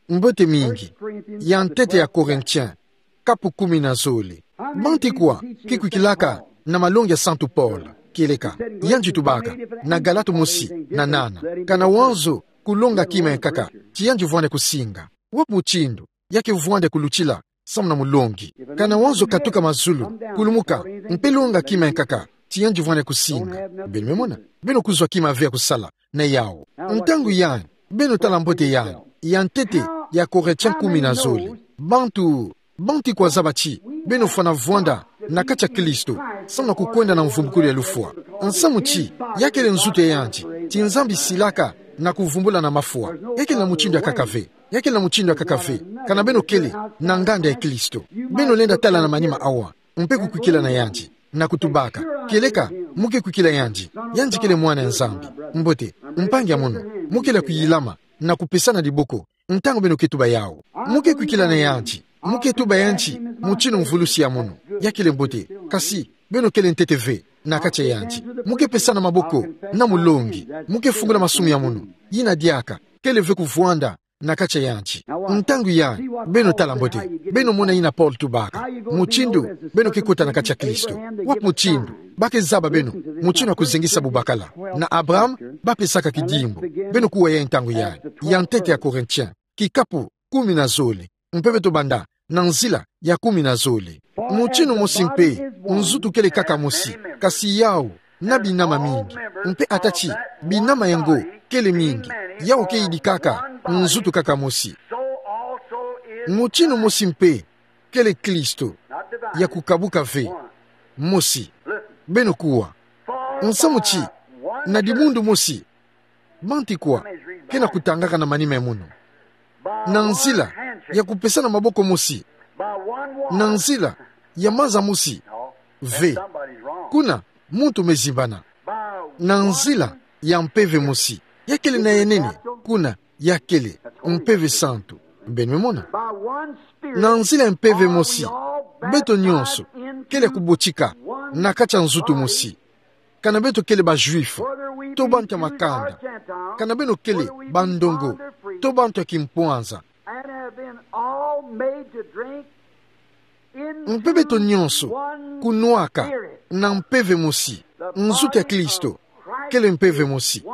Mbote mingi. Ya ntete ya Corinthiens, kapu kumi na zole. Bantu kwa, ke kwikilaka, na malongi ya Santu Paul, kieleka. Yandi tubaka, na Galate mosi, na nana. Kana wanzo, kulonga kima ya nkaka, ti yandi vwanda kusinga. Wapi mutindu, ya ke vwanda kulutila, samu na mulongi. Kana wanzo katuka mazulu, kulumuka, mpe longa kima ya nkaka, ti yandi vwanda kusinga. Beno me mona, beno kuzwa kima ve ya kusala, na yawu. Ntangu yandi, beno tala mbote yandi, ya ntete, ya Corinthiens kumi na zole. Bantu, bantu kwa zaba ti, beno fwana vwanda, na kati ya Kristo, samu na kukwenda na mvumbukulu ya lufwa. Nsamu ti, ya kele nzutu ya yandi, ti Nzambi silaka, na kuvumbula na mafwa. Ya kele na mutindu ya nkaka ve. Ya kele na mutindu ya nkaka ve, kana beno kele, na nganda ya Kristo. Beno lenda tala na manima awa, mpe kukwikila na yandi, na kutubaka. Kieleka, mu ke kwikila yandi, yandi kele mwana ya Nzambi. Mbote, mpangi ya mono, mu kele kuyilama, na kupesana diboko, ntangu beno ke tuba yawu. Mu ke kwikila na yandi, mu ke tuba yandi, mutinu mvulusi ya mono, ya kele mbote, kasi, beno kele ntete ve, na kati ya yandi. Mu ke pesana maboko, na mulongi, mu ke fungula masumu ya mono, yina diaka, kele ve kuvwanda, na kati ya yandi. Ntangu yandi, beno tala mbote, beno mona yina Paul tubaka. Mutindu, beno ke kota na kati ya Kristo. Wapi mutindu, ba ke zaba beno, mutindu ya kuzengisa bubakala. Na Abraham, ba pesaka kidimbu. Beno kuwa yayi ntangu yandi. Ya ntete ya Corinthiens, kikapu, kumi na zole. Mpe beto banda, na nzila, ya kumi na zole. Mutinu mosi mpe, nzutu kele kaka mosi, kasi yawu, na binama mingi. Mpe ata ti, binama yango, kele mingi. Yawu ke yidikaka, nzutu kaka mosi. Mutinu mosi mpe, kele Kristo. Ya kukabuka ve, mosi. Beno kuwa. Nsamu ti, na dimundu mosi. Bantu kwa, ke na kutangaka na manima ya mono. Na nzila, ya kupesana maboko mosi. Na nzila, ya maza mosi. Ve. Kuna, muntu me zimbana. Na nzila, ya mpeve mosi. Ya kele na yanene, kuna, ya kele, Mpeve Santu. Beno me mona. Na nzila ya mpeve mosi, beto nyonso, kele kubotika, na kati ya nzutu mosi. Kana beto kele ba Juifs, to bantu ya makanda. Kana beno kele ba ndongo, to bantu ya kimpwanza. Mpe beto nyonso, kunwaka, na mpeve mosi, nzutu ya Kristo, kele mpeve mosi.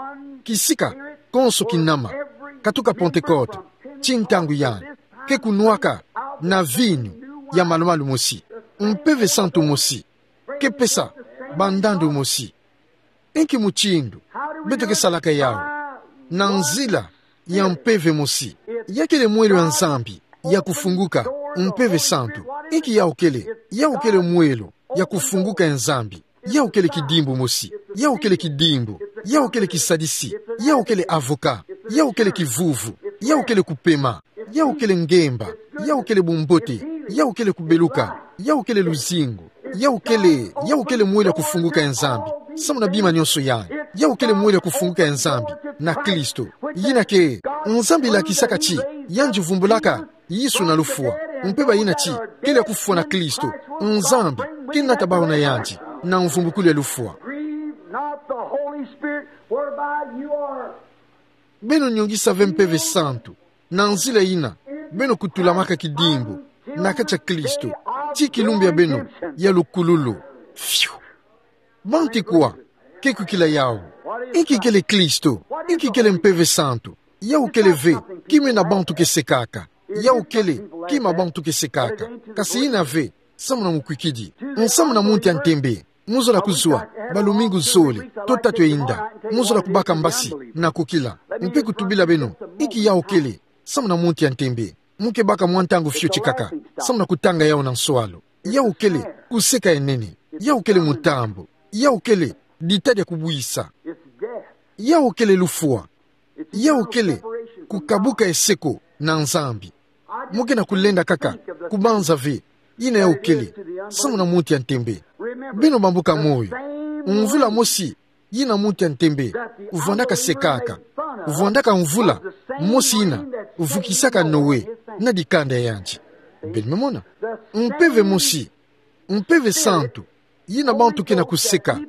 Kisika, konso kinama, katuka Pentekote, tii ntangu yandi, ke kunwaka, na vinu, ya malumalu mosi. Mpeve Santu mosi, ke pesa, ba ndandu mosi. Inki mutindu beto ke salaka yawu? Na nzila ya mpeve mosi. Ya kele mwelo ya Nzambi ya kufunguka, mpeve santu. Inki yawu kele? Yawu kele mwelo ya kufunguka ya Nzambi. Yawu kele kidimbu mosi. Yawu kele kidimbu. Yawu kele kisadisi. Yawu kele avocat. Yawu kele kivuvu. Yawu kele kupema. Yawu kele ngemba. Yawu kele bumbote. Yawu kele kubeluka. Yawu kele luzingu. Yawu kele, yawu kele mwelo ya kufunguka ya Nzambi samu na bima nionso yai. Yawu kele mwelo ya kufunguka ya Nzambi na Kristo. Yina ke Nzambi lakisaka ti yandi vumbulaka Yesu na lufwa, mpe bayina ti kele kufwa na Kristo, Nzambi ke nata bawu na yandi na mvumbukulu ya lufwa. Grieve not the Holy Spirit whereby you are. Beno nyongisa ve mpeve santu na nzila yina beno kutulamaka kidimbu na kati ya Kristo, ti kilumbu ya beno ya lukululu. Fiu. Bantu kwa ke kukila yawu? Inki kele Kristo? Inki kele mpeve santu? Yawu kele ve kima ina bantu ke sekaka. Yawu kele kima bantu ke sekaka. Kasi ina ve samu na mukwikidi, samu na muntu ya ntembe. Mu zola kuzwa balumingu zole to tatu ya inda. Mu zola kubaka mbasi na kukila mpe kutubila beno inki yawu kele samu na muntu ya ntembe. Mu ke baka mwa ntangu fioti kaka samu na kutanga yawu na nswalu. Yawu kele kuseka ya nene. Yawu kele mutambu. Yawu kele dita dia kubwisa. Yawu kele lufwa. Yawu kele kukabuka eseko na Nzambi. Mu ke na kulenda kaka kubanza ve yina yawu kele samu na muntu ya ntembe. Beno bambuka moyo, mvula mosi yina muntu ya ntembe vwandaka sekaka, vwandaka mvula mosi yina vukisaka Noe na dikanda ya yandi. Beno me mona? Mpeve mosi, mpeve santu, yina bantu ke na kuseka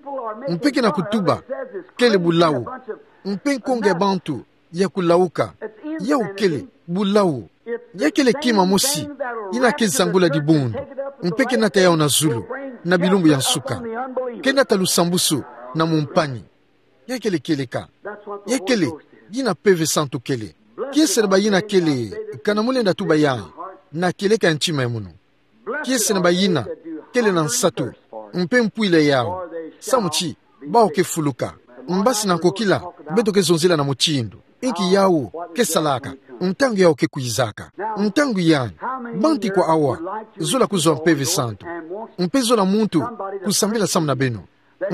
mpe ke na kutuba kele bulawu, mpe nkonga ya bantu ya kulawuka. Yawu kele bulawu. Ya kele kima mosi yina ke zangula dibundu mpe ke nata yawu na zulu na bilumbu ya nsuka. Ke nata lusambusu na mumpani. Ya kele kieleka. Ya kele yina mpeve santu kele. Kiese na bayina kele, kana mu lenda tuba yayi, na kieleka ya ntima ya munu. Kiese na bayina kele na nsatu mpe mpwila yawu, samu ti bawu ke fuluka. Mbasi na nkokila beto ke zonzila na mutindu inki yawu ke salaka, ntangu yawu ke kwizaka. Ntangu yandi, bantu kwa awa zola kuzwa mpeve santu mpe zola muntu kusambila samu na beno,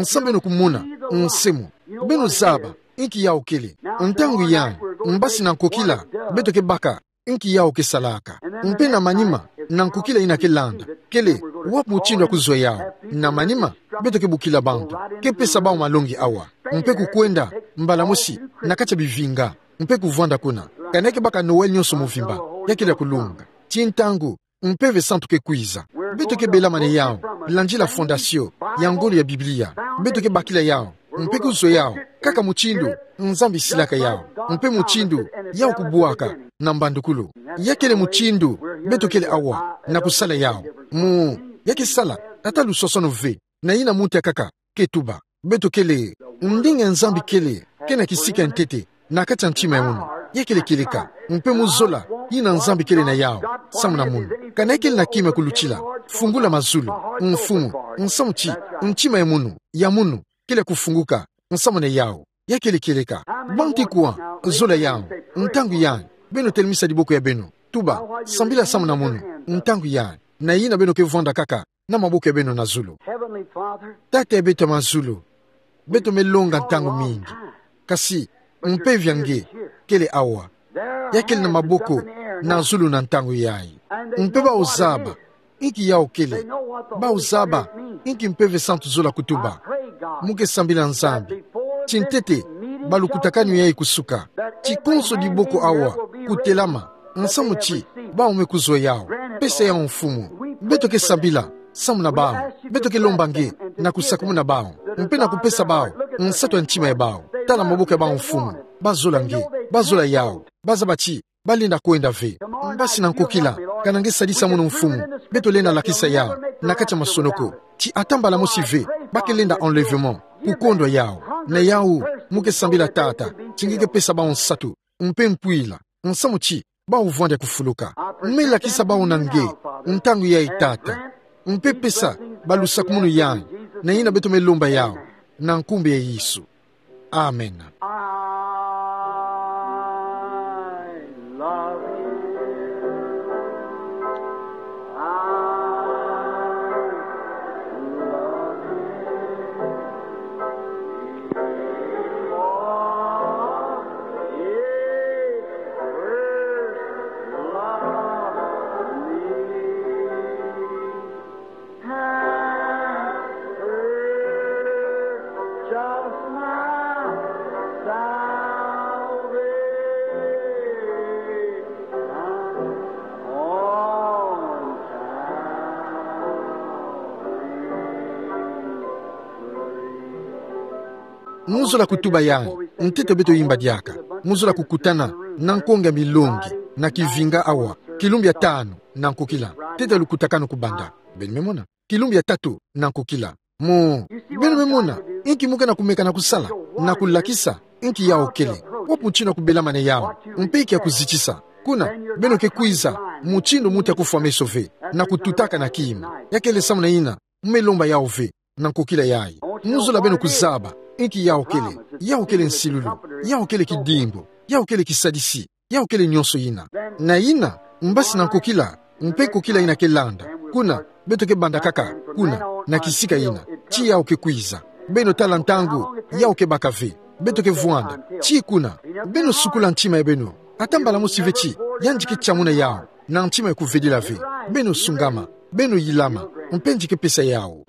samu beno kumona nse mu? Beno zaba inki yawu kele. Ntangu yandi, mbasi na nkokila beto ke baka inki yawu ke salaka. Mpe na manima, na nkokila yina ke landa kele wapi mutindu ya kuzwa yawu. Na manima, beto ke bokila bantu, ke pesa bawu malongi awa, mpe kukwenda mbala mosi na kati ya bivinga mpe kuvwanda kuna. Kana ke baka Noël nionso muvimba, ya kele ya kulunga. Ti ntangu mpeve santu ke kwiza. Beto ke belamane yawu, landila fondasio ya ngolo ya Biblia. Beto ke bakila yawu mpe kuzwa yawu kaka mutindu Nzambi silaka yawu, mpe mutindu yawu kubwaka na mbandukulu. Ya kele mutindu beto kele awa na kusala yawu. Mu, ya ke sala, ata lusosono ve na yina muntu ya nkaka ke tuba. Beto kele, ndinga ya Nzambi kele ke na kisika ya ntete na kati ya ntima ya munu. Ya kele kieleka, mpe mu zola yina Nzambi kele na yawu samu na munu. Kana kele na kima ya kulutila, fungula mazulu, mfumu, samu ti ntima ya munu, ya munu kele kufunguka samu na yawu. Ya kele kieleka. Bantu kwa zola yawu? Ntangu yandi, beno telemisa diboko ya beno, tuba, sambila samu na munu. Ntangu yandi, na yina beno ke vwanda kaka na maboko ya beno na zulu. Heavenly Father, Tata ya beto ya mazulu, beto me longa ntangu mingi, kasi mpeve ya nge kele awa. Ya kele na maboko na zulu na ntangu yayi. Mpe bawu zaba inki yawu kele. Bawu zaba inki mpeve santu zola kutuba. Mu ke sambila Nzambi ti ntete balukutakanu yayi kusuka, ti konso diboko awa kutelama, samu ti bawu me kuzwa yawu, pesa yawu mfumu. Beto ke sambila samu na bawu. Beto ke lomba nge na kusakumuna bawu, mpe na kupesa bawu nsatu ya ntima ya bawu. Tala maboko ya bawu mfumu. Bazola nge, bazola yawu, bazaba ti balenda kwenda ve. Mbasi na nkokila, kana nge sadisa munu mfumu, beto lenda lakisa yawu na kati ya masonoko ti ata mbala mosi ve ba ke lenda enlèvement, kukondwa yawu. Na yawu, mu ke sambila Tata ti nge ke pesa bawu nsatu mpe mpwila, samu ti bawu vwanda kufuluka. Me lakisa bawu na nge ntangu yayi Tata, mpe pesa balusakumunu yayi, na yina beto me lomba yawu na nkumbu ya Yesu. Amen. Mu zola kutuba yai, ntete beto yimba diaka. Mu zola kukutana na nkonge milongi na kivinga awa, kilumbu ya tanu na nkokila. Ntete lukutakanu kubanda. Beno me mona. Kilumbu ya tatu na nkokila. Mo, beno me mona, inki mu ke na kumeka na kusala, na kulakisa inki yawu kele, wapi mutino ya kubelamane yawu, mpe inki ya kuzitisa. Kuna, beno ke kwiza mutindu muti ya kufwa meso ve, na kututaka na kima. Ya kele samuna ina, mu me lomba yawu ve na nkokila yai. Mu zola beno kuzaba inki yawu kele. Yawu kele nsilulu, yawu kele kidimbu, yawu kele kisadisi, yawu kele nionso ina. Na ina, mbasi na nkokila, mpe nkokila ina ke landa. Kuna, beto ke banda kaka, kuna, na kisika ina. Ti yawu ke kwiza. Beno tala ntangu, yawu ke baka ve. Beto ke vwanda. Ti kuna, beno sukula ntima ya beno. Ata mbala mosi ve ti, yandi ke tiamuna yawu. Na ntima ya kuvedila ve. Beno sungama. Beno yilama, mpe yandi ke pesa yawu.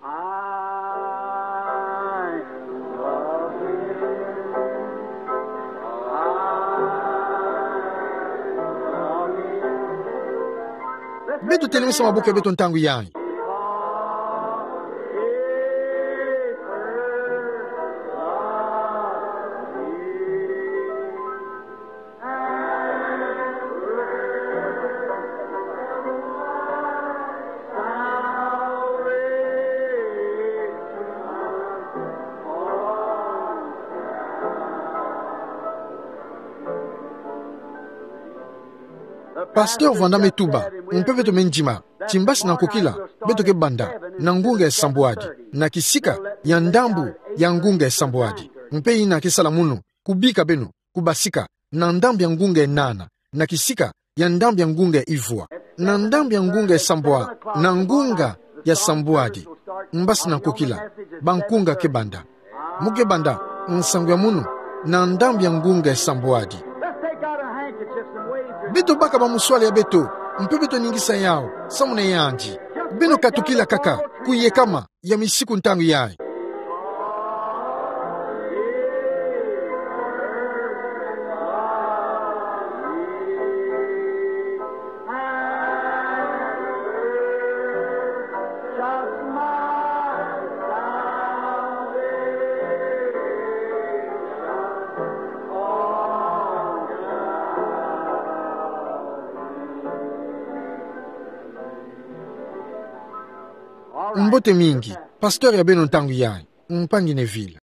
Beto telemisa maboko ya beto ntangu yai. Pasteur Vanda me tuba, mpe beto me ndima, ti mbasi na nkokila, beto ke banda na ngunga ya sambwadi, na kisika ya ndambu ya ngunga ya sambwadi. Mpe ina ke sala munu, kubika beno, kubasika na ndambu ya ngunga ya nana, na kisika ya ndambu ya ngunga ya ivwa. Na ndambu ya ngunga ya sambwa, na ngunga ya sambwadi, mbasi na nkokila, bankunga ke banda. Mu ke banda nsangu ya munu na ndambu ya ngunga ya sambwadi. Beto baka bamuswala ya beto, mpe beto ningisa yawu samuna yandi. Beno katukila kaka, kuyekama ya misiku ntangu yai. Mbote mingi, pasteur ya beno ntangu yai, mpangi Neville.